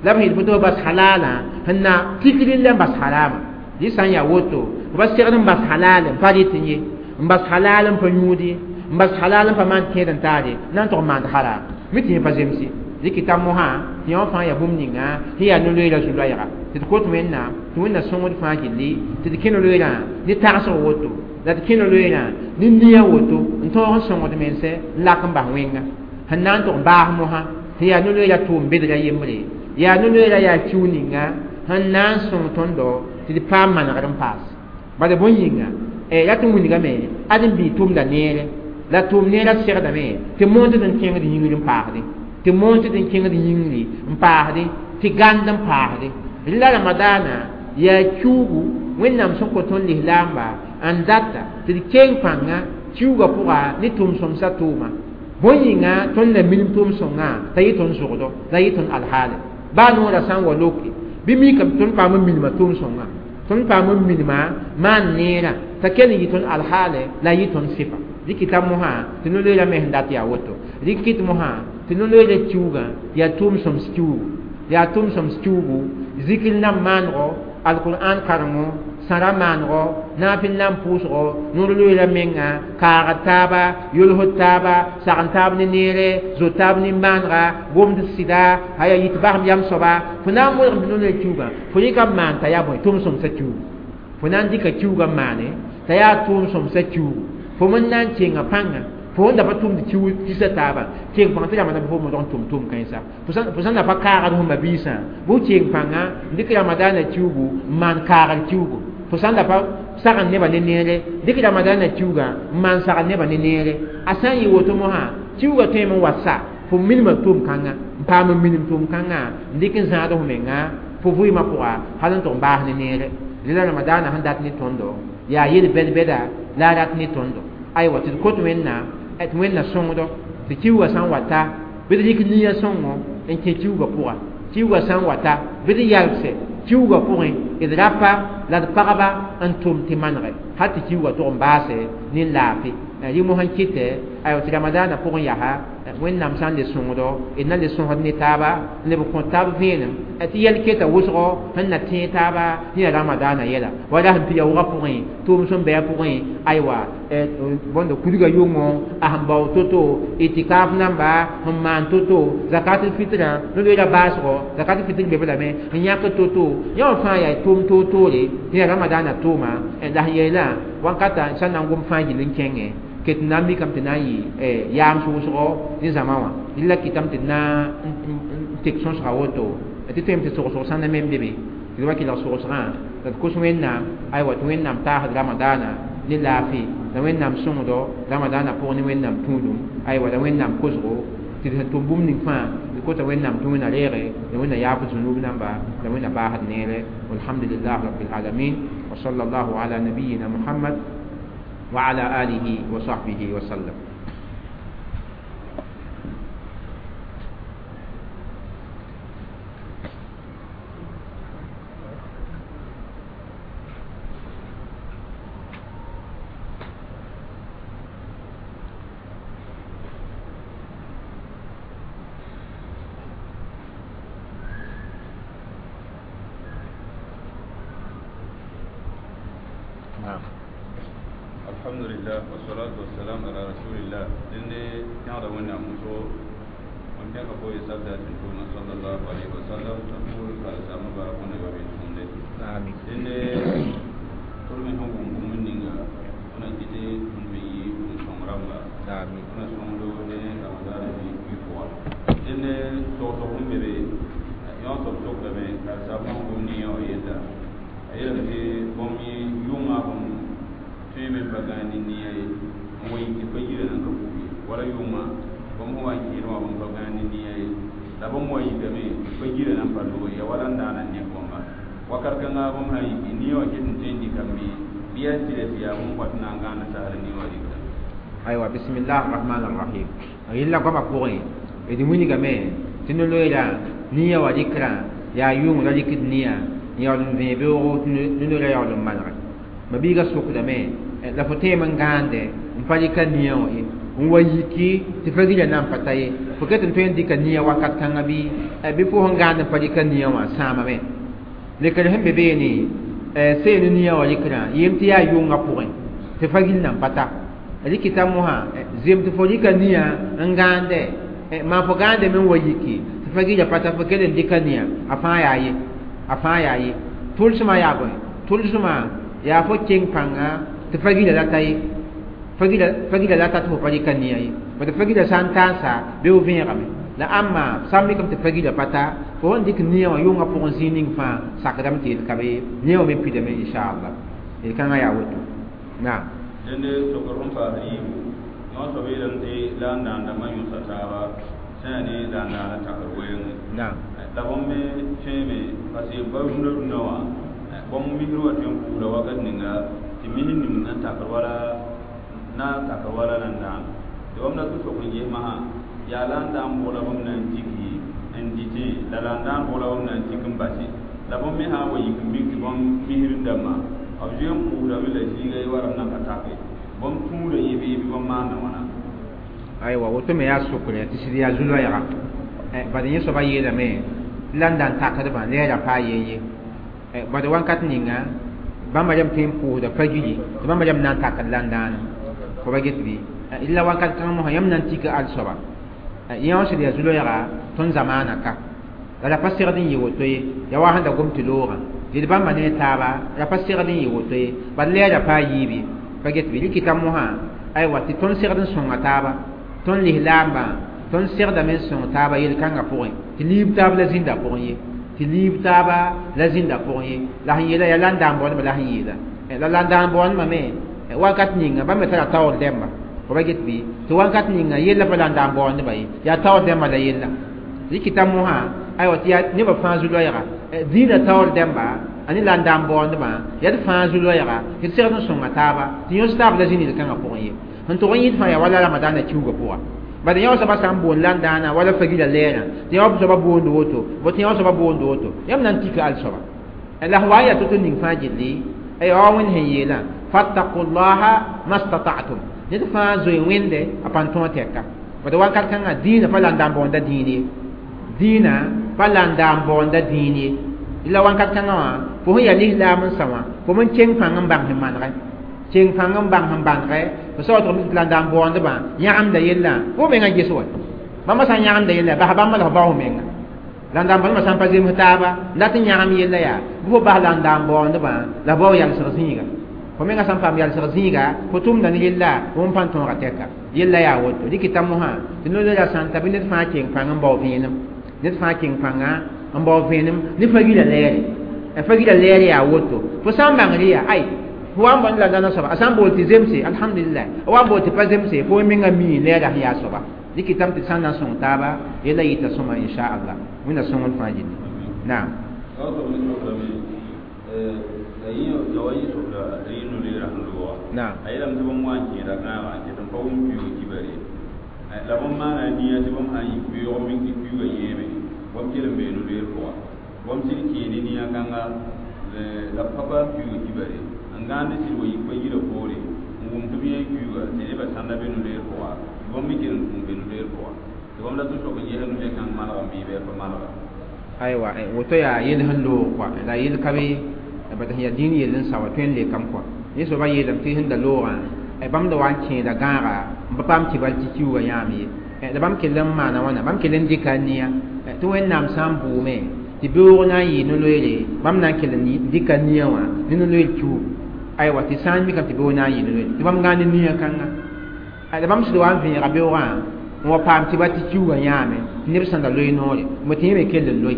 Speaker 1: la b sẽn fo tɩ fo bas halala sẽn na tikri la n bas harama rɩ sã n yaa woto fo bas segd n bas halal n pa rɩt n ye n bas halal n pa yũud ye n bas halal n pa maan kẽed n taare na n tʋg n maand haram mi tɩ yẽ pa zemse dɩk t'a mosã tɩ yõ fãa yaa bũmb ninga sẽn yaa no-loeera zu-loɛɛga tɩ d kot wẽnnaam tɩ wẽnna sõngd fãa gilli tɩ d kẽ no-loeerã ne tagsg woto la d kẽ no-loeerã ne nia woto n tõog n sõngd mense n lak n bas wẽnga sẽn na n tʋg n baas mosã tɩ yaa no-loeera tʋʋm bedra yembre yaa no-loeera yaa kiu ninga sẽn na n sõng tõndo tɩ d paam manegr n paas bala bõe yĩnga rat n wilgame ad n bii tʋmda neere la tʋʋm neerã segdame tɩ moond n kẽngd yĩngr n paasdẽ tɩ moond n kẽngd yĩngri n paasdẽ tɩ gãnd n paasdẽ la ramadaana yaa kiugu wẽnnaam sẽn kõ tõnd lislaamba n data tɩ d keng pãnga kiuga pʋga ne tʋʋm-sõmsã tʋʋma bõe yĩnga tõnd na minim tʋʋm-sõngã t'a yɩ tõnd zʋgdo la yɩ tõnd alhaale baa noorã sã n wa loke bɩ mikame tõnd paam n minima tʋʋm-sõngã tõnd paam n minima maan neerã t'a kell n yɩ tõnd alhaale la yɩ tõnd sɩfa dɩk t'a mosã tɩ no-loeera me sẽn dat yaa woto dɩk kɩt mosã tɩ no-loeera kiugã yaa tʋʋm-sõms kiugu yaa tʋʋm-sõms kiugu zikr nam maanego alqur'an karengo sãra maanego naafɩl nan pʋʋsgo noor loeera menga kaagd taaba yolsd taaba sagn taab ne neere zo taab nin-maanega gomd sɩda aya yit basem yam soaba fo na n modgem tɩ no-loeer kiugã fo rɩka n maan t'a yaa bõe tʋʋm-sõmsã kiugu fo na n dɩka kiugã n maane t'a yaa tʋʋm-sõmsã kiugu fo men na n kenga pãnga fo sẽn da pa tʋmd kisa taaba keng pãng tɩ ramadan fo modg n tʋm tʋʋm kãensa fo sãn da pa kaagd fo mabiisã bʋ keng pãnga n dɩk ramadaana kiugu n maan kaagd kiugu fo sãn da pa sagn nebã ne neere dɩk ramadaana kiugã n maan sagn nebã ne neere a sã n yɩ woto mosã kiugã tõeme n wa sa fo minimã tʋʋm kãnga n paam n minim tʋʋm kãngã n dɩk n zãad fo menga fo vɩɩmã pʋga hal n tʋg n baas ne neere la ramadaana sẽn dat ne tõndo yaa yel bɛd-bɛda la a rat ne tõndo aywa tɩ d kot wẽnnaam tɩ wẽnna sõngdo tɩ kiuga sã n wa ta bɩ d rɩk nia sõngo n kẽ kiuga pʋga kiuga sã n wa ta bɩ d yalse kiuga pʋgẽ d rapa la d pagba n tʋm tɩ manege hal tɩ kiuga tʋg n baase ne laafɩ rɩ mosã n kɩtɛ aywa tɩ ramadaanã pʋgẽ yaa wẽnnaam sã n le sõngdo d na le sõsd ne taaba n leb n kõ taab vẽenem tɩ yɛl keta wʋsgo sẽn na tẽeg taaba sẽn yaa ramadaanã yɛla wala sẽn pɩ yaoogã pʋgẽ tʋʋm sẽn bɩa pʋgẽ aywa bõnd kudga yʋngo a sẽn bao to-to itikaf namba sẽn maan to-to zakat fitrã no-loeera baasgo zakat fitr be lame sẽn yãk to-to yã wã fãa yaa tʋʋm toor-toore tɩ yaa ramadaanã tʋʋma la sẽn yeelã wãnkata sã n na n gom fãa gill n kẽngẽ ket na n mikame tɩ na n yɩ yaam sʋʋsgo ne zãma wã rɩla kɩtame tɩ d na n tek sõsga woto tɩ tõeme tɩ sogsg sãnda me n be be tɩ d wa kelg sogsgã la d kos wẽnnaam aywa tɩ wẽnnaam taasd ramadaana ne laafɩ la wẽnnaam sõngdo ramadaana pʋgẽ ne wẽnnaam tũudum aywa la wẽnnaam kosgo tɩ d sẽn tʋm bũmb ning fãa d kota wẽnnaam tɩ wẽnna reege la wẽnna yaab zunub namba la wẽnna baasd neere walhamdulillah rabbil alamin wa sallallahu ala nabiyina muhammad وعلى آله وصحبه وسلم.
Speaker 2: Alhamdulillah wassalatu wassalam ala rasulillah. Dẽnde pẽgda Wẽnnaam wʋsgo n pẽka fo y sabda tɩ tʋʋma sallallahu alayhi wa sallam t'a pʋʋr karen-saambã bark wẽnna ba be tũumde.
Speaker 1: Amin.
Speaker 2: Dẽnde tʋd me sẽn wʋm bũmb ninga wẽna kɩtɩ tõnd me yɩ bũmb-sõng rãmba.
Speaker 1: Amin.
Speaker 2: Wẽna sõngdo ne ramadaana bi pʋga. Dẽnde togsg sẽn be be yõ soab sokdame karen-saambã sẽn gom nin-yã wã yella a yeelame tɩ bõmb yʋngã bõmb tõeme n pa gãag ne nia ye n wa yik tɩ pa yirã nan ka puki wala yʋngã bõmb sẽn wa n kẽed wã bõmb pa gãag ne nia ye la bõmb wa yikame tɩ pa yirã nan pa loog ya wala n daana n nek bõmba wakat kãnga bõmb sã n yiki nia wã ket n tõe n dɩkame bɩ yaa tɩrɛ tɩ yaa bõmb wat n na n gãanda sagr nia wã rɩkda.
Speaker 1: Aywa, bismillah arrahman arrahim. Yella goamã pʋgẽ d wilgame tɩ no-loeera nia wã rɩkrã yaa yʋng ra rɩkd nia n yaool n vẽe beoogo tɩ no-loeera yaool n manege ma biiga sokdame la fo tẽem n gãande n pa rɩka nia wã ye n wa yiki tɩ fa gila nan pa ta ye fo ket n tõe n dɩka nia wakat kãngã bɩ bɩ fo sẽn gãand n pa rɩka nia wã sãamame lekr sẽn be beene seen nia wã rɩkrã yem tɩ yaa yʋngã pʋgẽ tɩ fa gil nan pa ta rɩkɩta mosã zem tɩ fo rɩka nia n gãande maa fo gãande me n wa yiki tɩ fa gila pa ta fo kell n dɩka nia a fãa yaa ye a fãa yaa ye tʋlsmã yaa bõe tʋlsmã yaa fo keng pãnga tɩ fa gila la ta ye fa gila la ta tɩ fo pa rɩka nia ye tɩ fa gila sã n taasa bɩ f vẽegame la ãmba sã n mikame tɩ fa gila pa ta fo sẽn dɩk nia wã yʋngã pʋgẽ zĩig ning fãa sakdame tɩ yel ka be nia wã me pidame inchallah yel-kãngã yaa woto naam.
Speaker 2: Dẽnde sokr sẽn paasd yiibu yõ soab yeelame tɩ la n dãandãmbã yõsa taaba sã yaa ne la n daana takr weenge
Speaker 1: naam
Speaker 2: la bõmb me tõeme parce que ba rũndã rũndã wã bõmb misr wã tõe n puusda wakat ninga tɩ misr ning na takr wala na takr wala la n dãan tɩ bãmb dat n sok n ges masã yaa la n daan bʋgla bãmb na n diki n dɩtẽ la la n daan bʋgla bãmb na n tik n base la bõmb me sã n wa yik n mik tɩ bãmb misr dãmbã b zoe n puusdame la zĩiga ye warame nan ka take bãmb tũuda yẽ bɩ bɩ bãmb maanda wãna.
Speaker 1: Aywa, woto me yaa sokre tɩ sɩd yaa zu-loɛɛga bad yẽ soabã yeelame la n daan takdbã lɛɛra paa yen ye bad wãnkat ninga bãmba rem tõe n pʋʋsda pa gili tɩ bãmba rem na n takd la n daana fo ba get bɩ la wãnkat kãng mosã yãmb na n tika al soaba yẽ wã sɩd yaa zu-loɛɛga tõnd zamaana ka la ra pa segd n yɩ woto ye ya wa sẽn da gom tɩ loogã tɩ d bãmba ne taaba ra pa segd n yɩ woto ye bad lɛɛra paa yiib ye pa get bɩ rɩkɩta mosã aywa tɩ tõnd segd n sõnga taaba tõnd lislaambã tõnd segdame n sõng taaba yel-kãngã pʋgẽ tɩ liib taab la zĩnda pʋgẽ ye tɩ liib taaba la zĩnda pʋgẽ ye la sẽn yeela yaa la n daan baoodbã la sẽn yeela la la n daan baoodbã me wakat ninga bãmb me tara taoor dɛmba fo ba get bɩ tɩ wakat ninga yella pa la n daan baoodbã ye yaa taoor dɛmba la yella rɩkɩta mosã aywa tɩ yaa nebã fãa zu-loɛɛga dĩinã taoor dɛmba a ne la n daan baoodbã yaa d fãa zu-loɛɛga tɩ d segd n sõnga taaba tɩ yõs taab la zĩnd kãngã pʋgẽ ye sẽn tʋg n yɩɩd fãa yaa wala ramadaanã kiuugã pʋga bad yã soaba sã n boond la n daana wala fa gila lɛɛrã tɩ yã soaba boond woto bo tɩ yã soaba boond woto yãmb na n tika al soaba la sẽn wa n yaa to-to ning fãa gilli ay wa wẽnd sẽn yeelã fattaqullaha mastata'tum ned fãa zoe wẽnde a pãn tõog tɛka bad wakat kãngã dĩinã pa la n daan baoonda dĩin ye dĩinã pa la n daan baoonda dĩin ye la wakat kãngã wã fo sẽn yaa lislaam n sa wã fo n keng pãng n bãng sẽn manegɛ keng pãng n bãng sẽn bãnegɛ fo sa wa tɩ la n daan baoondbã yãgemda yellã fo mengã ges wa bãmba sã n yãgemda yella bas bãmba la fo bao menga la n daan baoondbã sã n pa zems taaba n dat n yãgem yella yaa bɩ fo bas la n daan baoondbã la bao yalsg zĩiga fo menga sã n paam yalsg zĩiga fo tʋmda ne yella wẽn pãn tõoga tɛka yella yaa woto rɩkɩta mosã tɩ no-loeera sã n ta bɩ ned fãa keng pãng n bao vẽenem ned fãa keng pãnga n bao vẽenem ne fa gila lɛɛre fa gila lɛɛre yaa woto fo sã n bãngr yaa ay fo wa n bõnd la dãna soaba a sã n bool tɩ zemse alhamdulillah a wa n bool tɩ pa zemse fo menga mii lɛɛra sẽn yaa soaba rɩkɩtame tɩ sã n na n sõng taaba yella yɩta sõma inchallah wẽnna sõngd fãa gilli naam. Naam.
Speaker 2: A yeelame tɩ bãmb wa n kẽeda gãagã n ket n pa wʋm pɩʋʋg kibare la bãmb maana nia tɩ bãmb sã n yik pɩʋʋg mik tɩ pɩʋʋgã yẽeme bãmb kell n bee no-loeer pʋga bãmb sɩd kẽene nia kãnga la b pa paam pɩʋʋg kibare n gãand sɩd wa yik pa yirã poore n wʋm tɩ b yẽ pɩʋʋga tɩ nebã sãnda be no-loeer pʋga tɩ bãmb me kell n tũu be no-loeer pʋga tɩ bãmb dat n sok n ges no-loeer kãng manegame bɩ a pa manega.
Speaker 1: Aywa, woto yaa yel sẽn loog kɔa la yel ka be bad sẽn yaa dĩin yell n sa wa tõe n lekame kɔa yẽ soaba yeelame tɩ sẽn da loogã bãmb da wa n kẽeda gãaga n pa paam tɩ bal tɩ kiuugã yãam ye la bãmb kell n maana wãna bãmb kell n dɩka a nia tɩ Wẽnnaam sã n bʋʋme tɩ beoog na n yɩɩ no-loeere bãmb na n kell n dɩka nia wã ne no-loeer kiuug aywa tɩ sã n mikame tɩ beoog na n yɩɩ no-loeere tɩ bãmb gãan ne nia kãnga la bãmb sɩd wa n vẽega beoogã n wa paam tɩ ba tɩ kiuugã yãame tɩ neb sẽn da loe noore bõ tɩ yẽ me kell n loe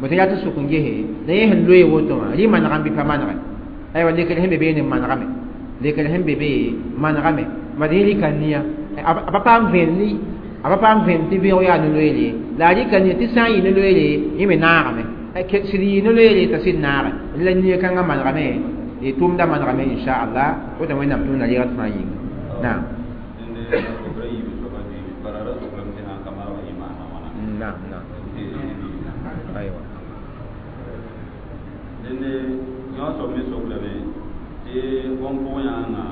Speaker 1: bõ tɩ yaa tɩ sʋk n gese la yẽ sẽn loe woto wã rɩ manegame bɩ pa manege aywa lekr sẽn be beene manegame lekr sẽn be be manegame bad yẽ rɩka nia a pa paam vẽen a pa paam vẽen tɩ beoog yaa no-loeere la a rɩka nia tɩ sã n yɩ no-loeere yẽ me naagame sɩd yɩ no-loeere t'a sɩd naage la nia kãngã manegame tʋʋmda manegame inchallah woto Wẽnnaam tʋmda reegd fãa yĩnga naam naam naam aywa
Speaker 2: dẽnde yõ soab me soklame tɩ bõn pʋg yãanga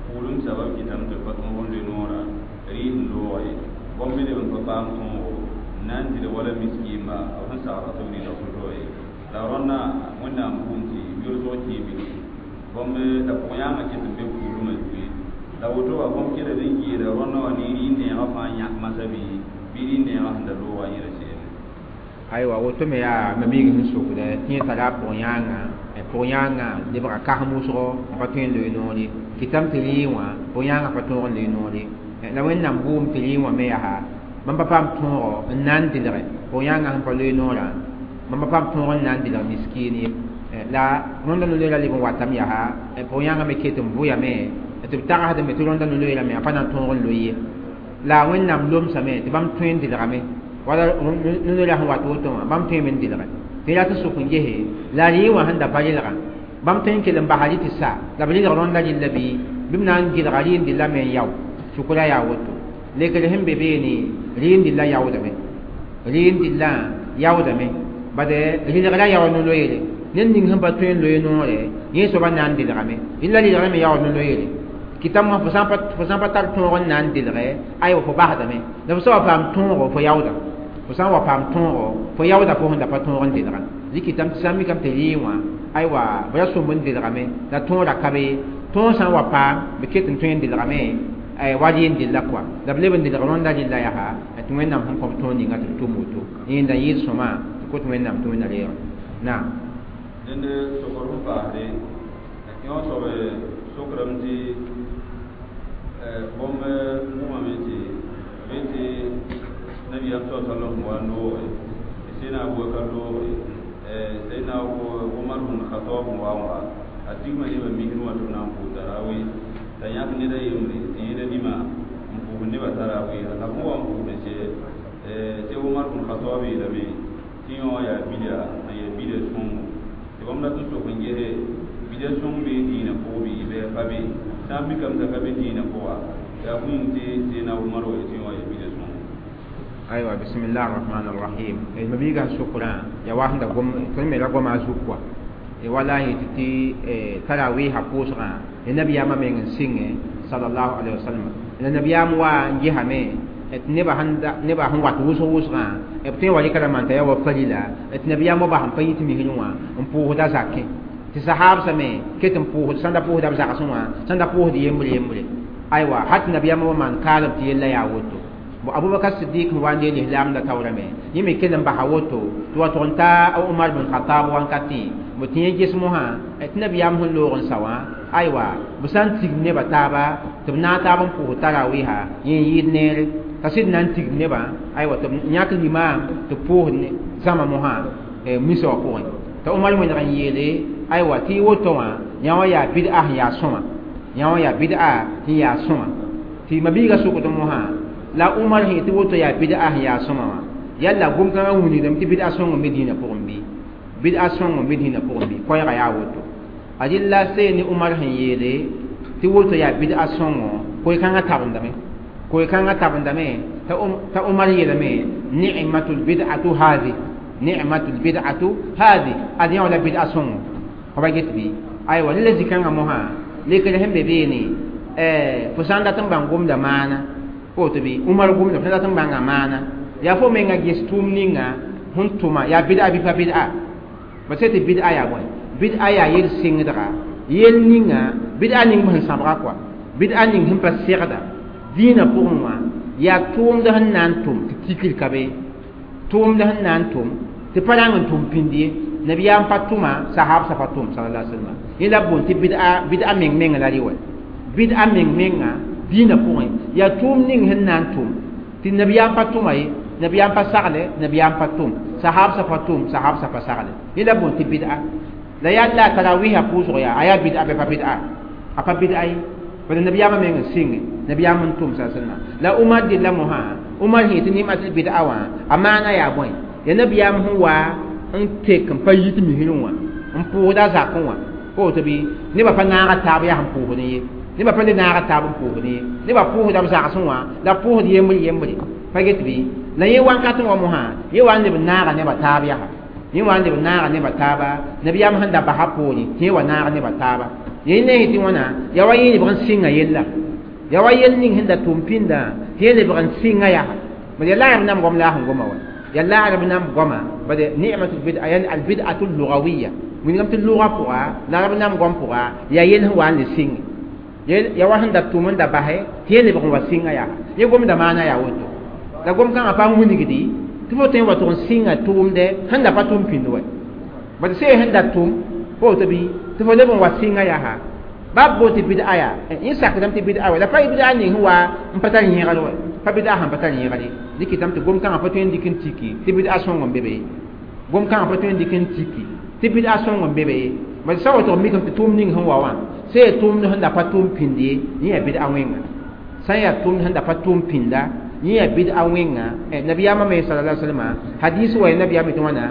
Speaker 2: pʋʋlem sabab kɩtame tɩ pa tõog n loe noorã rɩɩs n looga ye bõmb me leb n pa paam tõogo n na n dɩl wala miskiimba b sẽn sagra tɩ b rɩla fo ye la rõndã Wẽnnaam bʋʋm tɩ yolsg kẽe bilfu bõmb la pʋg yãanga kɩt n be pʋʋlmã zugu ye la woto wa bõmb keled n geeda rõndã wã ne rɩ neegã fãa yãk masã bɩ bɩ rɩ neegã sẽn da looga yẽla seelẽ
Speaker 1: aywa woto me yaa ma miig sẽn sokdɛ tɩ yẽ tara a pʋg yãanga pʋg yãanga lebga kasem wʋsgo n pa tõe n loe noor ye kɩtame tɩ rɩɩ wã pʋg yãangã pa tõog n loe noor ye la Wẽnnaam bʋʋm tɩ rɩɩ wã me yaa bãmb pa paam tõogo n na n dɩlge pʋg yãangã sẽn pa loe noorã bãmb pa paam tõog n na n dɩlg miskiin ye la rõnda no-loeera leb n watame yaa pʋg yãangã me ket n vʋyame tɩ b tagsdame tɩ rõnda no-loeera me a pa na n tõog n loe ye la Wẽnnaam lomsame tɩ bãmb tõe n dɩlgame wala no-loeera sẽn wat woto wã bãmb tõeme n dɩlge tɩ yaa tɩ sʋk n gese la rɩɩ wã sẽn da pa rɩlgã bãmb tõe n kell n basa rɩ tɩ sa la b rɩlg rõnda rɩlla bɩ bɩ b na n gɩlga rɩ n dɩlla me n yao sʋkra yaa woto lekr sẽn be beene rɩ n dɩlla yaoodame rɩ n dɩllã yaoodame bad rɩlgra yaood no-loeere ned ning sẽn pa tõe n loe noore yẽ soaba na n dɩlgame rɩlla rɩlgrã me yaood no-loeere kɩtame wã fo sã n pa tar tõog n na n dɩlge aywa fo basdame la fo sã wa paam tõogo fo yaooda fo sã n wa paam tõogo fo yaooda fo sẽn da pa tõog n dɩlga rɩkɩtame tɩ sã n mikame tɩ rɩɩ wã aywa b ra sõmb n dɩlgame la tõoda ka be tõog sã n wa paam b ket n tõe n dɩlgame wa rɩ n dɩlla kɔa la b leb n dɩlg rõnda rɩlla yaa tɩ Wẽnnaam sẽn kõb tõog ninga tɩ b tʋm woto yẽnda yɩɩd sõma tɩ kot Wẽnnaam tɩ Wẽnna reega naam
Speaker 2: dẽnd sokr sẽn paasde yõ soab sokrame tɩ bõmb wʋmame tɩ be tɩ nabiyaam sa sallam wa n looge sẽna Abubakar looge sayyidina Umar bin Khattab wa wa a tigma nebã misr wã tɩ b na n pʋʋs tarawi t'a yãk ned a yembre tɩ yẽda nima n pʋʋs nebã tarawi la fõ wa n pʋʋsd sɛ tɩ Umar bin Khattab yeelame tɩ yõ wã yaa bida n yaa bida sõngo tɩ bãmb dat n sok n gese bida sõng bee dĩinã pʋgẽ bɩ bɩ pa be sã n mikame t'a ka be dĩinã pʋga yaa bũmb tɩ sayyidina Umar wa tɩ yõ wã yaa bida sõngo
Speaker 1: aywa bismillah arrahman arrahim ma biiga sʋkrã ya wa sẽn da gom tõnd me ra goma a zug kɔa wala yetɩ tɩ tarawiisã pʋʋsgã ya nabiyaamã meng n sɩngẽ sallallahu alaihi wasallam la nabiyaam wa n gesame tɩ nebã nebã sẽn wat wʋsg wʋsgã b tõe n wa rɩka ra maan t'a yaa wa farila tɩ nabiyaam wa bas n pa yit misrẽ wã n pʋʋsda zakẽ tɩ sahaabsã me ket n pʋʋsd sẽn da pʋʋsda b zagsẽ wã sẽn da pʋʋsd yembre yembre aywa hat nabiyaamã wa maan kaalem tɩ yella yaa woto bo Abubakar Siddiq wa ne l'islam da tawrame yimi kelan ba hawoto to wa ton ta Umar bin Khattab wan kati mo tiye gismo ha et nabiyam hun logon sawa aywa busan tig ne bataba to na ta ban pu tarawiha yin yid ne tasid nan tig ne ba aywa to nyak limam to pu ne zama mo ha e miso ko ta Umar mun ran yele aywa ti woto wa nyawa ya bid'ah ya soma nyawa ya bid'ah ya soma ti mabiga suko to mo ha la Umar hẽn tɩ woto yaa bid'a yaa sõma wã yalla gom-kãngã wilgdame tɩ bid'a sõng n be dĩinã pʋgẽ bɩ bid'a sõng n be dĩinã pʋgẽ bɩ koɛɛgã yaa woto a dɩlla see ne Umar sẽn yeele tɩ woto yaa bid'a sõngo koe-kãngã tabendame koe-kãngã tabendame t'a Umar yeelame ni'matul bid'atu hadi ni'matul bid'atu hadi ad yã wala bid'a sõngo fa ba get bɩ aywa ne la zĩ-kãngã mosã lekr sẽn be beene fo sã n dat n bãng gomda maana woto bɩ Umar gomda fo sã n dat n bãnga maana yaa fo menga ges tʋʋm ninga sẽn tʋma yaa bid'a bɩ pa bid'a ba sã tɩ bid'a yaa bõe bid'a yaa yel-sɩngdga yel ninga bid'a ning sẽn sãbga kɔa Bid'a ning sẽn pa segda dĩinã pʋgẽ wã yaa tʋʋmd sẽn na n tʋm tɩ tikr ka be tʋʋmd sẽn na n tʋm tɩ pa rang n tʋm pĩnd ye nabiyaam pa tʋma sahabsã pa tʋm sallallahu alaihi wasallam yẽ la b boond tɩ bid'a bid'a meng menga la rɩ wa bid'a meng menga dĩinã pʋgẽ yaa tʋʋm ning sẽn na n tʋm tɩ nabiyaam pa tʋma ye nabiyaam pa sagle nabiyaam pa tʋm sahabsã pa tʋm sahabsã pa sagle yẽ la b boond tɩ bid'a la yaa la tarawiha pʋʋsg yaa a yaa bid'a bɩ pa bid'a a pa bid'a ye bala nabiyaamã meng n sɩnge nabiyaam n tʋm sa sallam la Umar dɩlla mosã Umar sẽn yetɩ nimatul bid'a wã a maana yaa bõe ya nabiyaam sẽn wa n tek n pa yit misrẽ wã n pʋʋsda zakẽ wã pa woto bɩ nebã pa naaga taab yaa sẽn pʋʋsdẽ ye nebã pa le naaga taab n pʋʋsdẽ ye nebã pʋʋsda b zagsẽ wã la pʋʋsd yembr yembre pa get bɩ la yẽ wankatẽ wã mosã yẽ wa n leb n naaga nebã taab yaa yẽ wa n leb n naaga nebã taaba nabiyaam sẽn da basa poorẽ tɩ yẽ wa naag nebã taaba yẽ ne tɩ wãna yaa wa yẽ lebg n sɩnga yella yaa wa yell ning sẽn da tʋm pĩndã tɩ yẽ lebg n sɩnga yaa bad yaa la b nam goam la a sẽn goma wa yaa la b nam goama bad ni'matul bid'a yani al bid'atu lughawiyya wingame tɩ lʋga pʋga la b nam goam pʋga yaa yell sẽn wa n le sɩnge yaa wa sẽn da tʋm n da basɛ tɩ yẽ lebg n wa sɩnga yaa yẽ gomda maana yaa woto la gom kãngã pa n wilgdi tɩ fo tõe n wa tʋg n sɩnga tʋʋmdɛ sẽn da pa tʋm pĩnd wa bad see sẽn da tʋm pa woto bɩ tɩ fo leb n wa sɩnga yaa bab boot tɩ bid'a yaa yẽ sakdame tɩ bid'a wa la pa bid'a ning sẽn wa n pa tar yẽgr wa pa bid'a sẽn pa tar yẽgr ye dɩkɩtame tɩ gom-kãngã pa tõe n dɩk n tiki tɩ bid'a sõng n be be gom-kãngã pa tõe n dɩk n tiki tɩ bid'a sõng n be be bad sã wa tʋg mikame tɩ tʋʋm ning sẽn wa wã sã yaa tʋʋmd sẽn da pa tʋʋm pĩnd ye yẽ yaa bid'a wẽnga sã n yaa tʋʋmd sẽn da pa tʋʋm pĩnda yẽ yaa bid'a wẽnga nabiyaamã me sallallahu alaihi wasallam hadis wa ya nabiyaam tɩ wãna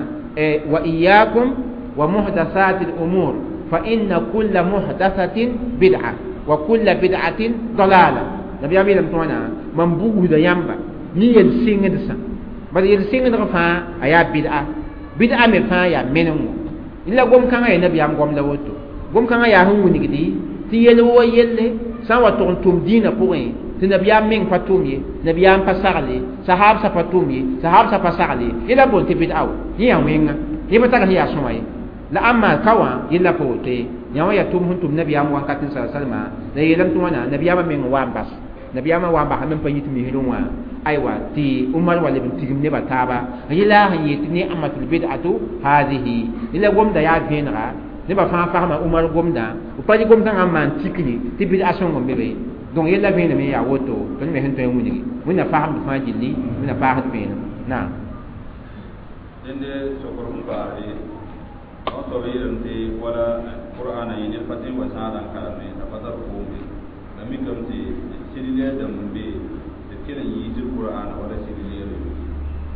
Speaker 1: wa iyyakum wa muhdathati al-umur فإن كل محدثة بدعة وكل بدعة ضلالة نبي أمي لم توانا من بوه يامبا ني يلسينغ دسا بل يلسينغ دفا أيا بدعة بدعة مفا يا منو إلا قوم كان يا نبي أم قوم لوتو قوم كان يا هم ونجدي تيلو يلي سوا تون دين بوين تنبي أم من فاتومي نبي أم فسالي صحاب سفاتومي صحاب سفسالي إلا بون تبدعة يا وين يبقى تغني يا سماي la amma kawa yella pa woto ye yã wã yaa tʋʋm sẽn tʋm nabiyaam wakat n sa salma la yeelame tɩ wãna nabiyaamã meng wa n bas nabiyaamã wa n basame n pa yit misrẽ wã aywa tɩ Umar wa leb n tigim nebã taaba yela sẽn yet ni'matul bid'atu hadihi yela gomda yaa vẽenega nebã fãa fasma Umar gomda b pa rɩ gomdãngã n maan tikri tɩ bid'a sõng n be be donc yella vẽenem yaa woto tõnd me sẽn tõe n wilgi wẽnna fasmd fãa gilli wẽnna paasd vẽenem naam
Speaker 2: dẽnde sokr sẽn paasde n soab yeelame tɩ wala qur'ana yẽ ned pa tõe n wa zãada n kareme t'a pa tar koom ye la mikame tɩ sɩd-leer dãmb n be tɩ b kell n yiisd qur'ana wala sɩd-leere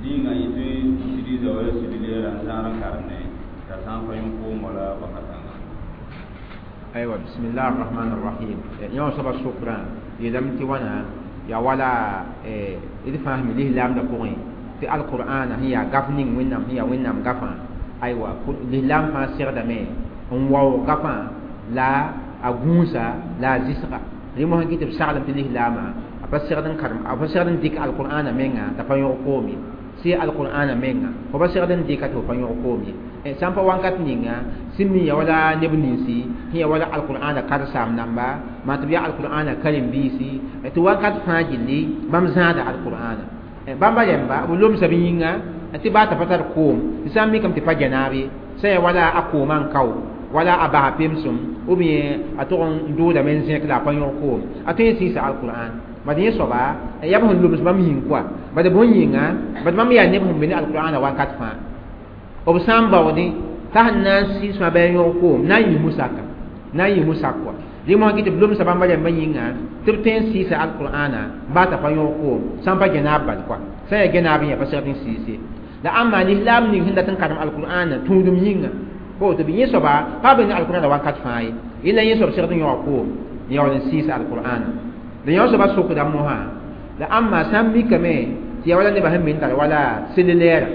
Speaker 2: ninga yẽ tõe n sɩd-za wala sɩd-leerã n zãad n karemne t'a sã n pa yẽ koom wala wakat-kãnga
Speaker 1: aywa bismillah arrahman arrahim yã soaba sokrã yeelame tɩ wãna yaa wala d fãa sẽn mi lislaamdã pʋgẽ tɩ alqur'ana sẽn yaa gaf ning wẽnnaam sẽn yaa wẽnnaam gafã aywa lislaam fãa segdame n waoog gafã la a gũusa la a zɩsga rẽ mosã kɩ tɩ b saglem tɩ lislaamã a pa segd n karem a pa segd n dɩk alqur'ana menga t'a pa yõg koom ye sɩ alqur'ana menga fo pa segd n dɩka tɩ fo pa yõg koom ye sã n pa wakat ninga sẽn mi ya wala neb ninsi sẽn ya wala alqur'ana karsaam namba maa tɩ b yaa alqur'ana karen-biisi tɩ wakat fãa gilli bãmb zãada alqur'ana bãmba rẽmba b lomsa b yĩnga tɩ baa t'a pa tar koom tɩ sã n mikame tɩ pa janaab ye sã yaa wala a koomã n kao wala a basa pemsem ou bien a tʋg n doodame n zẽk la a pa yõg koom a tõe n sɩɩsa alqur'an bad yẽ soaba yaa b sẽn loms bãmb yĩng koa bad bõn yĩnga bad bãmb yaa neb sẽn be ne alqur'ana wakat fãa b sã n baoodẽ t'a sẽn na n sɩɩsmã bɩ a yõg koom na n yɩ musaka na n yɩ musak koa rẽ mosã kɩ tɩ b lomsa bãmba rẽmbã yĩnga tɩ b tõe n sɩɩsa alqur'ana baa t'a pa yõg koom sã n pa gẽnaab bal koa sã n yaa gẽnaab yã pa segd n sɩɩse la ãmba lislaam ning sẽn dat n karem alqur'ana tũudum yĩnga pa woto bɩ yẽ soaba pa be ne alqur'ana wakat fãa ye yella yẽ soab segd n yõga koom n yaool n sɩɩs alqur'ana la yõ soaba sokda mosã la ãmba sã n mikame tɩ yaa wala nebã sẽn me n tar wala selilɛɛra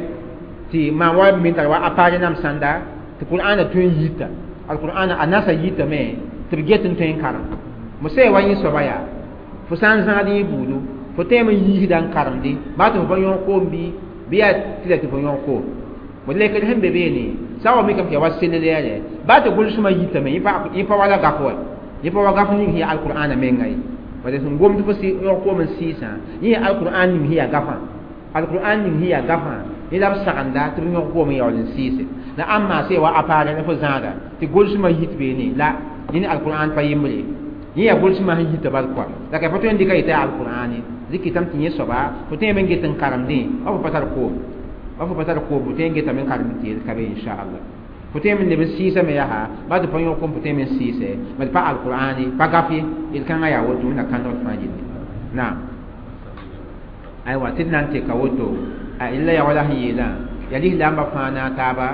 Speaker 1: tɩ maan wa me n tar wa apare nam sãnda tɩ qur'ana tõe n yita alqur'ana a nasa yitame tɩ b get n tõe n karem mo sã wa yẽ soaba yaa fo sã n zãad yẽ buudu fo tõeme n yiisda n karemde baa tɩ fo pa yõg koom bɩ bɩ yaa tɩ la tɩ fo yõg koom mo lekd sẽn be beene sã n wa mikame tɩ yaa wa selilɛɛrɛ baa tɩ gʋlsmã yitame yẽ pa wala gaf wa Yẽ pa wa gaf ning sẽn yaa alqur'ana menga ye bala sẽn gomd fo yõg koom n sɩɩsã yẽ yaa alqur'an ning sẽn yaa gafã alqur'an ning sẽn yaa gafã yẽ la b sagenda tɩ b yõg koom n yaool n sɩɩse la ãmb maase wa appareil la fo zãada tɩ golsmã yit beene la yẽ ne alqur'an pa yembre yẽ yaa golsmã sẽn yita bal kɔa la ka fo tõe n dɩka yetɩ yaa alqur'ane dɩk tɩ yẽ soaba fo tõe n get n karemdẽ wa fo pa tar koom wa fo pa tar koom fo tõe n getame n karemd tɩ yel ka be inchallah fo tõe n leb n sɩɩsame yaa ba tɩ pa yõk kom fo tõe n sɩɩsɛ bad pa alqur'ane pa gaf ye yel-kãngã yaa woto wẽnna kãndg fãa gilli naam aywa tɩ d na n teka woto a illa ya wala sẽn yeelã yaa lislaambã fãa na a taaba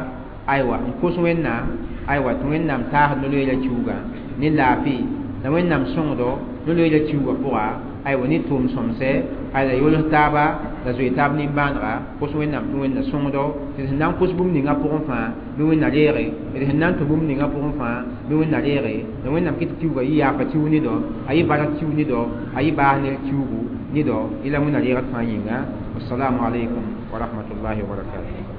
Speaker 1: aywa n kos wẽnnaam aywa tɩ wẽnnaam taasd no-loeera kiuugã ne laafɩ la wẽnnaam sõngdo no-loeera kiuugã pʋga aywa ne tʋʋm sõmsɛ ala yols taaba la zoe taab nimbãanega kos wẽnnaam tɩ wẽnna sõngdo tɩ sẽn na n kos bũmb ninga pʋgẽ fãa bɩ wẽnna reege d sẽn na n tũ bũmb ninga pʋgẽ fãa bɩ wẽnna reege la wẽnnaam kɩ tɩ kiuugã yɩ yaafa kiu ne dao a yɩ bark kiu ne dao a yɩ baas ner kiuugu ne dao yẽla wẽnna reegd fãa yĩnga wassalamu alaikum wa rahmatullahi wa barakatuh.